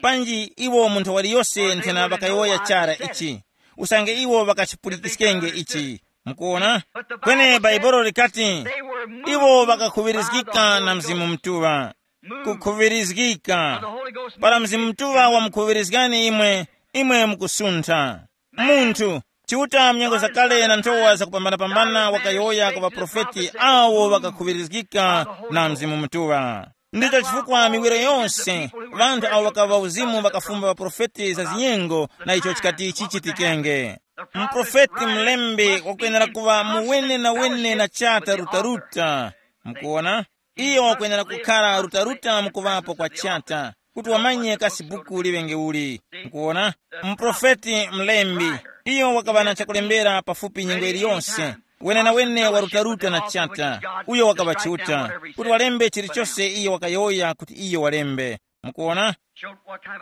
panji iwo munthu waliyose nthena ŵakayowoya chara ichi, usange iwo ŵakachipulikiskenge ichi. Mukuona? Kweni Bhaibuli likati, iwo ŵakakhuŵirizgika na Mzimu Mutuŵa. Kukhuŵirizgika. Para Mzimu Mutuŵa wamukhuŵirizgani imwe, imwe mukusuntha. Munthu, Chiuta mnyengo zakale na nthowa zakupambanapambana wakayowoya kwa ŵaprofeti awo ŵakakhuŵirizgika na Mzimu Mutuŵa. Ndicho chifukwa miwiro yonse, ŵanthu awo ŵakaŵa uzimu ŵakafumba ŵaprofeti za zinyengo na icho chikati chichitikenge. Muprofeti mlembi wakwenera kuŵa muwene na wene na chata rutaruta. Mukuona? Iyo wakwenera kukhala rutaruta mukuŵapo kwa chata, kuti wamanye kasi buku liŵenge uli. Mukuona? Muprofeti mlembi, iyo wakaŵa na chakulembera pafupi nyengo iliyonse, wenenawene wa rutaruta na chata, uyo wakaŵa Chiuta, kuti walembe chilichose iyo wakayowoya kuti iyo walembe. Mukuona?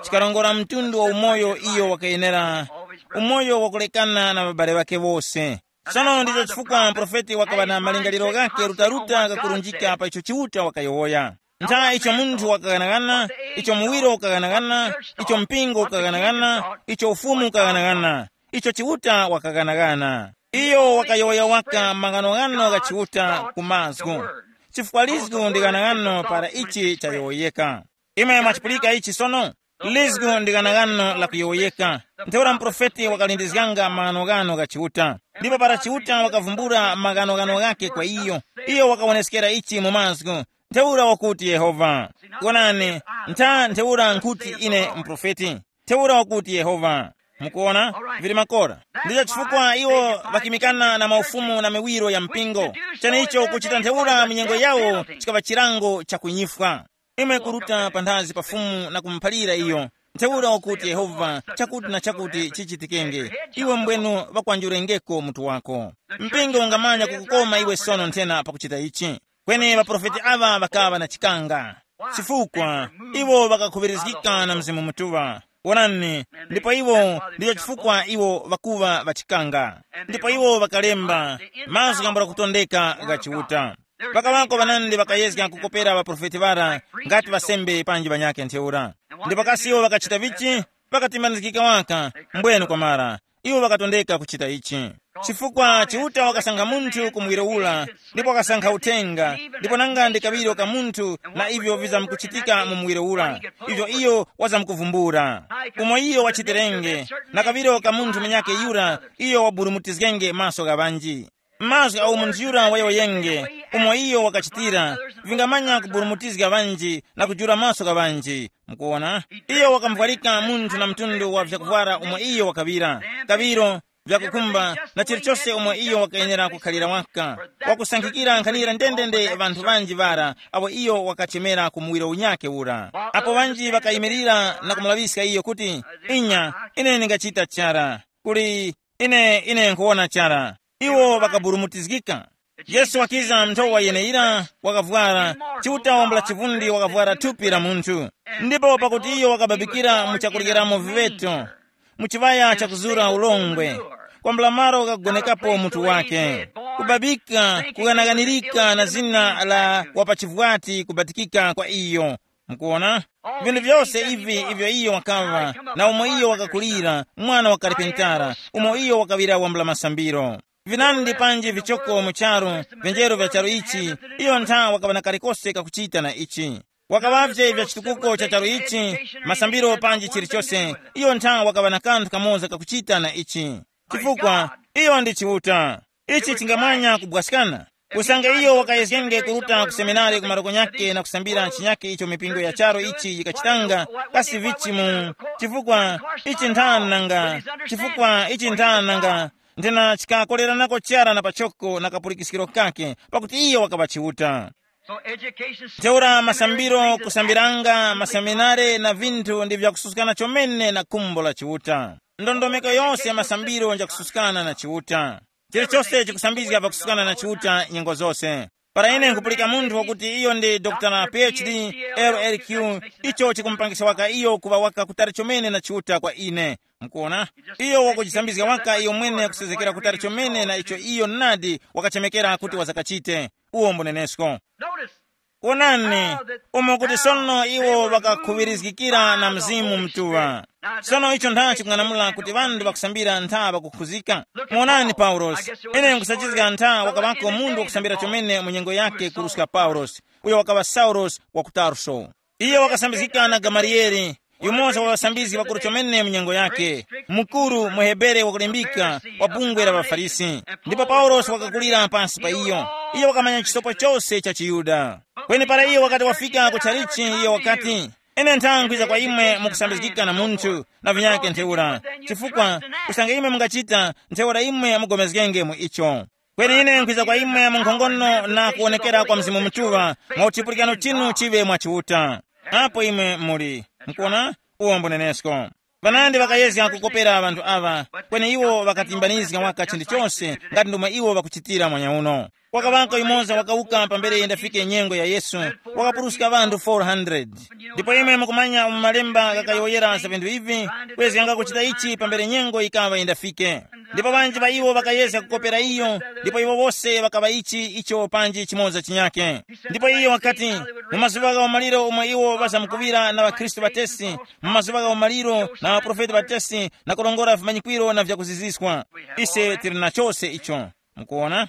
Chikarongora mtundu wa umoyo iyo wakayenera, umoyo wakulekana na ŵabale ŵake wose. Sono ndicho chifukwa mprofeti wakaŵa na malingaliro ghake rutaruta ghakurunjika pa icho Chiuta wakayowoya. Ntha icho munthu wakaghanagana, icho muwiro ukaghanagana, icho mpingo ukaghanagana, icho ufumu ukaghanagana, icho Chiuta wakaghanagana. Iyo wakayowoya waka maghanoghano gha Chiuta ku mazgu. Chifukwa lizgu ndi ghanoghano para ichi chayowoyeka. Imwe mwachipulika ichi sono? Lizgu ndi ghanoghano lakuyowoyeka. Ntheura muprofeti wakalindizganga maghanoghano gha Chiuta. Ndipo para Chiuta wakavumbula maghanoghano ghakhe kwa iyo, iyo wakawoneskera ichi mu mazgu. Ntheura wakuti Yehova. Wonani, ntha ntheura nkhuti ine muprofeti. Ntheura wakuti Yehova. Mukuona? Vili makora. Ndicho chifukwa iwo ŵakimikana na maufumu na miwiro ya mpingo. Chenicho kuchita ntheura minyengo yawo chikaŵa chilango cha kunyifwa. Imwe kuruta panthazi pa Fumu na kumuphalira iyo, ntheura ukuti Yehova, chakuti na chakuti chichitikenge, iwe mbwenu ŵakwanjurengeko mutu wako. Mpingo ungamanya kukukoma iwe sono nthena pakuchita ichi. Kweni ŵaprofeti aŵa ŵakaŵa na chikanga, chifukwa iwo ŵakakhuŵirizgika na Mzimu Mutuŵa. Wonani, ndipo iwo ndicho chifukwa iwo ŵakuŵa ŵachikanga. Ndipo iwo ŵakalemba mazgu yambula kutondeka gha Chiuta. Ŵakaŵako ŵanandi ŵakayezga kukopera ŵaprofeti ŵara ngati ŵasembe panji ŵanyakhe ntheura. Ndipo kasi iwo ŵakachita vichi? Ŵakatimbanizgika waka, mbwenu kwamara iwo ŵakatondeka kuchita ichi. Chifukwa Chiuta wakasankha munthu ku muwiro ura, ndipo wakasankha uthenga, ndipo nanga ndi kaŵiro ka munthu na ivyo vizamkuchitika mu muwiro ura, ivyo iyo wazamkuvumbula. Umo iyo wachiterenge, na kaŵiro ka munthu munyakhe yura iyo waburumutizgenge maso gha ŵanji. Mazgu agho munthu yura wayowoyenge, umo iyo wakachitira, vingamanya kuburumutizga ŵanji na kujula maso gha ŵanji. Mukuwona, iyo wakamuvwarika munthu na mtundu wa vyakuvwara umo iyo wakaŵira, kaŵiro, vyakukhumba, na chilichose umo iyo wakayenera kukhalira waka, wakusankhikira nkhanira ndendende ŵanthu ŵanji ŵara awo iyo wakachemera ku muwiro unyakhe ura. Apo ŵanji ŵakayimirira na kumulaŵiska iyo kuti, inya, ine ndingachita chara, kuli ine ine nkhuwona chara. Iwo ŵakaburumutizgika. Yesu wakiza nthowa yeneyira, wakavwara, Chiuta wambula chivundi wakavwara thupi la munthu. Ndipo pakuti iyo wakababikira mu chakuryeramo viŵeto, mu chiŵaya chakuzura ulongwe, kwambula malo kakugonekapo mutu wake. Kubabika kukanakanirika na zina la wapachivwati kubatikika kwa iyo. Mukuona, vinthu vyose ivi ivyo iyo wakaŵa, na umo iyo wakakulira, mwana wa karipentara, umo iyo wakaŵira wambula masambiro, vinandi panji vichoko mu charu, vyenjero vya charu ichi, iyo ntha wakaŵa na kalikose kakuchita na ichi. Wakaŵavye vya chitukuko cha charu ichi, masambiro panji chilichose, iyo ntha wakaŵa na kanthu kamoza kakuchita na ichi. Chifukwa iyo ndi Chiuta. Ichi chingamanya kubwaskana. Usange iyo wakayezgenge kuruta ku seminari ku maroko nyakhe na kusambira chinyakhe icho mipingo ya charo ichi yikachitanga, kasi vichi mu chifukwa ichi nthananga, chifukwa ichi nthananga, nthena chikakoleranako chara na pachoko na kapulikiskiro kake, pakuti iyo wakaŵa Chiuta. So education, ntheura masambiro, kusambiranga maseminare na vinthu ndi vyakususkana chomene na khumbo la Chiuta. Ndondomeko yose ya masambiro njakususkana na Chiuta. Chilichose chikusambizga pakususkana na Chiuta nyengo zose. Para ine nkupulika munthu wakuti iyo ndi Dr P H D, L L Q, icho chikumupangisa waka iyo kuŵa waka kutali chomene na Chiuta kwa ine. Mukuona, iyo wakuchisambizga waka iyo mwene kusezekera kutali chomene na icho iyo nadi wakachemekera kuti wazakachite. Uwo mbunenesko. Notice, wonani, umo kuti sono iwo ŵakakhuŵirizgikira na Mzimu Mutuŵa. Sono icho ntha chikung'anamula kuti ŵanthu ŵakusambira ntha ŵakukhuzika. Muonani Paulosi, ine nkusachizga ntha wakaŵako munthu wakusambira chomene mu nyengo yake kuruska Paulosi, uyo wakaŵa Saulosi wa ku Tarso. Iyo wakasambizgika na Gamaliyele, yumoza wa ŵasambizgi ŵakuru chomene mu nyengo yake, mukuru muHebere wakulimbika wa bungwe la ŵaFarisi. Ndipo Paulosi wakakulira pansi pa iyo. Iyo wakamanya chisopo chose cha chiYuda. Kweni para iyo wakati wafika ku chalichi, iyo wakati, ine ntha nkhwiza kwa imwe mukusambizgika na munthu na vinyake ntheura, chifukwa usange imwe mungachita ntheura imwe mugomezgenge mu icho. Kweni ine nkhwiza kwa imwe mu nkhongono na kuwonekera kwa Mzimu Mutuŵa, mwa uchipulikano chinu chiŵe mwa Chiuta. Apo imwe muli, mukuona, uwo mbunenesko. Ŵanandi ŵakayezga kukopera ŵanthu aŵa, kweni iwo ŵakatimbanizga waka chinthu chose ngati ndomwe iwo ŵakuchitira mwanyauno. Wakaŵako yumoza wakawuka pambere yindafike nyengo ya Yesu, wakapuruska ŵanthu four hundred. Ndipo imwe mukumanya mu malemba ghakayowoyera za vinthu ivi, kwezganga kuchita ichi pambere nyengo yikaŵa yindafike. Ndipo ŵanji ŵa iwo ŵakayezga kukopera iyo, ndipo iwo wose ŵakaŵa ichi icho panji chimoza chinyakhe. Ndipo iyo wakati, mu mazuŵa gha umaliro omwe iwo ŵazamkuŵira na ŵakhristu ŵatesi, mu mazuŵa gha umaliro na ŵaprofeti ŵatesi na kurongora vimanyikwiro na vyakuziziswa. Ise tili na chose icho. Mukuona?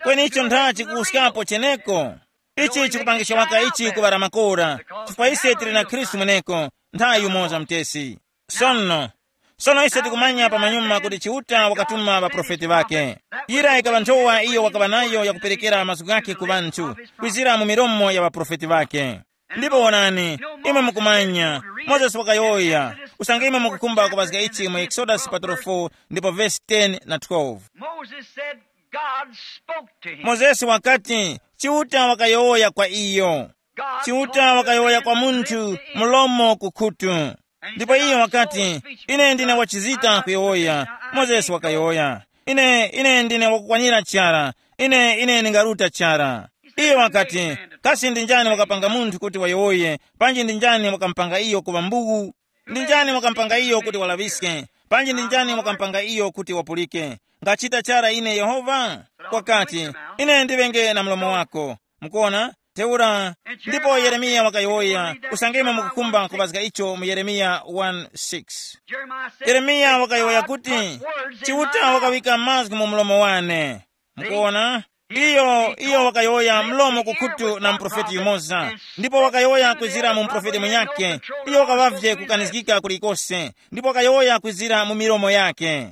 Kweni icho ntha chikuwuskapo cheneko. Ichi chikupangisha waka ichi kuŵala makora, chifukwa ise tili na Khristu mweneko, ntha yumoza mutesi. Sono, sono ise tikumanya pamanyuma kuti Chiuta wakatuma ŵaprofeti ŵakhe. Yira yikaŵa nthowa iyo wakaŵa nayo yakuperekera mazgu ghakhe ku ŵanthu, kwizira mu milomo ya ŵaprofeti ŵakhe. Ndipo wonani, imwe mukumanya, Mozesi wakayowoya, usange imwe mukukhumba kuŵazga ichi mu Exodus chaputala four ndipo vesi ten na twelve. Moses said, God spoke to him. Mozesi wakati, Chiuta wakayowoya kwa iyo. Chiuta wakayowoya kwa munthu, mlomo ku khutu. Ndipo iye wakati, ine ndine wachizita kuyowoya. Mozesi wakayowoya, ine ine ndine wakukwanira chara. Ine ine ndingaruta chara. Iye wakati, kasi ndi njani wakapanga munthu kuti wayowoye? Panji ndi njani wakamupanga iyo kuŵa mbuwu? Ndi njani wakamupanga iyo kuti walaŵiske? Panji ndi njani wakamupanga iyo kuti wapulike? Ngachita chara ine Yehova? Wakati, ine ndiŵenge na mlomo wako. Mukuona? Ntheura, ndipo Yeremiya wakayowoya, usangemo mukukhumba kuŵazga icho mu Yeremiya one six. Yeremiya wakayowoya kuti, chiuta wakawika mazgu mu mlomo wane. Mukuona? Iyo iyo wakayowoya mlomo kukhutu na muprofeti yumoza, ndipo wakayowoya kwizira mu muprofeti munyakhe. Iyo wakaŵavye kukanizgika kulikose, ndipo wakayowoya kwizira mu milomo yake.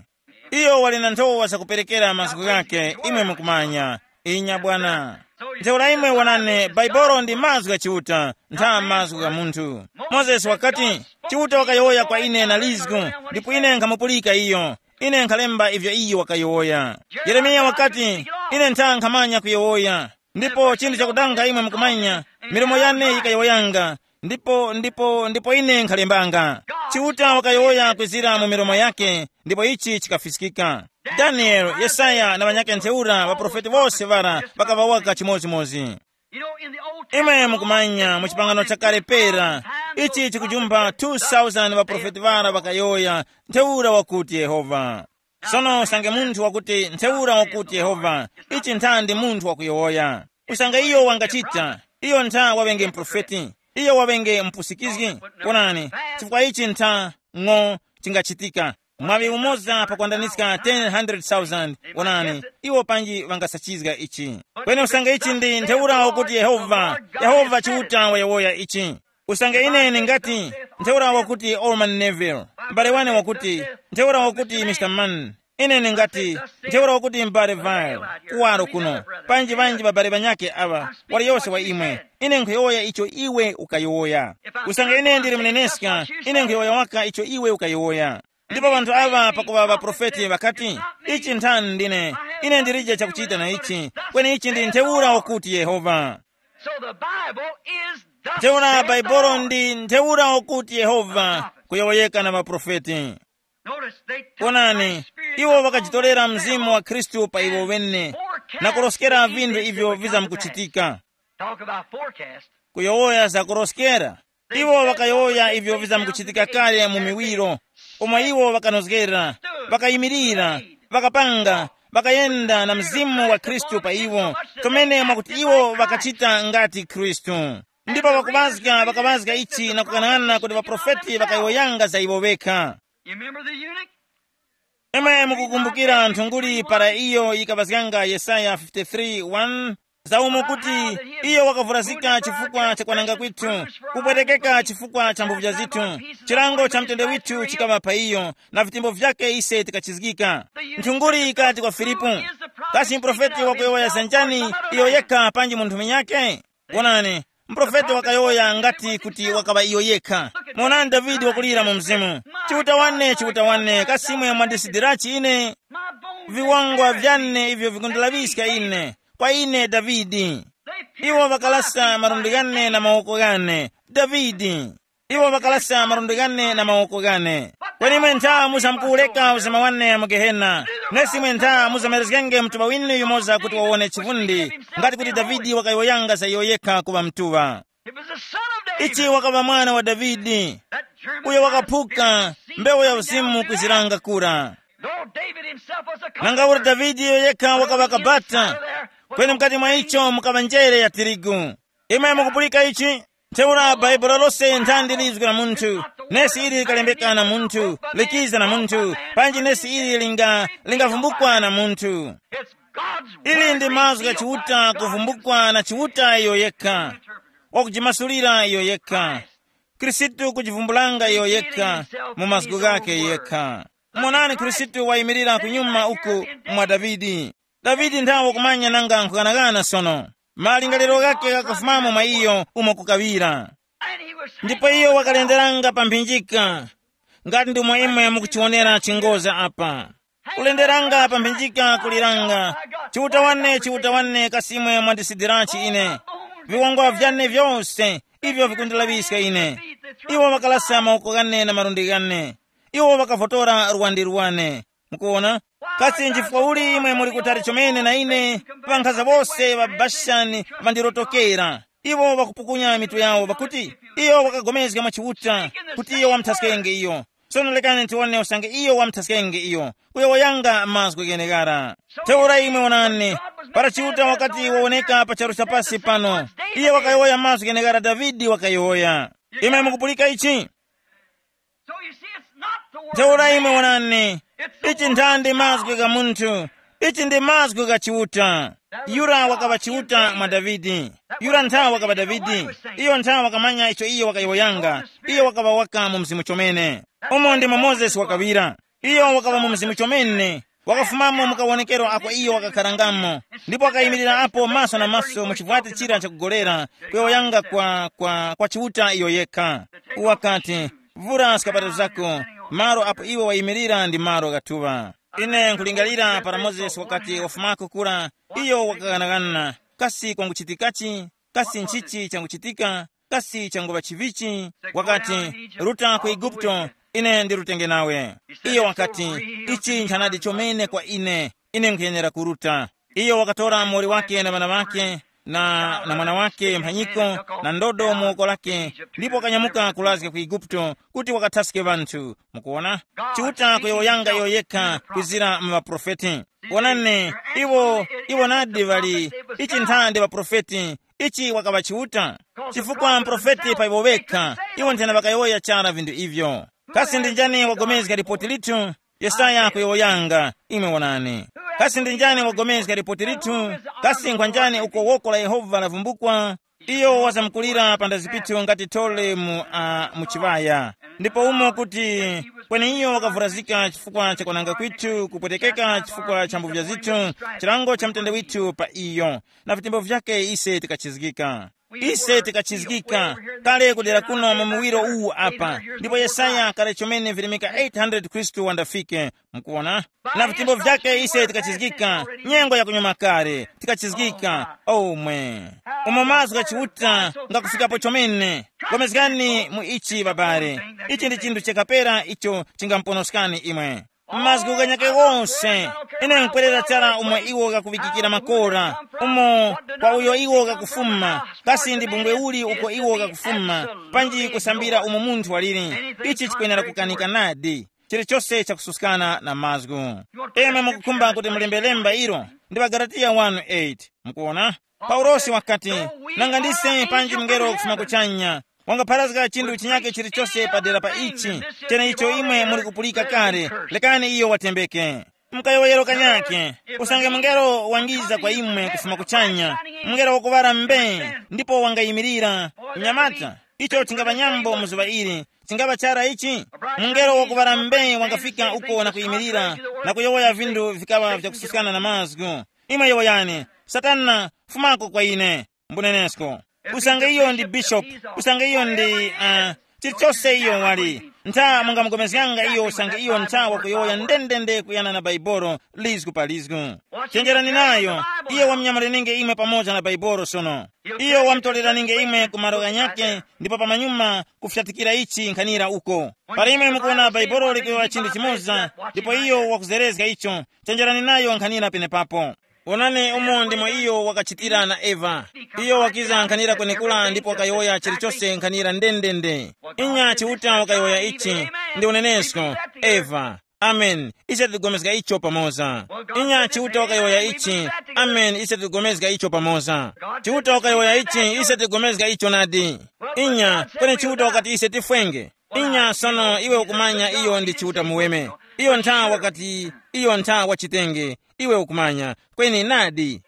Iyo wali na nthowa zakuperekera mazgu ghakhe, imwe mukumanya. Inya bwana. Ntheura imwe wonani, Baibolo ndi mazgu gha Chiuta, ntha mazgu gha munthu. Mozesi wakati, Chiuta wakayowoya kwa ine na lizgu, ndipo ine nkhamupulika iyo. Ine nkhalemba ivyo iyo wakayowoya. Yeremiya wakati, ine ntha nkhamanya kuyowoya. Ndipo chinthu chakudanga imwe mukumanya, milomo yane yikayowoyanga, ndipo ndipo ndipo ine nkhalembanga. Chiuta wakayowoya kwizira mu milomo yake, ndipo ichi chikafiskika. Danieli, Yesaya na ŵanyakhe ntheura ŵaprofeti wose ŵara ŵakaŵawaka chimodzimodzi. Imwe mukumanya mu chipangano chakale pera, ichi chikujumpha two thousand ŵaprofeti ŵara ŵakayowoya, ntheura wakuti Yehova. Sono usange munthu wakuti ntheura wakuti Yehova, ichi ntha ndi munthu wakuyowoya. Usange iyo wangachita, iyo ntha waŵenge mprofeti, iyo waŵenge mpusikizgi. Wonani, chifukwa ichi ntha ng'o chingachitika. Mwaŵi umoza pakwandaniska ten hundred thousand. Wonani, iwo panji ŵangasachizga ichi. Kweni usange ichi ndi ntheura wakuti Yehova, Yehova Chiuta wayowoya ichi. Usange ine ningati, ntheura wakuti Orman Neville, m'bale wane wakuti, ntheura wakuti Mr Man, ine ningati, ntheura wakuti m'bale Vile, kuwaro kuno, panji ŵanji ŵabale ŵanyakhe aŵa, waliyose wa imwe, ine nkhuyowoya icho iwe ukayowoya. Usange ine ndili mneneska, ine nkhuyowoya waka icho iwe ukayowoya. Ndipo ŵanthu aŵa pakuŵa ŵaprofeti ŵakati, ichi nthani ndine, ine ndilije chakuchita na ichi, kweni ichi ndi ntheura wakuti Yehova. So the Bible is the ntheura Baibulo ndi ntheura wakuti Yehova kuyowoyeka na maprofeti. Notice they took Onani, Christ's Spirit iwo upon wakachitolera themselves mzimu wa Khristu pa iwo and wene forecast na kuloskera the vinthu events ivyo that were going to pass. Vizamkuchitika. Talk about forecast. Kuyowoya za kuloskera. Iwo wakayowoya ivyo vizamkuchitika kale mu miwiro, umo iwo vakanozgera, vakayimirira, vakapanga, vakayenda na mzimu wa Khristu pa iwo, chomene mwakuti iwo vakachita ngati Khristu. Ndipo pakuŵazga vakaŵazga ichi na kukanana kuti ŵaprofeti vakayowoyanga za iwo vekha. You remember the eunuch? Imwe mukukumbukira nthunguli para iyo yikaŵazganga Yesaya fifty-three one, za umo kuti iyo wakavurazika chifukwa cha kwananga kwithu, kupwetekeka chifukwa cha mbuvya zithu, chilango cha mtende withu chikaŵa pa iyo, na vitembo vyake ise tikachizgika. Nthunguli yikati kwa Filipu, kasi mprofeti wakuyowoya za njani, iyo yekha panji munthu munyakhe? Wonani, mprofeti wakayowoya ngati kuti wakaŵa iyo yekha. Monani Davide wakulira mu mzimu, chiuta wane, chiuta wane, kasi imwe mwandisidirachi ine? Viwangwa vyane ivyo vikundilaphiska ine, kwa ine Davide. Iwo ŵakalasa malundi ghane na mawoko ghane, Davide. Iwo ŵakalasa malundi ghane na mawoko ghane. Kweni imwe ntha muzamkuwureka uzima wane mu Gehena, nesi imwe ntha muzamerezgenge mtuŵa winu yumoza kuti wawone chivundi, ngati kuti Davide wakayowoyanga za iyo yekha kuŵa mtuŵa. It was the son of David. Ichi wakaŵa mwana wa Davide, that germinated uyo wakaphuka mbewu ya uzimu kuziranga kura. Though David himself was a nanga kuti Davide iyo yekha wakaŵa kabata, kweni mkati mwa icho mukaŵa njere ya tirigu. Imwe mukupulika ichi? Ntheura Bhaibuli lose nthandi lizgu la munthu, nesi ili likalembeka na munthu, likiza na munthu, panji nesi ili linga lingavumbukwa na munthu. Ili ndi mazgu gha Chiuta kuvumbukwa na Chiuta iyo yekha, wakujimasulira iyo yekha. Khristu kujivumbulanga iyo yekha mu mazgu ghakhe yekha. Monani, Khristu wayimirira kunyuma uku mwa Davide. Davide nthawe wakumanya nanga nkhughanaghana sono. Malingaliro ghakhe ghakafumamo mwa iyo umo kukaŵira. Ndipo iyo wakalenderanga pa mphinjika, ngati ndimo imwe mukuchiwonera chingoza apa. Kulenderanga pa mphinjika kuliranga, Chiuta wane, Chiuta wane, kasi imwe mwandisidirachi ine? viwongwa vyane vyose ivyo vikundilaŵiska ine. Iwo ŵakalasa mawoko ghane na malundi ghane. Iwo ŵakavotora luwandi lwane. Mukuwona? Kasi nchifukwa uli imwe muli kutali chomene na ine? Ŵankhaza wose ŵa Bashani ŵandirotokera. Iwo ŵakupukunya mitu yawo pakuti iyo wakagomezga mwa Chiuta kuti iyo wamuthaskenge iyo. Sono lekani tiwone usange iyo wamuthaskenge iyo. Kuyowoyanga mazgu gheneghara. Ntheura imwe wonani, para Chiuta wakati wawoneka pa charu cha pasi pano, iye wakayowoya mazgu gheneghara Davide wakayowoya. Imwe mukupulika ichi? So you see, it's not the word of Ntheura imwe man. Wonani, It's the ichi word nthandi of mazgu God. Gha munthu. Ichi ndi mazgu gha Chiuta. Yura wakaŵa Chiuta mwa Davide. Yura nthawi wakaŵa Davide. Iyo nthawi wakamanya icho iyo wakayowoyanga. Iyo wakaŵa waka mu mzimu chomene. Umo ndimo Mozesi wakaŵira. Iyo wakaŵa mu mzimu chomene. Wakafumamo mu kawonekero ako iyo wakakharangamo. Ndipo wakayimirira apo maso na maso mu chivwati chira chakugolera, kuyowoyanga kwa, kwa, kwa Chiuta iyo yekha. Wakati, vura skapato zako, malo apo iwe wayimirira ndi malo gathuŵa. Ine nkulingalira para Mozesi wakati wafumako kura, iyo wakaghanaghanana, kasi kwanguchitikachi? Kasi nchichi changuchitika? Kasi changuŵa chivichi? Wakati, ruta ku Eguputo, ine ndirutenge nawe. Iyo wakati, ichi nchanadi chomene kwa ine, ine nkhuyenera kuruta. Iyo wakatora muwoli wake na ŵana ŵake, na, na mwana wake mphanyiko, na ndodo mu woko lake, ndipo wakanyamuka kulazga ku Eguputo kuti wakathaske ŵanthu. Mukuwona? Chiuta kuyowoyanga iyo yekha kwizira mu ŵaprofeti. Wonani, iwo, iwo nadi ŵali, ichi nthandi ŵaprofeti, ichi wakaŵa Chiuta. Chifukwa mprofeti pa iwo wekha, iwo nthena ŵakayowoya chara vinthu ivyo. Kasi ndi njani wagomezga lipoti lithu? Yesaya kuyowoyanga, imwe wonani. Kasi ndi njani wagomezga lipoti lithu? Kasi nkhwa njani uko woko la Yehova lavumbukwa? Iyo wazamkulira pa ndazipithu ngati thole mu, uh, mu chiŵaya. Ndipo umo kuti, kweni iyo wakavurazika chifukwa cha kwananga kwithu, kupwetekeka chifukwa cha mbuvya zithu, chilango cha mtende withu pa iyo, na vitembo vyake ise tikachizgika. Ise tikachizgika kale kudera kuno mu muwiro uwu apa, ndipo Yesaya kale chomene virimika eight hundred Khristu wandafike. Mukuwona? Na vitembo vyake ise tikachizgika, nyengo yakunyuma kale, tikachizgika. Omwe. Umo mazgu gha Chiuta ngakufikapo chomene. Gomezgani mu ichi, babale. Ichi ndi chinthu chakapera icho chingamuponoskani imwe. Mazgu ghanyake wonse, ine nkwerera chara umo iwo ghakuŵikikira makora, umo kwa uyo iwo ghakufuma, kasi ndi bungwe uli uko iwo ghakufuma, panji kusambira umo munthu waliri. Ichi chikwenera kukanika nadi. Chilichose chakususkana na mazgu. Imwe mukukhumba kuti mulembe lemba ilo, ndi ŵaGalatiya one eight. Mukuona? Paulosi wakati, nanga ndise panji mngelo kufuma kuchanya wangapharazga chinthu chinyake chilichose padera pa ichi, cheneicho imwe muli kupulika kale, lekani iyo watembeke. Mkayowoyero kanyake, usange mungelo wangiza kwa imwe kufuma kuchanya, mungelo wakuŵala mbe, ndipo wangayimirira. Mnyamata, icho chingapa nyambo mu zuŵa ili, chingapa chara ichi? Mungelo wakuŵala mbe wangafika uko na kuyimirira, na kuyowoya vinthu vikaŵa vyakususkana na mazgu. Imwe yowoyani, Satana, fumako kwa ine, mbunenesko. Usange iyo ndi bishopu, usange iyo ndi, uh, chilichose iyo wali, ntha mungamugomezganga iyo usange iyo ntha wakuyowoya ndendende kuyana na Baibolo, lizgu pa lizgu. Chenjerani nayo, iyo wamnyamulirenge imwe pamoza na Baibolo sono. Iyo wamutoleraninge imwe ku malo ghanyakhe, ndipo pamanyuma kufyatikira ichi nkhanira uko. Para imwe mukuwona Baibolo likuyowoya chinthu chimoza, ndipo iyo wakuzerezga icho, chenjerani nayo nkhanira penepapo. Wonani umo ndimo iyo wakachitira na Eva. Iyo wakiza nkhanira kwenekura ndipo wakayowoya chilichose nkhanira ndendende. Inya Chiuta wakayowoya ichi, ndi unenesko, Eva. Amen. Ise tigomezga icho pamoza. Inya Chiuta wakayowoya ichi. Amen. Ise tigomezga icho pamoza. Chiuta wakayowoya ichi, ise tigomezga icho nadi. Inya, kweni Chiuta wakati ise tifwenge. Inya sono iwe ukumanya iyo ndi Chiuta muweme. Iyo ntha wakati, iyo ntha wachitenge. Iwe ukumanya. Kweni nadi.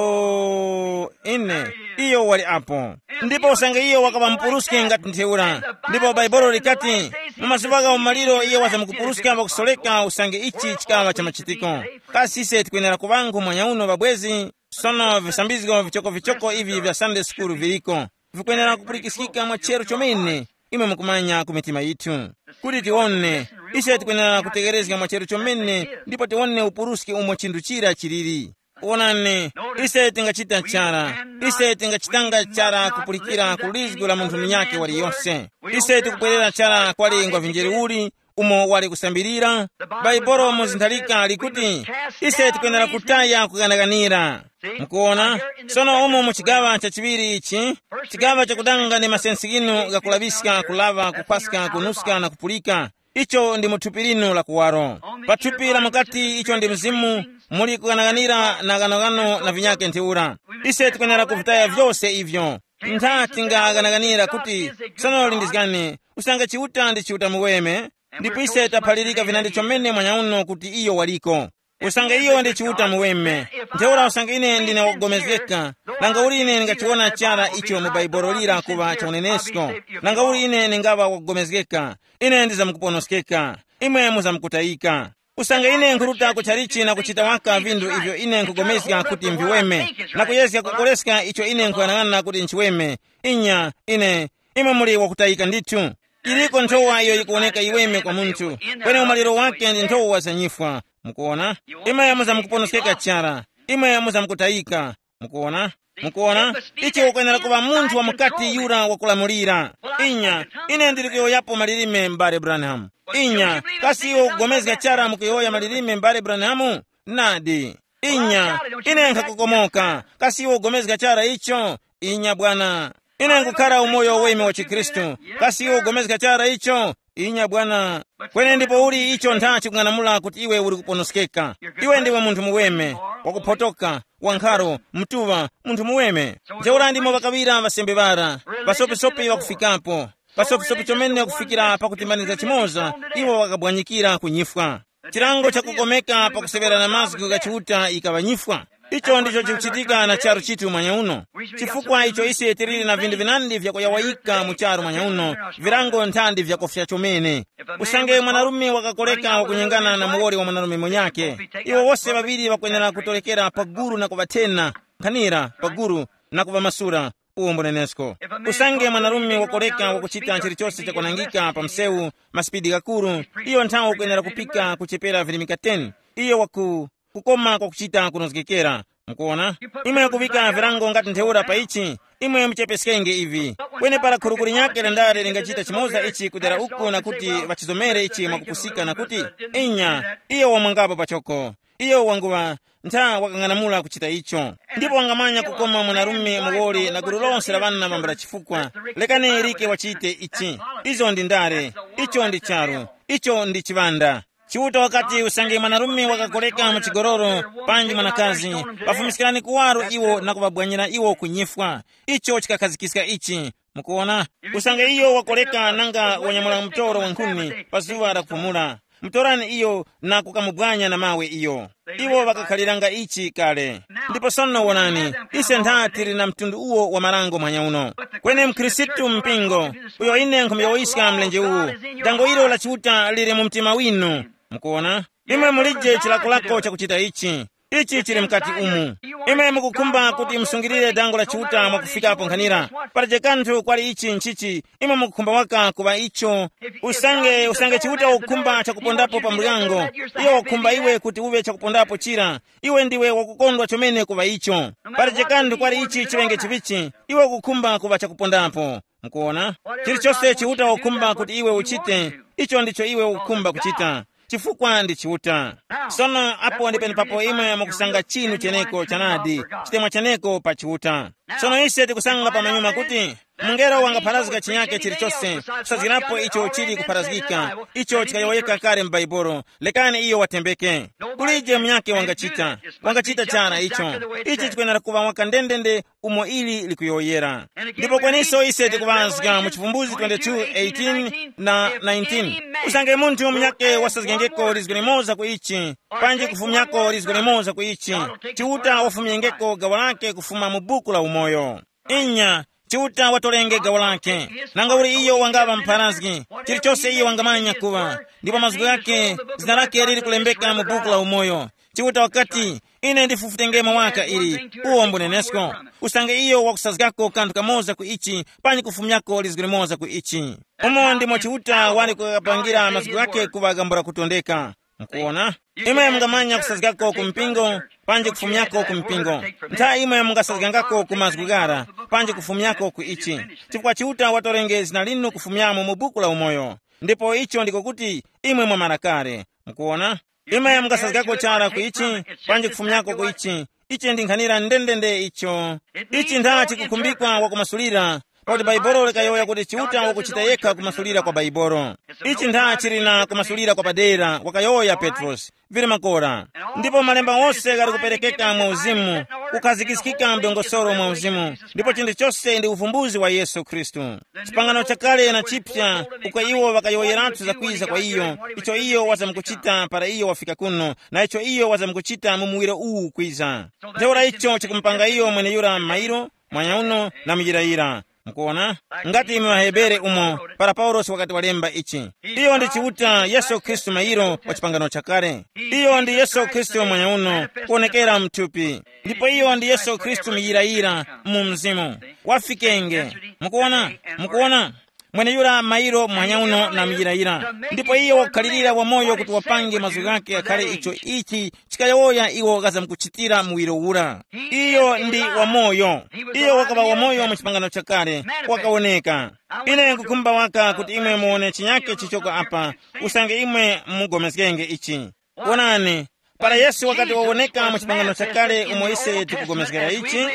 Oh, ine. Iyo wali apo. Ndipo usange iyo wakaŵa mupuruski ngati ntheura. Ndipo Baibolo likati, mu mazuŵa gha umaliro iyo wazamukupuruska pakusoleka usange ichi chikaŵa cha machitiko. Kasi ise tikwenera kuŵangu mwanyauno ŵabwezi? Sono visambizgo vichokovichoko ivi vya Sunday school viliko. Vikwenera kupulikiskika mwa chero chomene. Imwe mukumanya ku mitima yithu. Kuti tiwone, ise tikwenera kutegerezga mwa chero chomene ndipo tiwone upuruski umo chinthu chira chiliri. Wonani, ise tingachita chara. Ise tingachitanga chara kupulikira ku lizgu la munthu munyakhe waliyonse. Ise tikubwerera chara kwali ngwa vinjeri uli umo wali kusambirira. Bhaibolo mu zinthalika likuti ise tikwenera kutaya kuganaganira. Mukuona? Sono umo mu chigaŵa chachiŵiri ichi, chigaŵa chakudanga ndi masensi ghinu ghakulaŵiska kulaŵa kupaska kunuska na kupulika, icho ndi mu thupi linu la kuwaro. Pa thupi la mukati icho ndi mzimu, muli kughanaghanira na ghanoghano na vinyakhe ntheura. Ise tikwenera kuvitaya vyose ivyo. Ntha tingaghanaganira kuti sono lindizgani, usanga Chiuta ndi Chiuta muweme, ndipo ise taphalirika vinandi chomene mwanyauno kuti iyo waliko. Usange iyo ndi Chiuta muweme, ntheura usange ine ndine wakugomezgeka, nanga uli ine ndingachiwona chara icho mu Bhaibuli lira kuŵa cha unenesko? Nanga uli ine ndingaŵa wakugomezgeka, ine ndizamkuponoskeka, imwe muzamkutayika. Usange ine nkhuruta ku chalichi na kuchita waka vinthu ivyo ine nkhugomezga kuti mviweme, na kuyezga kukoleska icho ine nkhuyang'ana kuti nchiweme, inya, ine, imwe muli wakutayika ndithu. Iliko nthowa iyo yikuwoneka yiweme kwa munthu, kweni umaliro wake ndi nthowa za nyifwa. Mukuona? Imwe muzamkuponoskeka chara, imwe muzamkutayika. Mukuona? Mukuona? Ichi ukwenera kuŵa munthu wa mukati yura wakulamulira. Inya, ine ndili kuyowoyapo malilime, m'bale Branham. Inya, kasi iwe ukugomezga chara mukuyowoya malilime, m'bale Branham? Nadi. Inya, ine nkhakokomoka. Kasi iwe ugomezga chara icho? Inya bwana. Ine nkukhara umoyo weme wa chikhristu. Kasi iwe ugomezga chara icho? Inya bwana. Kweni ndipo uli icho ntha chikung'anamula kuti iwe uli kuponoskeka? Iwe ndiwe munthu muweme, wakuphotoka, wankharo, mtuŵa, munthu muweme. Ntheura ndimo ŵakaŵira ŵasembe ŵara, ŵasopisopi ŵakufikapo, pasopisopi chomene kufikira pakutimbanizga chimoza, iwo ŵakabwanyikira ku nyifwa. Chilango chakukomeka pakuseŵerana mazgu gha Chiuta ikaŵa nyifwa. Icho ndicho chikuchitika na charu chithu mwanyauno. Chifukwa icho ise tiliri na vinthu vinandi vyakuyawayika mu charu mwanyauno, virango nthandi vyakofya chomene. Usange mwanarume wakakoleka wakunyengana na muwoli wa mwanarume munyakhe, iwo wose ŵaŵiri ŵakwenera kutorekera pa guru na kuŵathena, nkhanira pa guru, na kuŵamasula. Uwo mbunenesko. Usange mwanarume wakoleka wakuchita chilichose chakwanangika pa msewu, masipidi ghakuru, iyo nthawi ukwenera kupika kuchepera virimika ten. Iyo waku kukoma kwakuchita kunozgekera. Mukuona? Imwe kuŵika virango ngati ntheura pa ichi, imwe muchepeskenge ivi. Kweni para khurukuri nyakhe la ndale lingachita chimoza ichi kudera uku na kuti ŵachizomere ichi mwakupusika na kuti, inya, iyo wamwangapo pachoko. Iyo wanguŵa ntha wakang'anamula kuchita icho. Ndipo wangamanya kukoma mwanarume muwoli na gulu lonse la ŵana ŵambala chifukwa. Lekani Erike wachite ichi. Izo ndi ndale. Icho ndi charu. Icho ndi chiŵanda. Chiuta wakati usange mwanarume wakakoleka mu chigololo, panji mwanakazi, pafumiskirani kuwaro iwo na kuŵabwanyira iwo ku nyifwa. Icho chikakhazikika ichi. Mukuona? Usange iyo wakoleka nanga wanyamula mtoro wa nkhuni pa zuŵa la kupumula, mutorani iyo na kukamubwanya na mawe iyo. Iwo ŵakakhaliranga ichi kale. Ndipo sono wonani, ise ntha tili na mtundu uwo wa marango manyauno. Kweni mkhristu mpingo, uyo ine nkhumuyowoyiska mlenje uwu, dango ilo la Chiuta lili mu mtima winu. Mukuona? Imwe mulije chilakolako chakuchita ichi. Ichi chili mkati umu. Imwe mukukhumba kuti musungirire dango la Chiuta mwakufikapo nkhanira. Palibe kanthu kwali ichi nchichi, imwe mukukhumba waka kuŵa icho. Usange usange Chiuta ukukhumba chakupondapo pa muryango, iyo wakukhumba iwe kuti uŵe chakupondapo chira. Iwe ndiwe wakukondwa chomene kuŵa icho. Palibe kanthu kwali ichi chiŵenge chivichi, iwe ukukhumba kuŵa chakupondapo. Mukuona? Chilichose Chiuta wakukhumba kuti iwe uchite, icho ndicho iwe ukukhumba kuchita. Chifukwa ndi Chiuta. Sono apo ndi penepapo imwe mukusanga chinu cheneko chanadi, chitemwa cheneko pa Chiuta. Sono ise tikusanga pamanyuma kuti mungelo wangapharazga chinyake chilichose, kusazgirapo icho chili kupharazgika, icho chikayowoyeka kale mu Bhaibuli. Lekani iyo watembeke. Kulije munyake wangachita, wangachita chara icho. Ichi chikwenera kuŵa waka ndendende umo ili likuyowoyera. Ndipo kweniso ise tikuŵazga mu Chivumbuzi twenty-two eighteen na nineteen, usange munthu munyake wasazgengeko lizgo limoza ku ichi, panji kufumyako lizgo limoza ku ichi, Chiuta wafumyengeko gawo lake kufuma mu buku la umoyo. Inya, Chiuta watolenge gawo lake. Nanga uli iyo wangaŵa mpharazgi, chilichose iyo wangamanya kuŵa, ndipo mazgu ghake, zina lake lili kulembeka mu buku la umoyo. Chiuta wakati, ine ndifufutengemo waka ili, uwo mbunenesko. Usange iyo wakusazgako kanthu kamoza ku ichi, panji kufumyako lizgu limoza ku ichi. Umo ndimo Chiuta wali kukapangira mazgu ghake kuŵa gambula kutondeka. Mukuona? Imwe mungamanya kusazgako ku mpingo, panji kufumyako ku mpingo. Nthawi imwe mungasazgangako ku mazgu ghara, panji kufumyako ku ichi, chifukwa Chiuta watorenge zina linu kufumyamo mu buku la umoyo. Ndipo icho ndiko kuti imwe mwamara kale. Mukuona? Imwe mungasazgako chara ku ichi, panji kufumyako ku ichi. Ichi ndi nkhanira ndendende icho. Ichi ntha chikukhumbikwa wakumasulira, pakuti Baibolo likayowoya kuti Chiuta wakuchita yekha kumasulira kwa Baibolo. Ichi ntha chili na kumasulira kwa padera, wakayowoya Petrosi. Vili makora. Ndipo malemba wose ghali kuperekeka mwa uzimu, kukhazikiskika mdongosoro mwa uzimu, ndipo chinthu chose ndi uvumbuzi wa Yesu Khristu. Chipangano chakale na chipya, uko iwo ŵakayowoyeratu zakwiza kwa iyo, icho iyo wazamkuchita para iyo wafika kuno, na icho iyo wazamkuchita mu muwiro uwu kwiza. Ntheura icho chikumupanga iyo mweneyura mairo, mwanyauno na muyirayira. Mukuona? Ngati mu Hebere umo, para Paulosi wakati walemba ichi, iyo ndi Chiuta Yesu Khristu mairo wa chipangano chakale. Iyo ndi Yesu Khristu mwanyauno, kuonekera mthupi. Ndipo iyo ndi Yesu Khristu muyirayira mu mzimu. Wafikenge. Mukuona? Mukuona? Mweneyura mairo mwanyauno na muyirayira. Ndipo iyo wakukhalirira wamoyo kuti wapange mazgu ghake akhale icho ichi chikayowoya iwo ghazamkuchitira muwiro ura. Iyo ndi wamoyo. Iyo wakaŵa wamoyo mu chipangano chakale, wakawoneka. Ine nkukhumba waka kuti imwe muwone chinyake chichoko apa, usange imwe mugomezgenge ichi. Wonani, para Yesu wakati wawoneka mu chipangano chakale umo ise tikugomezgera ichi,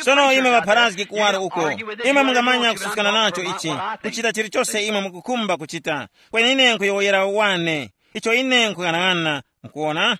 sono imwe ŵapharazgi kuwaro uko, imwe mungamanya kususkana nacho ichi, kuchita chilichose imwe mukukhumba kuchita. Kweni ine nkuyowoyera wane, icho ine nkhuyang'ana. Mukuona?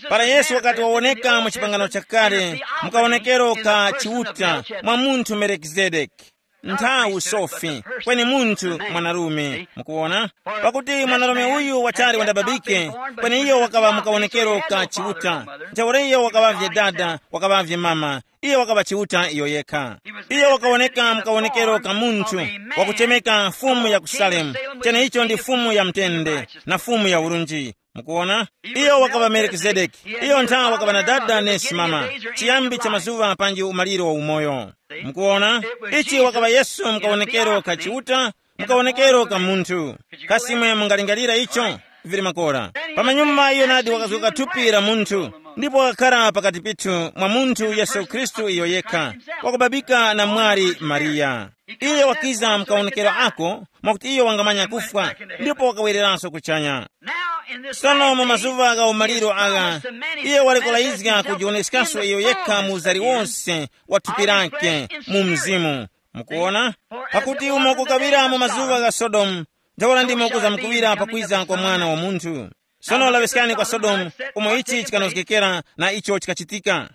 Para Yesu wakati wawoneka mu chipangano chakale, mukawonekero ka Chiuta mwa munthu Melikizedeki, nthawi sofi, kweni munthu mwanarume. Mukuona? Pakuti mwanarume uyu wachali wandababike, kweni iyo wakaŵa mukawonekero ka Chiuta. Ntheura iyo wakaŵavye dada, wakaŵavye mama, iyo wakaŵa Chiuta iyo yekha. Iyo wakawoneka mukawonekero ka munthu wakuchemeka Fumu ya ku Salemu, cheneicho ndi Fumu ya mtende na Fumu ya urunji. Mukuona? Iyo wakaŵa Melikizedeki. Iyo ntha wakaŵa na dada nesi mama, chiyambi cha mazuŵa panji umaliro wa umoyo. Mukuona? Ichi wakaŵa Yesu mukawonekero ka Chiuta, mukawonekero ka munthu. Kasi imwe mungalingalira icho? Vili makora. Pamanyuma iyo nadi wakazgoka thupi la munthu, ndipo wakakhala pakati pithu mwa munthu Yesu Khristu iyo yekha, wakubabika na mwali Mariya. Iyo wakiza mukawonekero ako, mwakuti iyo wangamanya kufwa, ndipo wakawereranso kuchanya. Sono mu mazuŵa gha umaliro agha, iye wali kulazizga kujiwoneskanso iyo yekha mu uzari wonse wa thupi lake mu mzimu. Mukuona? Pakuti umo kukaŵira mu mazuŵa gha Sodomu, ntheura ndimo kuzamkuŵira pakwiza kwa Mwana wa Munthu. Sono laŵiskani kwa Sodomu, umo ichi chikanozgekera na icho chikachitika.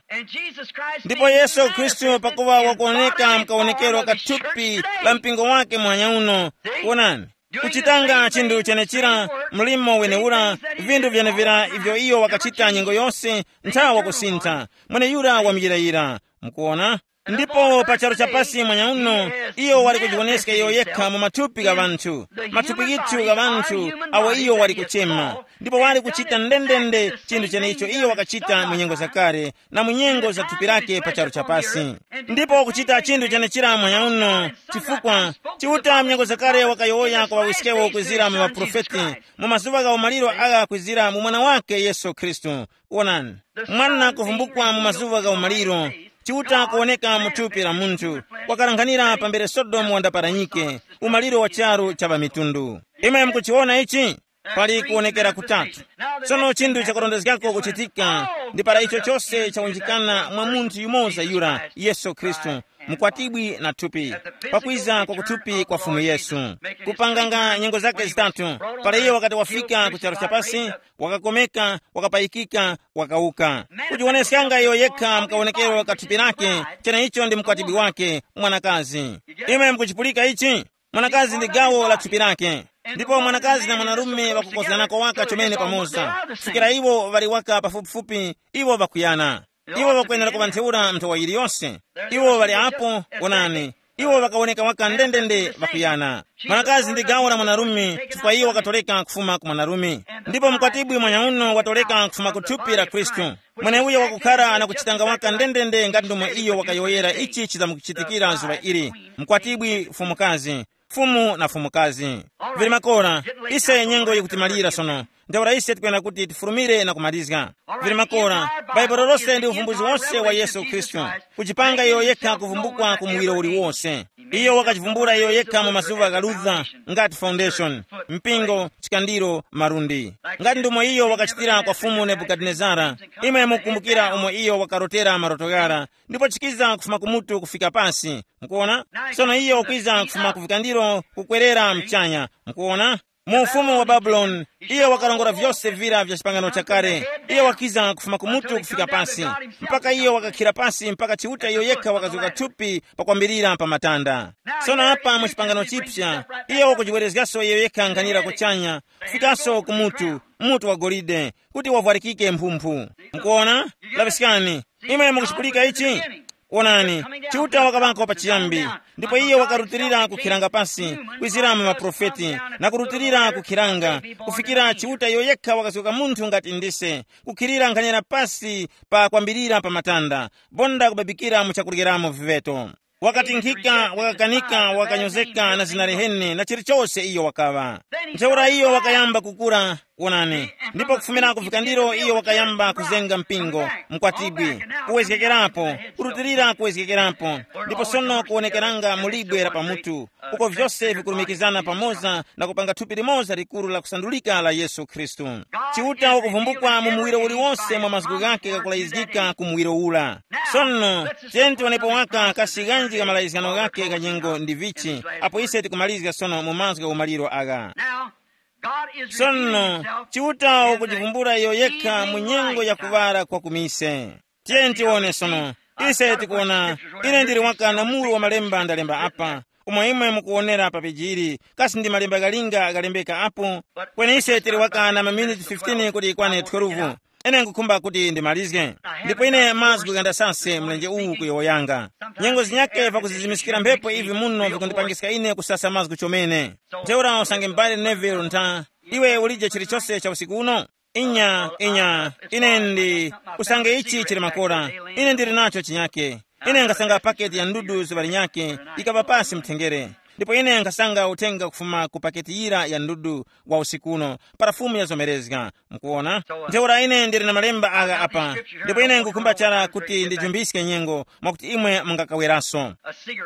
Ndipo Yesu Khristu pakuŵa wakuoneka mkawonekero ka thupi la mpingo wake muhanya uno, wonani, kuchitanga chinthu chenechira, mlimo wenewura, vinthu vyenevira ivyo iyo wakachita nyengo yose, nthawa kusintha, mweneyura wamuyirayira. Mukuona? Ndipo pa charu cha pasi mwanya uno, iyo wali kujiwoneska iyo yekha mu mathupi gha ŵanthu, mathupi ghithu gha ŵanthu awo iyo wali kuchema, ndipo wali kuchita ndendende chinthu chenecho iyo wakachita mu nyengo zakale na mu nyengo za thupi lake pa charu cha pasi. Ndipo wakuchita chinthu chenechira mwanya uno, chifukwa Chiuta mu nyengo zakale wakayowoya kwa ŵawiskewo kwezira mu ŵaprofeti, mu mazuŵa gha umaliro agha kwezira mu Mwana wake Yesu Khristu. Wonani, mwana kuvumbukwa mu mazuŵa gha umaliro, Chiuta kuwoneka mu thupi la munthu, wakalanghanira pambere Sodomu wandaparanyike, umaliro wa charu cha ŵamitundu. Imwe mukuchiwona ichi? Pali kuwonekera kutatu. Tsono chinthu chakurondezgako kuchitika, ndi para icho chose chawunjikana mwa munthu yumoza yura, Yesu Khristu, mkwatibwi na thupi, pakwiza kwa kuthupi kwa Fumu Yesu, kupanganga nyengo zake zitatu, para iyo wakati wafika ku charu cha pasi, wakakomeka, wakapayikika, wakauka. Kujiwoneskanga iyo yekha mkawonekero ka thupi lake, cheneicho ndi mkwatibwi wake, mwanakazi. Imwe mukuchipulika ichi? Mwanakazi ndi gawo la thupi lake. Ndipo mwanakazi na mwanarume ŵakukozganako waka chomene pamoza, kufikira iwo ŵali waka pafupifupi, iwo ŵakuyana. Iwo ŵakwenera kuŵa ntheura nthowa yiliyonse. Iwo ŵali apo, wonani, iwo ŵakawoneka waka ndendende ŵakuyana. Mwanakazi ndi gawo la mwanarume, chifukwa iwo wakatoreka kufuma ku mwanarume. Ndipo mkwatibwi mwanyauno watoreka kufuma ku thupi la Khristu. Mweneuyo wakukhara na kuchitanga waka ndendende ngati ndomwe iyo wakayowoyera ichi chizamkuchitikira zuŵa ili. Mkwatibwi fumukazi, Fumu na fumukazi. Vili makora, ise nyengo yikutimalira sono. Ntheura ise tikwenda kuti tifurumire na kumalizga. Vili makora, Baibulo lose ndi uvumbuzi wose wa Yesu Khristu, kuchipanga iyo yekha kuvumbukwa ku muwiro uliwonse. Iyo wakachivumbula iyo yekha mu mazuŵa gha Luther, ngati foundation, mpingo, chikandiro, malundi. Ngati ndomwe iyo wakachitira kwa Fumu Nebukadinezara, imwe mukukumbukira umo iyo wakarotera maroto ghara, ndipo chikiza kufuma kumutu kufika pasi. Mukuona? Sono iyo wakwiza kufuma ku vikandiro kukwerera mchanya. Mukuona? Mu ufumu wa Babuloni, iyo wakarongora vyose vira vya chipangano chakale. Iyo wakiza kufuma kumutu kufika pasi, mpaka iyo wakakhira pasi mpaka Chiuta iyo yekha wakazuka thupi pakwambirira pa matanda. Sono apa mu chipangano chipya, iyo wakujiwerezgaso iyo yekha nkhanira kuchanya, kufikaso ku mutu, mutu wa golide, kuti wavwarikike mphumphu. Mukuona? Laŵiskani, imwe mukuchipulika ichi? Onani, Chiuta wakaŵako pachiyambi, ndipo iye wakarutilira kukhiranga pasi, kwizira mu maprofeti, na kurutilira kukhiranga, kufikira Chiuta iyo yekha wakasoka munthu ngati ndise, kukhirira nkhanira pasi pa kwambirira pa matanda, bonda kubabikira mu chakuryeramo viveto. Wakatinkhika, wakakanika, wakanyozeka na zina liheni na chilichose iyo wakaŵa. Ntheura iyo wakayamba kukura, wonani, ndipo kufumira ku vikandiro iyo wakayamba kuzenga mpingo, mkwatibwi, kuwezgekerapo, kurutilira kuwezgekerapo, ndipo sono kuwonekeranga mu libwe la pamutu, uko vyose vikulumikizana pamoza na kupanga thupi limoza likuru la kusandulika la Yesu Khristu. Chiuta wakuvumbukwa mu muwiro uliwonse mwa mazgu ghake ghakulayizgika ku muwiro ura. Sono, tiyeni tiwonepo waka kasi ghanji gha malayizgano ghake gha nyengo ndi vichi, apo ise tikumalizga sono mu mazgu gha umaliro agha. Sono, Chiuta wakujivumbula iyo yekha mu nyengo ya kuŵala kwa kumise. Tiyeni tiwone sono. Ise tikuwona, ine ndili waka na muru wa malemba ndalemba apa, umo imwe mukuwonera pa peji ili, kasi ndi malemba ghalinga ghalembeka apo? Kweni ise tili waka na maminiti fifteen kuti ikwane twelve. Ine nkukhumba kuti ndimalizge. Ndipo ine mazgu ghandasase mlenje uwu kuyowoyanga. Nyengo zinyake pakuzizimiskira mphepo ivi muno vikundipangiska ine kusasa mazgu chomene. Ntheura usange m'bale Neville ntha, iwe ulije chilichose cha usiku uno? Inya, inya, ine ndi, usange ichi chili makora, ine ndili nacho chinyake. Ine nkhasanga paketi ya ndudu zuŵa linyake, yikaŵa pasi mthengere. Ndipo ine nkhasanga uthenga kufuma ku paketi yira ya ndudu wa usiku uno, para Fumu yazomerezga. Mukuona? Ntheura ine ndili na malemba agha apa, ndipo ine nkukhumba chara kuti ndijumbiske nyengo mwakuti imwe mungakaweraso.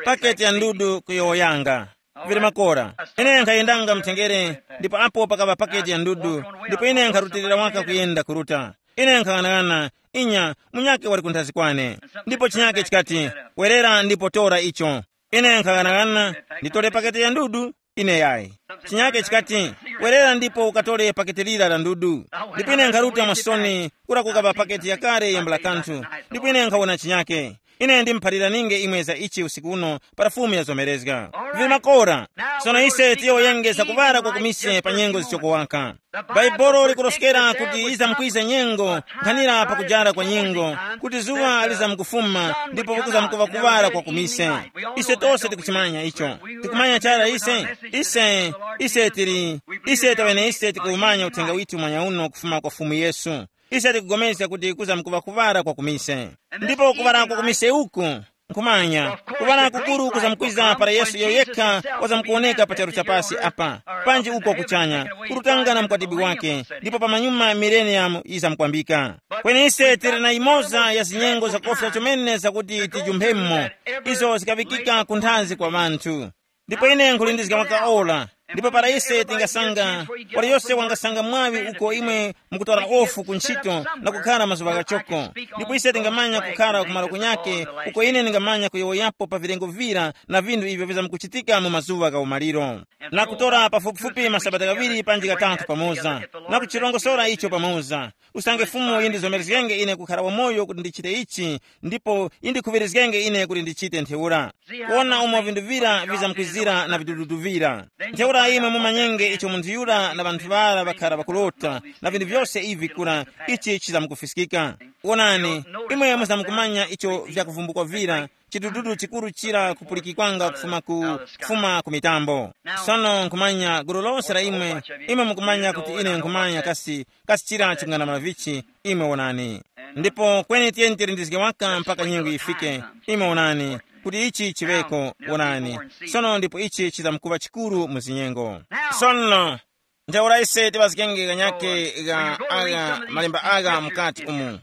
Paketi ya ndudu kuyowoyanga. Vili makora. Ine nkhayendanga mthengere, ndipo apo pakaŵa paketi ya ndudu, ndipo ine nkharutilira waka kuyenda kuruta. Ine nkhang'anang'ana, inya, munyake wali kunthazi kwane. Ndipo chinyake chikati, "Werera ndipo tora icho." Ine nkhang'anang'ana, nditore paketi ya ndudu? Ine yayi. Chinyake chikati, "Werera ndipo ukatore paketi lira la ndudu." Ndipo ine nkharuta mwa soni, kura kukaŵa paketi yakale yambula kanthu. Ndipo ine nkhawona chinyake. Ine ndimuphaliraninge imwe za ichi usiku uno para Fumu yazomerezga. Vili makora. Sono ise tiyowoyenge za kuŵala kwa kumise pa nyengo zichokowaka. Bhaibuli likuroskera kuti izamkwiza nyengo, nkhanira pakujara kwa nyengo, kuti zuŵa lizamkufuma ndipo kuzamkuŵa kuŵala kwa kumise. Ise tose tikuchimanya icho. Tikumanya chara ise, ise, ise tili, ise taŵene ise tikuwumanya uthenga withu mwanya uno kufuma kwa Fumu Yesu. Ise tikupulikana kuti kuzamkuŵa kuŵala kwa kumise. Ndipo kuŵala kwa kumise uku, nkhumanya, kuŵala kukuru kuzamkwiza para Yesu iyo yekha wazamkuwoneka pa charu cha pasi apa, panji uko kuchanya, kurutanga na mkwatibwi wake, ndipo pamanyuma mileniyamu yizamkwambika. Kweni ise tili na yimoza ya zinyengo zakofya chomene zakuti tijumphemo, izo zikaŵikika ku nthazi kwa ŵanthu. Ndipo ine nkhulindizga waka ora. Ndipo para ise tingasanga, waliyose wangasanga mwaŵi uko imwe mukutora ofu ku ntchito na kukhara mazuŵa ghachoko. Ndipo ise tingamanya kukhara kumalo kunyake, uko ine ndingamanya kuyowoyapo pa vilengo vira na vinthu ivyo vizamkuchitika mu mazuŵa gha umaliro, na kutora pafupifupi masabata ghaŵiri panji ghatatu pamoza, na kuchirongosora icho pamoza. Usange Fumu yindizomerezgenge ine kukhara wamoyo kuti ndichite ichi, ndipo yindikhuŵirizgenge ine kuti ndichite ntheura. Kuwona umo vinthu vira vizamkwizira na vidududu vira. Ntheura imwe mumanyenge icho munthu yura na ŵanthu ŵara ŵakhara ŵakulota, na vinthu vyose ivi kura, ichi chizamkufiskika. Wonani, imwe muzamkumanya icho vyakuvumbukwa vira, chidududu chikuru chira kupulikikwanga kufuma ku, kufuma ku mitambo. Sono nkhumanya gulu lose la imwe, imwe mukumanya kuti ine nkhumanya kasi, kasi chira chikung'anamula vichi, imwe wonani. Ndipo kweni tiyeni tilindizge waka mpaka nyengo yifike, imwe wonani. kuti ichi chiŵeko. Wonani, sono ndipo ichi chizamkuŵa chikuru mu zinyengo. Sono, ntheura ise tiŵazgenge kanyake ga agha malemba agha mukati umu.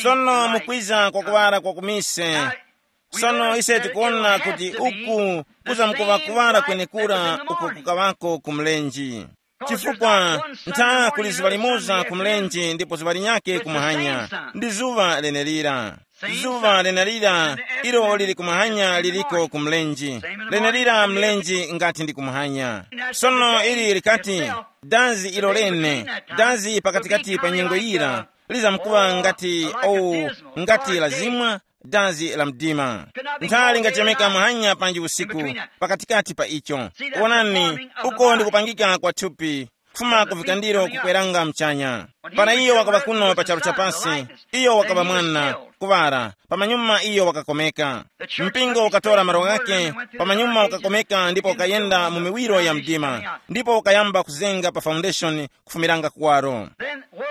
Sono mukwiza kwa kuŵala kwa kumise. Sono ise tikuwona kuti uku kuzamkuŵa kuŵala kwenekura uko kukaŵako ku mlenje. Chifukwa ntha kuli zuŵa limoza ku mlenje ndipo zuŵa linyake ku muhanya, ndi zuŵa lenelira. Zuŵa lenelira ilo lili ku muhanya liliko ku mlenje, lenelira mlenje ngati ndi ku muhanya. Sono ili likati, dazi ilo lene, dazi pakatikati pa nyengo yira lizamkuŵa ngati, oh, ngati lazimwa, dazi la mdima. Ntha lingachemeka muhanya panji usiku, pakatikati pa icho. Wonani, uko ndi kupangika kwa thupi, kufuma ku vikandiro kukweranga mchanya. Para iyo wakaŵa kuno pa charu chapasi, iyo wakaŵa mwana, kuŵala, pamanyuma iyo wakakomeka. Mpingo ukatora malo ghake, pamanyuma ukakomeka ndipo ukayenda mu miwiro ya mdima, ndipo ukayamba kuzenga pa foundation kufumiranga kuwaro.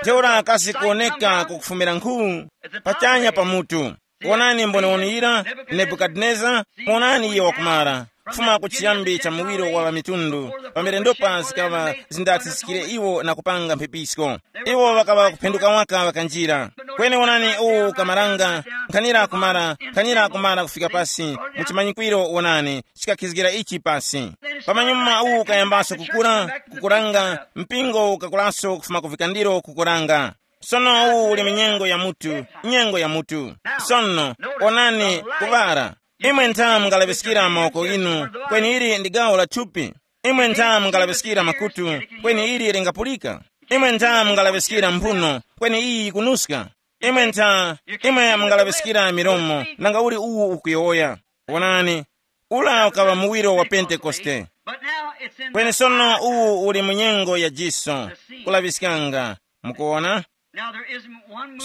Ntheura kasi kuwoneka kukufumira nkhu pachanya pa mutu. Wonani mboniwoni yira, Nebukadineza, wonani iyo wakumara, kufuma ku chiyambi cha muwiro wa ŵamitundu, pamene ndopa zikaŵa zindathisikire iwo na kupanga mphepisko. Iwo ŵakaŵa kuphenduka waka ŵakanjira. Kweni wonani uwu ukamaranga, nkhanira kumara, nkhanira kumara kufika pasi, mu chimanyikwiro wonani, chikakhizgira ichi pasi. Pamanyuma uwu ukayambaso kukura, kukuranga, mpingo ukakuraso kufuma ku vikandiro kukuranga. Sono uwu uli mu nyengo ya mutu, nyengo ya mutu. Sono, onani, kuŵara. Imwe ntha mungalaŵiskira mawoko inu, kweni ili ndi gawo la thupi. Imwe ntha mungalaŵiskira makutu, kweni ili lingapulika. Imwe ntha mungalaŵiskira mphuno, kweni iyi yikunuska. Imwe ntha, imwe mungalaŵiskira milomo, nanga uli uwu ukuyowoya. Wonani, ula ukaŵa muwiro wa Pentekoste. Kweni sono uwu uli mu nyengo ya jiso, kulaŵiskanga. Mukuwona?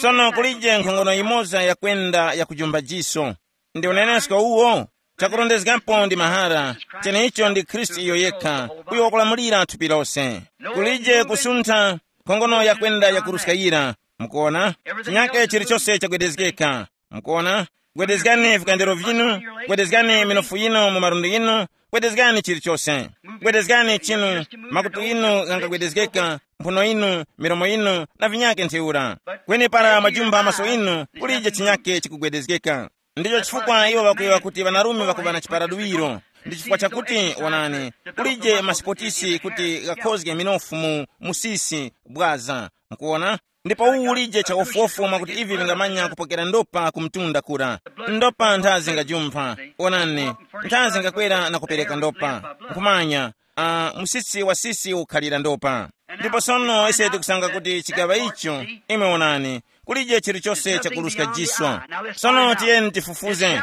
Sono kulije nkhongono yimoza yakwenda yakujumba jiso. Ndi unenesko uwo? Chakurondezgapo ndi mahara, cheneicho ndi Khristu iyo yekha, uyo wakulamulira thupi lose. Kulije kusuntha, nkhongono yakwenda yakuruska yira. Mukuwona? Chinyake chilichose chagwedezgeka. Mukuwona? Gwedezgani vikandero vinu, gwedezgani minofu yinu mu malundi yinu, gwedezgani chilichose. Gwedezgani chinu, makutu inu ghangagwedezgeka, mphuno inu, milomo inu, na vinyake ntheura. Kweni para mwajumba maso inu, kulije chinyake chikugwedezgeka. Ndicho chifukwa iwo ŵakuyowoya kuti ŵanarume ŵakuŵa na chiparaduwiro. Ndi chifukwa chakuti, wonani, kulije masipotisi kuti ghakhozge minofu mu musisi, bwaza. Mukuwona? Ndipo uwu ulije cha wofuwofu mwakuti ivi vingamanya kupokera ndopa ku mtunda kura. Ndopa ntha zingajumpha. Onani, ntha zingakwera na kupereka ndopa. Nkhumanya, uh, musisi wa sisi ukhalira ndopa. Ndipo sono ise tikusanga kuti chigaŵa icho, imwe onani, kulije chilichose chakuruska jiswa. Sono tiyeni tifufuze.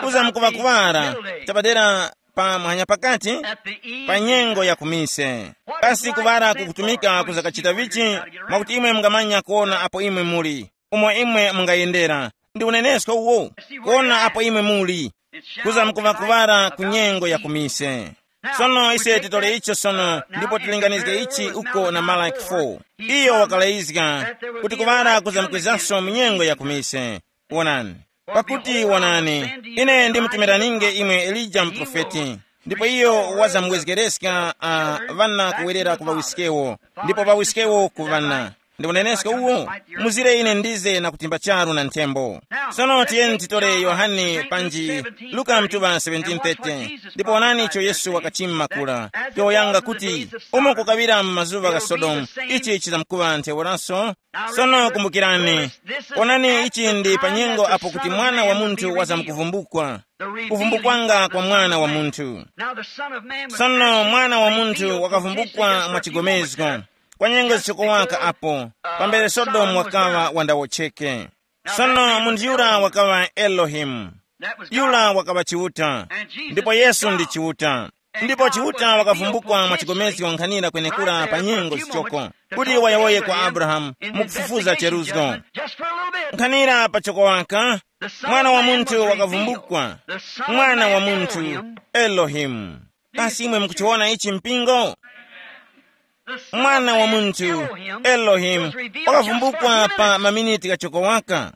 Kuza mukuŵa kuŵara chapadera pa muhanya pakati, pa nyengo ya kumise. Kasi kuŵara kukutumika kuzakachita vichi? Mwakuti imwe mungamanya kuona apo imwe muli, umo imwe mungayendera. Ndi unenesko uwo, kuona apo imwe muli. Kuza mukuŵa kuŵara ku nyengo ya kumise. Sono ise titole icho sono ndipo tilinganizge ichi uko na Malaki four. Iyo wakalayizga kuti kuŵara kuza mukwizanso mu nyengo ya kumise. Wonani. Pakuti wonani, ine ndimutumiraninge imwe Elija muprofeti, ndipo iyo wazamwezgereska, uh, ŵana kuwerera ku ŵawiskewo, ndipo ŵawiskewo ku ŵana. Ndi unenesko uwo? Muzire ine ndize na kutimba charu na nthembo. Sono tiyeni titore Yohane panji Luka mtuŵa seventeen thirty, ndipo onani icho Yesu wakachima kula, yowoyanga kuti, umo kukaŵira mu mazuŵa gha Sodomu, ichi chizamkuŵa ntheuraso. Sono kumbukirani, onani ichi ndi pa nyengo apo kuti Mwana wa Munthu wazamkuvumbukwa, kuvumbukwanga kwa Mwana wa Munthu. Sono Mwana wa Munthu wakavumbukwa mwa chigomezgo, kwa nyengo zichokowaka apo, pambere Sodomu wakaŵa wandawotcheke. Sono munthu yura wakaŵa Elohimu. Yura wakaŵa Chiuta. Ndipo Yesu ndi Chiuta. Ndipo Chiuta wakavumbukwa mwa chigomezgo nkhanira kwenekura pa nyengo zichoko, kuti wayowoye kwa Abrahamu mukufufuza cheruzgo. Nkhanira pachoko waka, Mwana wa Munthu wakavumbukwa. Mwana wa Munthu, Elohimu. Kasi imwe mukuchiwona ichi mpingo? Mwana wa Munthu, Elohimu, wakavumbukwa pa maminiti ghachoko waka.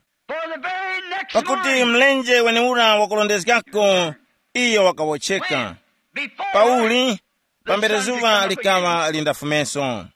Pakuti mlenje wenewura wakurondezgako, iyo wakawotcheka. Pauli, pambere zuŵa likaŵa lindafumeso.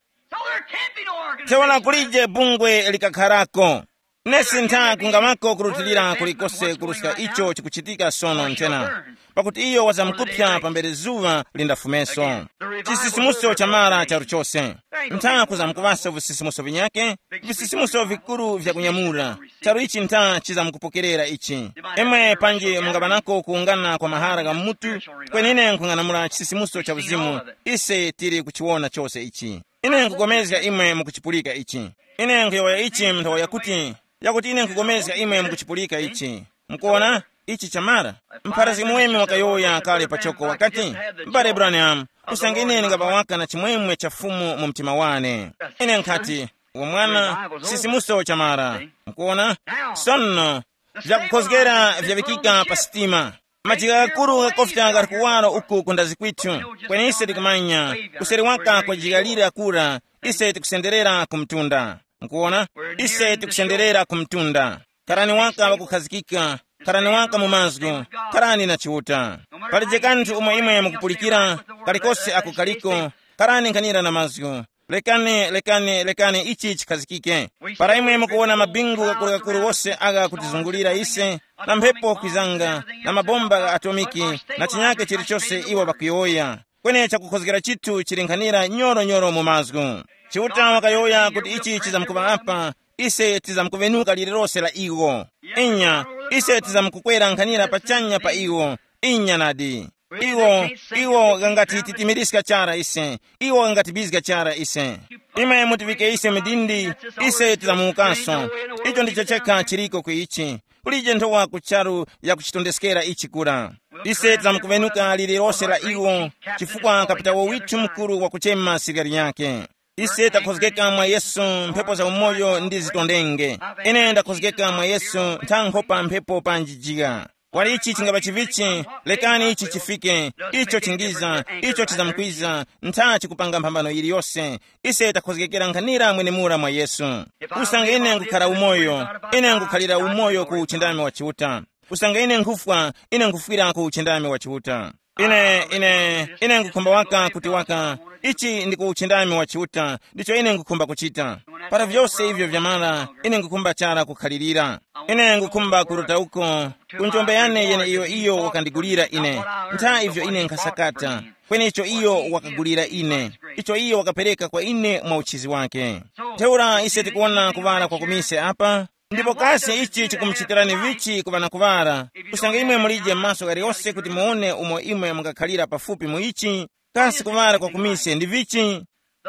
Theura kulije bungwe likakharako. Nesi ntha kungamako kurutilira kulikose kuruska icho chikuchitika sono nthena, pakuti iyo wazamkupya pambere zuŵa lindafumeso. Chisisimuso cha mara charu chose. Ntha kuzamkuŵasa visisimuso vinyake, visisimuso vikuru vya kunyamura. Charu ichi ntha chizamkupokerera ichi. Imwe panji mungaŵanako kuwungana kwa mahara gha mutu, kwenine nkhung'anamula chisisimuso cha uzimu. Ise tili kuchiwona chose ichi. Ine nkukomezga imwe mukuchipulika ichi. Ine nkuyowoya ichi mu nthawi yakuti, yakuti ine nkukomezga imwe mukuchipulika ichi. Mukuona, ichi chamara. Mpharazgi muweme wakayowoya kale pachoko wakati, m'bale Branham, usange ine ndingapa waka na chimwemwe cha Fumu mu mtima wane. Ine nkhati, uwo mwana, sisimuso chamara. Mukuona? Sono, vyakukhozgera vyaŵikika pa sitima. Majika ghakuru ghakofika ghali kuwaro uku ku ndazi kwithu, kweni ise tikumanya, kuseri waka kwa jika lira kura, ise tikusenderera ku mtunda. Nkuwona? Ise tikusenderera ku mtunda. Kharani waka wakukhazikika, kharani waka mu mazgu, kharani na Chiuta. Palije kanthu umo imwe mukupulikira, kalikose ako kaliko, kharani nkhanira na mazgu. Lekani, lekani, lekani ichi chikhazikike. Para imwe mukuwona mabingu ghakurugakuru wose agha kutizungulira ise, na mphepo kwizanga, na mabomba gha atomiki, na chinyake chilichose iwo ŵakuyowoya, kweni chakukhozgera chithu chili nkhanira nyoro-nyoro mu mazgu. Chiuta wakayowoya kuti ichi chizamkuŵa apa, ise tizamkuŵenuka lilirose la iwo. Inya, ise tizamkukwera nkhanira pachanya pa iwo. Inya nadi. Iwo, iwo ghangatititimiriska chara ise. Iwo ghangatibizga chara ise. Imwe mutivike ise midindi, ise tizamuwukanso. Icho ndicho chekha chiriko ku ichi. Kulije nthowa ku charu yakuchitondeskera ichi kura. Ise tizamukuŵenuka lilirose la iwo, chifukwa kapitawo withu mukuru wakuchema sirikali yake. Ise takhozgeka mwa Yesu, mphepo za umoyo ndi zitondenge. Ine ndakhozgeka mwa Yesu, nthankho pa mphepo panji jigha. Kwali ichi chingapa chivichi, lekani ichi chifike, icho chingiza, icho chizamkwiza, ntha chikupanga mphambano yiliyose. Ise takhozgekera nkhanira mwenemura mwa Yesu. Usange ine nkukhala umoyo, ine nkukhalira umoyo ku uchindami wa Chiuta. Usange ine nkhufwa, ine nkhufwira ku uchindami wa Chiuta. Ine, ine, ine nkukhumba waka kuti waka, ichi ndi ku uchindami wa Chiuta, ndicho ine nkukhumba kuchita. Para vyose ivyo vyamala, ine nkukhumba chara kukhalirira. Ine nkukhumba kuruta uko, ku njombe yane yene iyo iyo wakandigulira ine. Ntha ivyo ine nkhasakata, kweni icho iyo wakagulira ine, icho iyo wakapereka kwa ine mwa uchizi wake. Ntheura ise tikuwona kuŵala kwa kumise apa, ndipo kasi ichi chikumuchitirani vichi kuŵa na kuŵala? Usange imwe mulije maso ghaliyose kuti muwone umo imwe mungakhalira pafupi mu ichi, kasi kuŵala kwa kumise ndi vichi?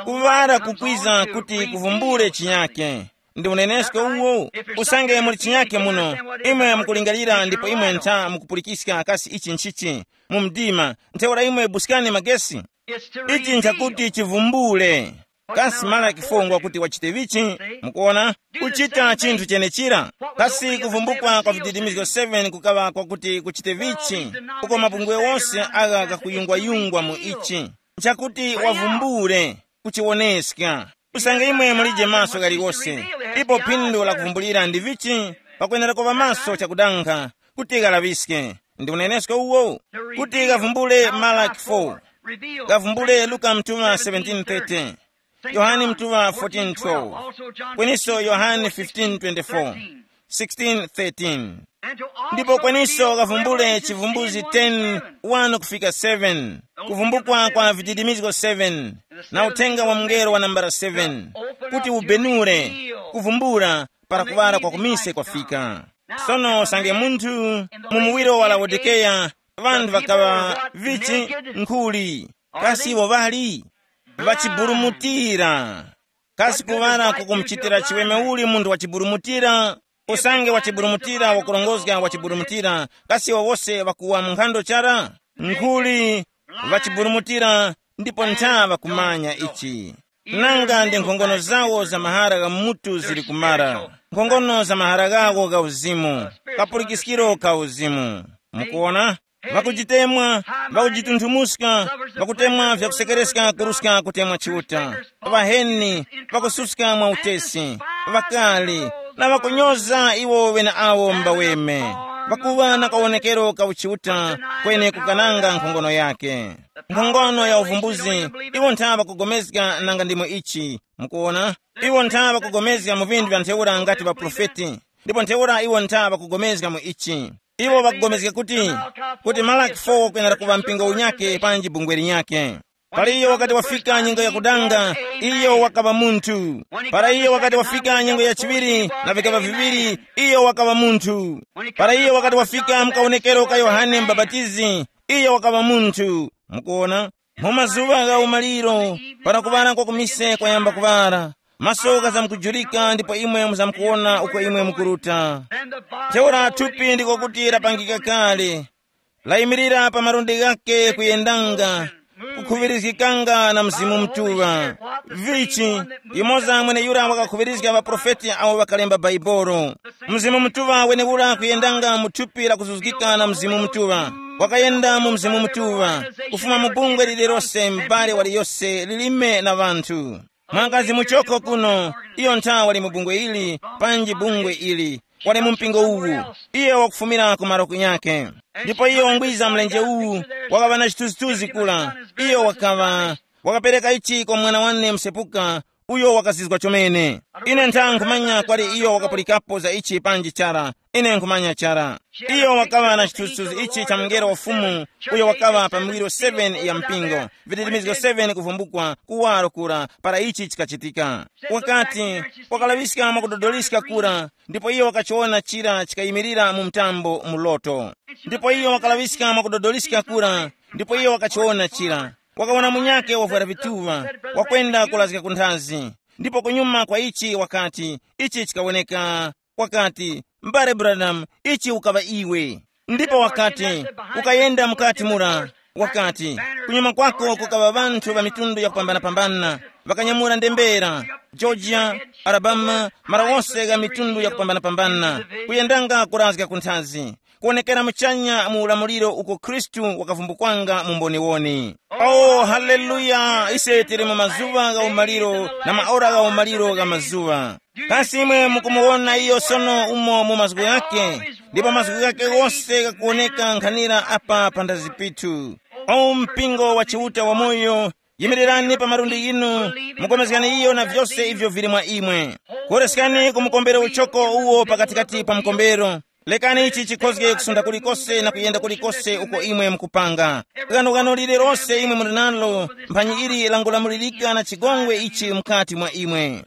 Kuŵala kukwiza kuti kuvumbule chinyake. Ndi unenesko uwo. Usange muli chinyake muno, imwe mukulingalira ndipo imwe ntha mukupulikiska kasi ichi nchichi mu mdima, ntheura imwe buskani magesi. Ichi nchakuti chivumbule. Kasi Malaki fo ngwakuti wachite vichi? Mukuona, kuchita chinthu chenechira. Kasi kuvumbukwa kwa vididimizgo seven kukaŵa kwakuti kuchite vichi? Uko mabungwe wose agha gakuyungwayungwa mu ichi, nchakuti wavumbule, kuchiwoneska. Usange imwe mulije maso ghaliwose, ipo phindu la kuvumbulira ndi vichi? Pakwenera kuŵa maso chakudankha, kuti ghalaŵiske. Ndi unenesko uwo, kuti ghavumbule Malaki four, ghavumbule Luka mtuŵa seventeen thirty, Yohane mtuŵa fourteen twelve, kweniso Yohane fifteen twenty-four, sixteen thirteen. Ndipo kweniso ghavumbule Chivumbuzi ten, one kufika seven, kuvumbukwa kwa vididimizgo seven, na uthenga wa mngelo wa nambala seven, kuti ubenure, kuvumbula, para kuŵala kwa kumise kwafika. Sono usange munthu mu muwiro wa Laodikeya, ŵanthu ŵakaŵa vichi? Nkhuli. Kasi iwo ŵali ŵachiburumutira? Kasi kuŵala kukumuchitira chiweme uli munthu wachiburumutira? Usange wachiburumutira wakurongozga wachiburumutira, kasi iwo wose ŵakuwa mu nkhando chara? Nkhuli, ŵachiburumutira, ndipo ntha ŵakumanya ichi. Nanga ndi nkhongono zawo za mahara gha mutu zili kumara, nkhongono za mahara ghawo gha uzimu, kapulikiskiro ka uzimu. Mukuona? Ŵakujitemwa, ŵakujitunthumuska, ŵakutemwa vyakusekereska kuruska kutemwa Chiuta, ŵaheni, ŵakususka mwa utesi, ŵakali, na ŵakunyoza iwo ŵeneawo mbaweme, ŵakuŵa na kawonekero ka uchiuta, kweni kukananga nkhongono yake. Nkhongono ya uvumbuzi, iwo ntha ŵakugomezga nanga ndimo ichi. Mukuona, iwo ntha ŵakugomezga mu vinthu vya ntheura ngati ŵaprofeti, ndipo ntheura iwo ntha ŵakugomezga mu ichi. Iwo ŵakugomezga kuti, kuti Malaki four kwenera kuŵa mpingo unyake panji bungwe linyake. Para iyo wakati wafika nyengo ya kudanga, iyo wakaŵa munthu. Para iyo wakati wafika nyengo ya chiŵiri na vikaba viŵiri, iyo wakaŵa munthu. Para iyo wakati wafika mukawonekero ka Yohane Mbapatizi, iyo wakaŵa munthu. Mukuona, mu mazuŵa gha umaliro, para kuŵala kwa kumise kwayamba kuŵala, maso ghazamkujurika ndipo imwe muzamkuwona uko imwe mukuruta. Ntheura thupi ndiko kuti lapangika kale, layimirira pa malundi ghake kuyendanga, kukhuŵirizgikanga na Mzimu Mutuŵa. Vichi, yumoza mweneyura wakakhuŵirizga ŵaprofeti awo ŵakalemba Baibolo. Mzimu Mutuŵa wenewura kuyendanga mu thupi lakuzuzgika na Mzimu Mutuŵa. Wakayenda mu Mzimu Mutuŵa, kufuma mu bungwe lililose, m'bale waliyose, lilime na ŵanthu. Mwanakazi muchoko kuno, iyo ntha wali mu bungwe ili, panji bungwe ili, wali mu mpingo uwu. Iye wakufumira ku malo kunyake. Ndipo iyo wangwiza mlenje uwu, wakaŵa na chithunzithunzi kula. Iyo wakaŵa, wakapereka ichi kwa mwana wane msepuka, uyo wakazizwa chomene. Ine ntha nkhumanya kwali iyo wakapulikapo za ichi panji chara. Ine nkhumanya chara. Iyo wakaŵa na chithunzithunzi ichi cha mngelo wa Fumu, uyo wakaŵa pa miwiro seven ya mpingo, vititimizgo seven kuvumbukwa, kuwaro kura, para ichi chikachitika. Wakati, wakalaŵiska mwakudodoliska kura, ndipo iyo wakachiwona chira chikayimirira mu mtambo mu loto. Ndipo iyo wakalaŵiska mwakudodoliska kura, ndipo iyo wakachiwona chira. Wakawona munyakhe wavwara vituŵa, wakwenda kulazga ku nthazi. Ndipo kunyuma kwa ichi wakati, ichi chikawoneka. Wakati, mbale Branham, ichi ukaŵa iwe. Ndipo wakati, ukayenda mukati mura. Wakati, kunyuma kwako kukaŵa ŵanthu ŵa mitundu yakupambanapambana, ŵakanyamula ndembera, Georgia, Alabama, mara wose gha mitundu yakupambanapambana, kuyendanga kurazga ku nthazi, kuwonekera muchanya mu ulamuliro uko Khristu wakavumbukanga mu mboniwoni. Oh, haleluya! Ise tili mu mazuŵa gha umaliro na maora gha umaliro gha mazuŵa. Kasi imwe mukumuwona iyo sono umo mu mazgu ghake, ndipo mazgu ghake ghose ghakuwoneka nkhanira apa panthazi pithu. O mpingo wa Chiuta wamoyo, yimirirani pa malundi ghinu, mukomezgani iyo na vyose ivyo vili mwa imwe. Koreskani ku mukombero uchoko uwo pakatikati pa mukombero. Lekani ichi chikhozge kusunda kulikose na kuyenda kulikose uko imwe mukupanga. Ghanoghano lililose imwe muli nalo, mphanyi ili langulamulirika na chigongwe ichi mukati mwa imwe.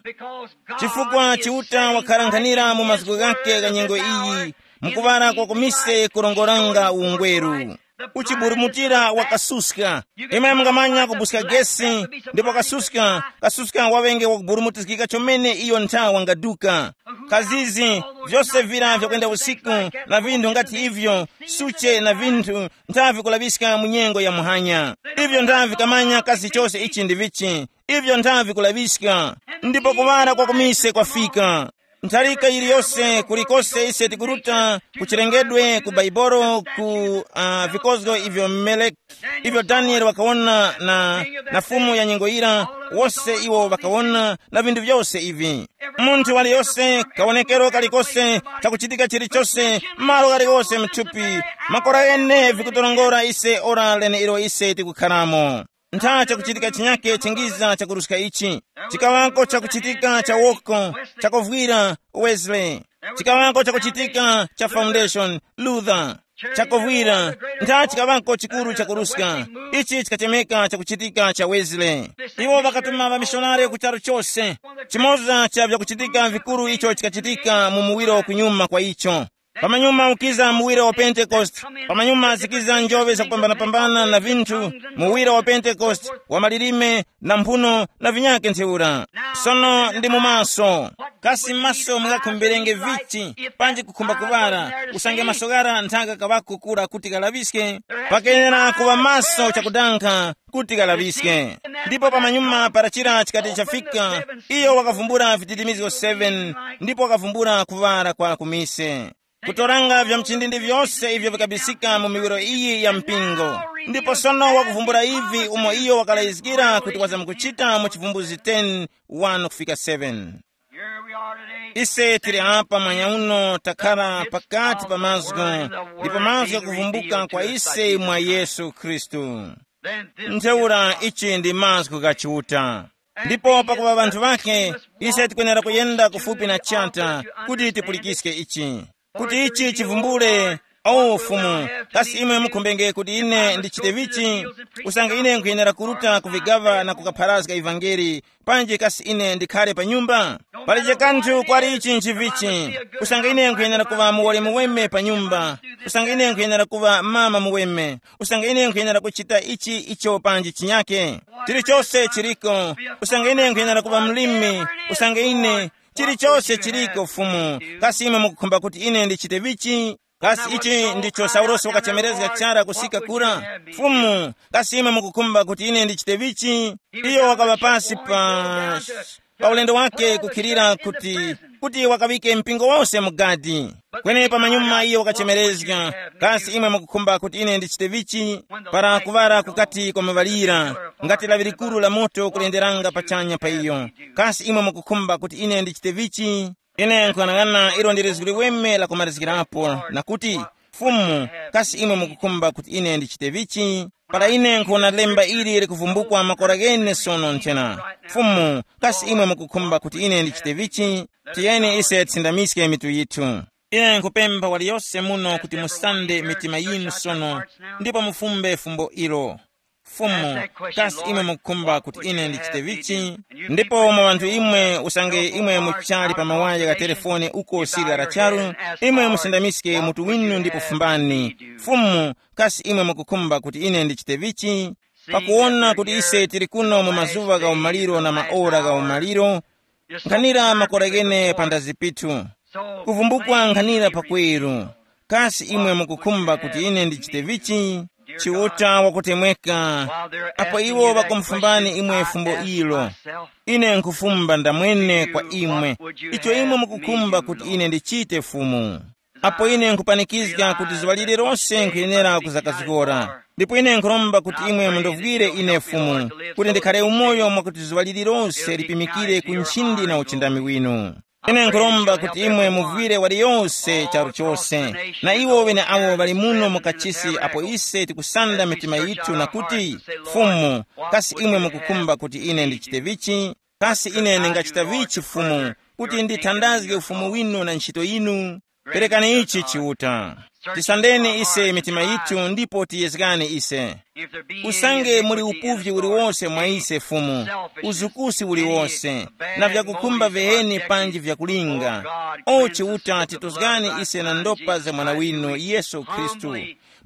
Chifukwa Chiuta wakhala nkhanira mu mazgu ghake gha nyengo iyi, mukuŵala kwa kumise kurongoranga ungweru. Uchiburumutira wakasuska. Imwe mungamanya kubuska gesi, ndipo kasuska, kasuska waŵenge wakuburumutizgika chomene iyo nthawa ngaduka. Kazizi, vyose vira vyakwenda usiku, na vinthu ngati ivyo, suche na vinthu, nthavi kulaŵiska mu nyengo ya muhanya. Ivyo nthavi kamanya kasi chose ichi ndi vichi, ivyo nthavi kulaŵiska, ndipo kuŵala kwa kumise kwafika. Ntharika yiliyose kulikose ise tikuruta ku chilengedwe, ku Baibolo, ku uh, vikozgo ivyo Meleki, ivyo Danieli wakawona na, na fumu ya nyengo yira, wose iwo wakawona na vinthu vyose ivi. Munthu waliyose, kawonekero kalikose, chakuchitika chilichose, malo ghaligose mthupi, makora ghene vikutorongora ise ora lene ilo ise tikukharamo. Ntha chakuchitika chinyake chingiza chakuruska ichi. Chikaŵako chakuchitika cha woko, chakuvwira Wesley. Chikaŵako chakuchitika cha Foundation Luther. Chakuvwira, ntha chikaŵako chikuru chakuruska. Ichi chikachemeka chakuchitika cha Wesley. Iwo ŵakatuma ŵamishonari ku charu chose. Chimoza cha vyakuchitika vikuru icho chikachitika mu muwiro kunyuma kwa icho. Pamanyuma ukiza muwiro wa Pentekoste, pamanyuma zikiza njobe zakupambanapambana na vinthu, muwiro wa Pentekoste, wa malilime, na mphuno, na vinyake ntheura. Sono ndi mu maso. Kasi maso mungakhumbirenge vichi, panji kukhumba kuŵala, usange maso ghara nthaka kaŵako kura kuti ghalaŵiske? Pakenera kuŵa maso chakudankha, kuti ghalaŵiske. Ndipo pamanyuma para chira chikati chafika, iyo wakavumbula vititimizgo seven, ndipo wakavumbula kuŵala kwa kumise. Kutoranga vya mchindindi vyose ivyo vikabisika mu miwiro iyi ya mpingo. Ndipo sono wakuvumbula ivi umo iyo wakalayizgira kuti wazamkuchita mu chivumbuzi ten, one kufika seven. Here we are today. Ise tili apa mwanya uno takhara pakati pa mazgu, ndipo mazgu yakuvumbuka kwa ise mwa Yesu Khristu. Ntheura ichi ndi mazgu gha Chiuta. Ndipo pakuŵa ŵanthu ŵakhe, ise tikwenera kuyenda kufupi na chata kuti tipulikiske ichi, kuti ichi chivumbule. O Fumu, kasi imwe mukhumbenge kuti ine ndichite vichi? Usange ine nkhuyenera kuruta ku vigaŵa na kukapharazga ivangeli, panji kasi ine ndikhale pa nyumba? Palije kanthu kwali ichi nchivichi. Usange ine nkhuyenera kuŵa muwoli muweme pa nyumba, usange ine nkhuyenera kuŵa mama muweme, usange ine nkhuyenera kuchita ichi icho panji chinyake, chilichose chiliko. Usange ine nkhuyenera kuŵa mlimi, usange ine, chilichose chiliko, Fumu. Kasi imwe mukukhumba kuti ine ndichite vichi? Kasi ichi ndicho Saulosi wakachemerezga chara kusika kura? Fumu, kasi imwe mukukhumba kuti ine ndichite vichi? Iyo wakaŵa pasi pa pa ulendo wake kukhilira kuti, kuti wakaŵike mpingo wose mu gadi. Kweni pamanyuma iyo wakachemerezga, kasi imwe mukukhumba kuti ine ndichite vichi? Para kuŵala kukati kwamaŵalira, ngati lawi likuru la moto kulenderanga pachanya pa iyo, kasi imwe mukukhumba kuti ine ndichite vichi? Ine nkuyang'ana ilo ndi lizgu liweme la kumalizgirapo, na kuti, Fumu, kasi imwe mukukhumba kuti ine ndichite vichi? Para ine nkuwona lemba ili likuvumbukwa makora ghene sono nthena, Fumu, kasi imwe mukukhumba kuti ine ndichite vichi? Tiyeni ise tisindamiske mitu yithu. Ine nkupempha waliyose muno kuti musande mitima yinu sono, ndipo mufumbe fumbo ilo. Fumu, kasi imwe mukukhumba kuti ine ndichite vichi? Ndipo mwa ŵanthu imwe, usange imwe muchali pa mawaya gha telefoni uko sili la charu, imwe musindamiske mutu winu ndipo fumbani, Fumu, kasi imwe mukukhumba kuti ine ndichite vichi? Pakuwona kuti ise tili kuno mu mazuŵa gha umaliro na maora gha umaliro, nkhanira makora ghene pa ndazi pithu, kuvumbukwa nkhanira pakweru. Kasi imwe mukukhumba kuti ine ndichite vichi? Chiuta wakutemweka, apo iwo ŵakumufumbani imwe fumbo ilo, ine nkhufumba ndamwene kwa imwe, icho imwe mukukhumba kuti ine ndichite, Fumu. Apo ine nkhupanikizga kuti zuŵa lililose nkhuyenera kuzakazgora, ndipo ine nkhuromba kuti imwe mundovwire ine, Fumu, kuti ndikhale umoyo mwakuti zuŵa lililose lipimikire ku nchindi na uchindami winu. Ine nkhuromba kuti imwe muvwire waliyose charu chose, na iwo ŵeneawo ŵali muno mu kachisi apo ise tikusanda mitima yithu na kuti, Fumu, kasi imwe mukukhumba kuti ine ndichite vichi? Kasi ine ndingachita vichi, Fumu, kuti ndithandazge ufumu winu na ntchito yinu? Perekani ichi Chiuta. Tisandeni ise mitima yithu ndipo tiyezgani ise. Usange muli upuvyi uliwose mwa ise, Fumu, uzukusi uliwose, na vyakukhumba viheni panji vyakulinga, o Chiuta, titozgani ise na ndopa za Mwana winu Yesu Khristu.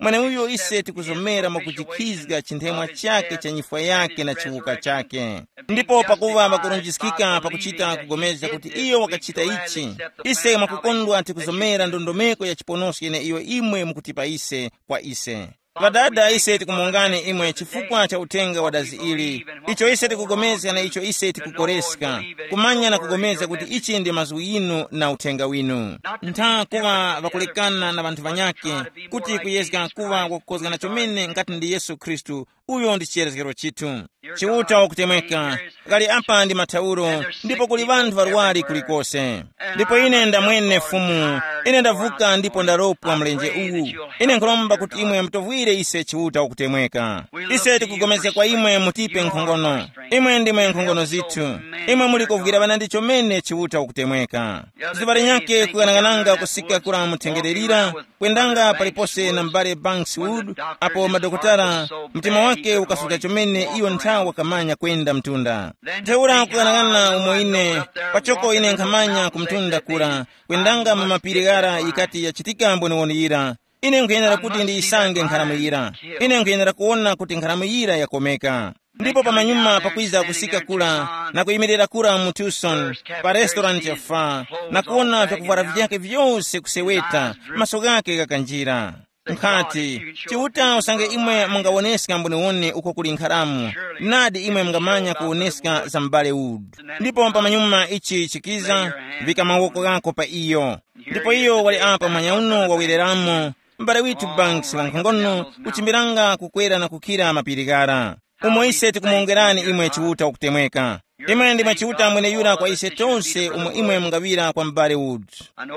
Mweneuyo ise tikuzomera mwakujikhizga chinthemwa chake cha nyifwa yake na chiwuka chake. Ndipo pakuva ŵakurunjiskika pakuchita kugomezga kuti iyo wakachita ichi, ise mwakukondwa tikuzomera ndondomeko ya chiponosko yeneiyo imwe mukutipa ise kwa ise. Ŵadada, ise tikumongani imwe chifukwa cha uthenga wa dazi ili, icho ise tikugomezga na icho ise tikukoreska, kumanya na kugomezga kuti ichi ndi mazgu yinu na uthenga winu. Ntha kuŵa ŵakulekana na ŵanthu ŵanyakhe, kuti kuyezga kuŵa wakukozgana chomene ngati ndi Yesu Khristu, uyo ndi chiyerezgero chithu. Chiuta wakutemweka, kali apa ndi mathauro, ndipo kuli ŵanthu ŵarwari kulikose. Ndipo ine ndamwene Fumu, ine ndavuka ndipo ndaropwa mlenje uwu. Ine nkhuromba kuti imwe mutovwire ise Chiuta wakutemweka. Ise tikugomezga kwa imwe mutipe nkhongono. Imwe ndimwe nkhongono zithu. Imwe muli kovwira ŵanandi chomene Chiuta wakutemweka. Zuŵa linyakhe kuyang'ananga kusika kura muthengererira, kwendanga palipose na m'bale Banks Wood, apo madokotala, mtima wake ukasuta chomene iyo nthawi wakamanya kwenda mtunda. Ntheura kuyang'ana umo ine, pachoko ine nkhamanya ku mtunda kura, kwendanga mu mapiri ghara yikati yachitika mboniwoni yira. Ine nkhuyenera kuti ndiyisange nkharamu yira. Ine nkhuyenera kuwona kuti nkharamu yira yakomeka. Ndipo pamanyuma pakwiza kusika kura na kuyimirira kura mu Tucson, pa restaurant ya fa, na kuwona vyakuvwara vyake vyose kuseweta, maso ghake ghakanjira. Nkhati, Chiuta, usange imwe mungawoneska mboniwoni uko kuli nkharamu, nadi imwe mungamanya kuwoneska za m'bale Wood. Ndipo pamanyuma ichi chikiza, vika mawoko ghako pa iyo. Ndipo iyo wali apa manyauno wawereramo, m'bale withu Banks wankhongono kuchimbiranga kukwera na kukhira mapiri ghara. Umo ise tikumuwongerani imwe Chiuta wakutemweka. Imwe ndimwe Chiuta mweneyura kwa ise tose umo imwe mungaŵira kwa m'bale Wood.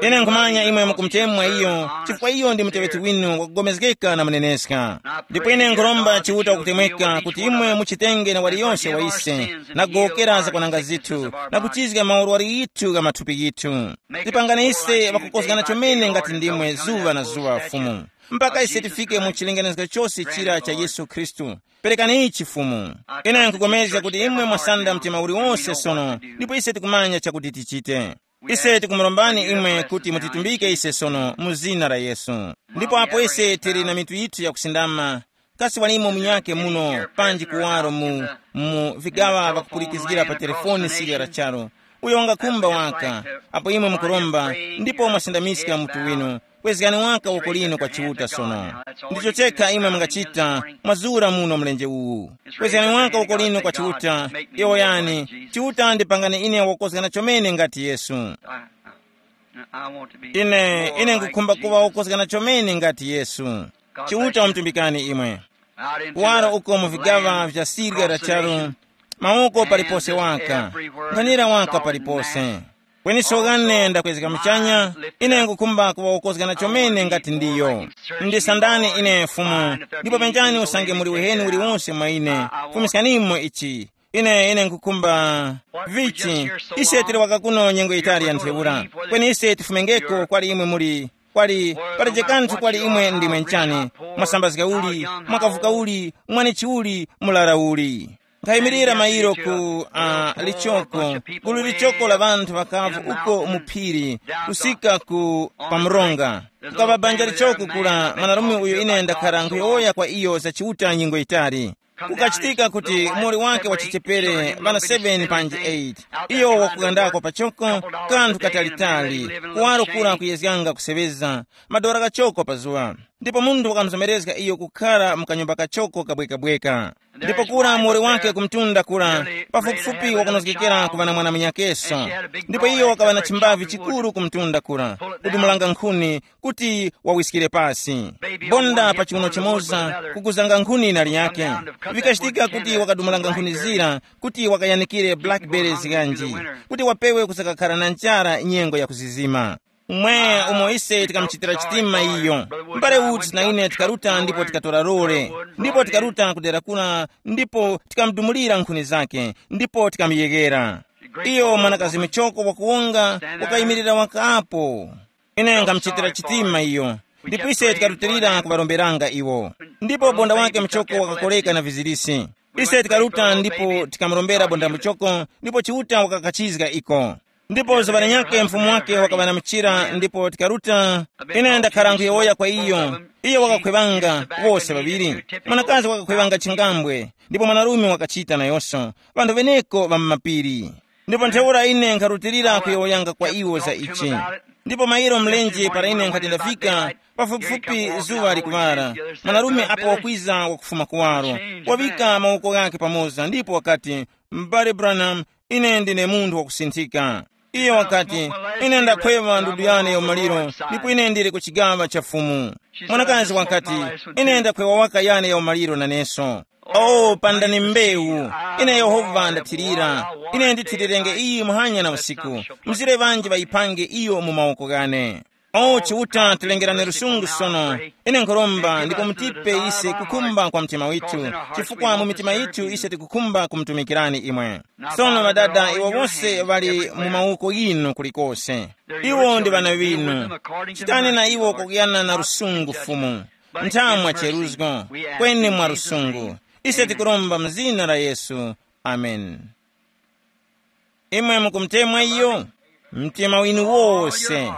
Ine nkhumanya imwe mukumutemwa iyo, chifukwa iyo ndi muteŵeti winu wakugomezgeka na muneneska. Ndipo ine nkhuromba Chiuta wakutemweka kuti imwe muchitenge na waliyonse wa ise, na kugowokera zakwananga zithu, na kuchizga maurwari yithu gha mathupi yithu. Tipangani ise ŵakukozgana chomene ngati ndimwe zuŵa na zuŵa Fumu, mpaka ise tifike mu chilenganizgo chose chira cha Yesu Khristu. Perekani ichi Fumu. Ine nkupulikana kuti imwe mwasanda mtima uliwonse sono, ndipo ise tikumanya chakuti tichite. Ise tikumurombani imwe kuti mutitumbike ise sono mu zina la Yesu. Ndipo apo ise tili na mitu yithu yakusindama, kasi walimo munyake muno panji kuwaro mu, mu vigaŵa vakupulikizgira pa telefoni sirya la charu, uyo ungakhumba waka, apo imwe mukuromba, ndipo mwasindamiska mutu winu, kwezgani waka uko lino kwa Chiuta sono. Ndicho chekha imwe mungachita, mwazura muno mlenje uwu. Kwezgani waka uko lino kwa Chiuta, yowoyani, Chiuta ndipangani ine wakukozgana chomene ngati Yesu. I, I want to be ine ine more like ngukhumba kuŵa Jesus. Wokozgana chomene ngati Yesu. Chiuta wamutumbikani imwe. Out into kuwaro the uko mu vigaŵa land vya sirya la charu, mawoko palipose waka, nkhanira waka palipose. Kweni sogane ndakwezeka muchanya, ine ngukhumba kuŵa wokozgana chomene ngati ndiyo. Ndisandani ine Fumu, ndipo penjani usange muli uheni uliwonse mwa ine, fumiskanimo ichi. Ine ine nkukhumba vichi, ise tili waka kuno nyengo yitali ya ntheura, kweni ise tifumengeko kwali imwe muli, kwali, palibe kanthu kwali imwe ndimwe nchani, mwasambazga uli, mwakavuka uli, mwanichi uli, mulara uli. Nkhayimirira mairo ku uh, lichoko, gulu lichoko la ŵanthu ŵakavu uko mu phiri, kusika ku pamronga. Kukava banja lichoko kula mwanarume uyo ine ndakhara nkhuyowoya kwa iyo za Chiuta nyengo yitali. Kukachitika kuti muli wake wa chichepere ŵana seven panji eight, iyo wakugandako pachoko, kanthu katalitali, kuwaro kura kuyezganga kuseŵeza, madora kachoko pa zuŵa. Ndipo munthu wakamuzomerezga iyo kukhara mu kanyumba kachoko kabwekabweka. Ndipo kura muwoli wake kumtunda kura, pafupifupi wakunozgekera kuŵa na mwana munyakeso. Ndipo iyo wakaŵa na chimbavi chikuru kumtunda kura, kudumulanga nkhuni kuti wawiskire pasi. Bonda pa chiuno chimoza kukuzanga nkhuni na liyake. Vikachitika kuti wakadumulanga nkhuni zira kuti wakayanikire blackberries ganji, kuti wapewe kusakakhara na njara nyengo ya kuzizima. Mwe umo ise tikamuchitira chitima iyo. Mbale Woods na ine tikaruta ndipo tikatora lole, ndipo tikaruta kudera kuna, ndipo tikamudumulira nkhuni zake, ndipo tikamuyegera. Iyo mwanakazi muchoko wakuwonga wakayimirira wakapo. Ine nkamuchitira chitima iyo, ndipo ise tikarutilira kuŵaromberanga iwo. Ndipo bonda wake muchoko wakakoleka na vizirisi. Ise tikaruta ndipo tikamurombera bonda muchoko, ndipo Chiuta wakakachizga iko. Ndipo zuŵa linyakhe mfumu wake wakaŵa na muchira ndipo tikaruta. Ine ndakhara nkhuyowoya kwa iyo. Iyo wakakhwevanga, wose ŵaŵiri. Mwanakazi wakakhwevanga chingambwe, ndipo mwanarume wakachita nayonso, ŵanthu ŵeneko ŵa mu mapiri. Ndipo ntheura ine nkharutilira kuyowoyanga kwa iwo za ichi. Ndipo mairo mlenje para ine nkhati ndafika, pafupifupi zuŵa likuŵala, mwanarume apo wakwiza wakufuma kuwaro, waŵika mawoko ghakhe pamoza ndipo wakati, m'bale Branham, ine ndine munthu wakusinthika. Iyo wakati, ine ndakhwewa ndudu yane ya umaliro, ndipo ine ndili ku chigaŵa cha Fumu. Mwanakazi wakati, ine ndakhwewa waka yane ya umaliro naneso. O pandani mbewu, ine Yehova ndathirira. Ine ndithirirenge iyi muhanya na usiku. Mzire ŵanji ŵayipange iyo mu mawoko ghane. O Chiuta, tilengerani lusungu sono. Ine nkhuromba ndipo mutipe ise kukhumba kwa mtima withu, chifukwa mu mitima yithu ise tikukhumba kumutumikirani imwe. Sono ŵadada iwo wose ŵali mu mawoko yinu kulikose. Iwo ndi ŵana ŵinu. Chitani na iwo kwakuyana na lusungu Fumu. Nthamwa cheruzgo, kweni mwa lusungu. Ise tikuromba mu zina la Yesu. Amen. Imwe mukumutemwa iyo? Mtima winu wose.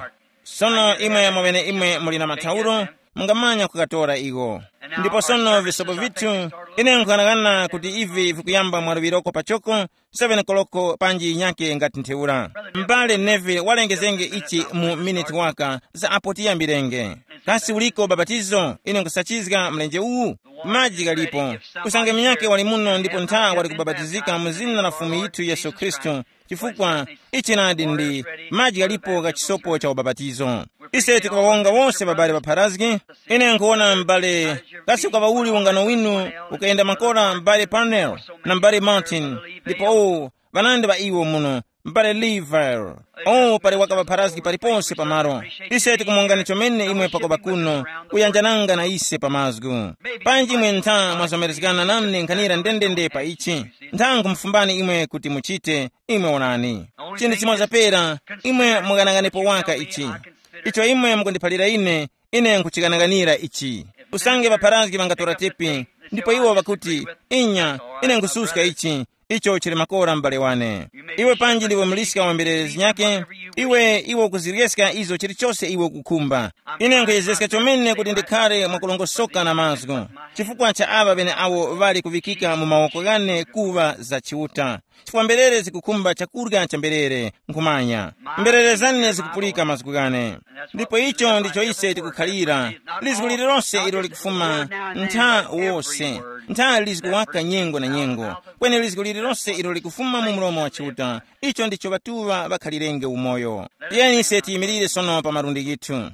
Sono imwe mwaŵene imwe muli na mathauro, mungamanya kukatora iwo. Ndipo sono visopo vithu, ine nkughanagana kuti ivi vikuyamba mwaluŵiroko pachoko, seven koloko panji yinyake ngati ntheura. M'bale Neville walengezenge ichi mu miniti waka za apo tiyambirenge. Kasi uliko babatizo? Ine nkusachizga mlenje uwu. Maji ghalipo. Usange munyakhe wali muno ndipo ntha wali kubabatizika mu zina la Fumu yithu Yesu Khristu, chifukwa ichi nadi ndi maji ghalipo gha chisopo cha ubapatizo. Ise tikuŵawonga wose babale ŵapharazgi. Ine nkuwona m'bale, kasi ukaŵa uli ungano winu ukayenda makora m'bale Parnell na m'bale Martin, ndipo uwu Ŵanandi ŵa iwo muno, m'bale Lever. Oh, pali wakaŵapharazgi paliponse pamalo. Ise tikumongani chomene imwe pakopa kuno, kuyanjananga na ise pa mazgu. Panji imwe ntha mwazomerezgana nane nkhanira ndendende pa ichi. Ntha nkhumufumbani imwe kuti muchite, imwe onani. Chinthu chimoza pera, imwe mukananganepo waka ichi. Icho imwe mukundiphalira ine, ine nkuchikananganira ichi. Usange ŵapharazgi ŵangatora tepi, ndipo iwo ŵakuti, inya, ine nkususka ichi, icho chili makora m'bale wane. Iwe panji ndiwe muliska wa mberere zinyake, iwe iwe ukuziryeska izo chilichose iwe ukukhumba. Ine nkhuyezeska chomene kuti ndikhale mwakulongosoka na mazgu, chifukwa cha aŵa ŵeneawo ŵali kuŵikika mu mawoko ghane kuŵa za Chiuta. Chifukwa mberere zikukhumba chakurya cha mberere, nkhumanya. Mberere zane zikupulika mazgu ghane. Ndipo icho ndicho ise tikukhalira. Lizgu lililonse ilo likufuma, ntha wose, ntha lizgu waka nyengo na nyengo. Kweni lizgu lililonse ilo likufuma mu mlomo wa Chiuta, icho ndicho ŵatuŵa ŵakhalirenge umoyo. Tiyeni ise tiyimirire sono pa malundi ghithu.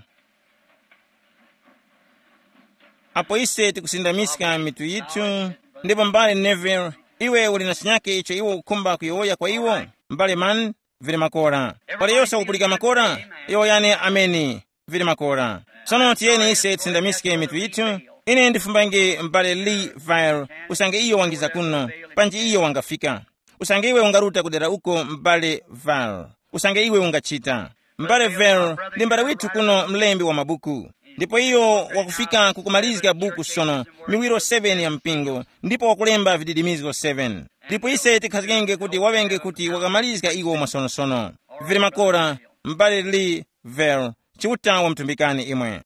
Apo ise tikusindamiska mitu yithu, ndipo mbale Neville, iwe uli na chinyake icho iwe ukukhumba kuyowoya kwa iwo? Mbale Mann, vili makora. Pali yose wakupulika makora? Yowoyani ameni. Vili makora. Sono tiyeni ise tisindamiske mitu yithu. Ine ndifumbange mbale Lee Vile, usange iyo wangiza kuno, panji iyo wangafika. Usange iwe ungaruta kudera uko, m'bale Val, usange iwe ungachita. M'bale Val ndi m'bale withu kuno, mlembi wa mabuku, ndipo iyo wakufika kukumalizga buku sono, miwiro seven ya mpingo, ndipo wakulemba vididimizgo seven. Ndipo ise tikhazikenge kuti waŵenge kuti wakamalizga iwo mwasonosono. Vili makora, m'bale Lee Val, Chiuta wamutumbikani imwe.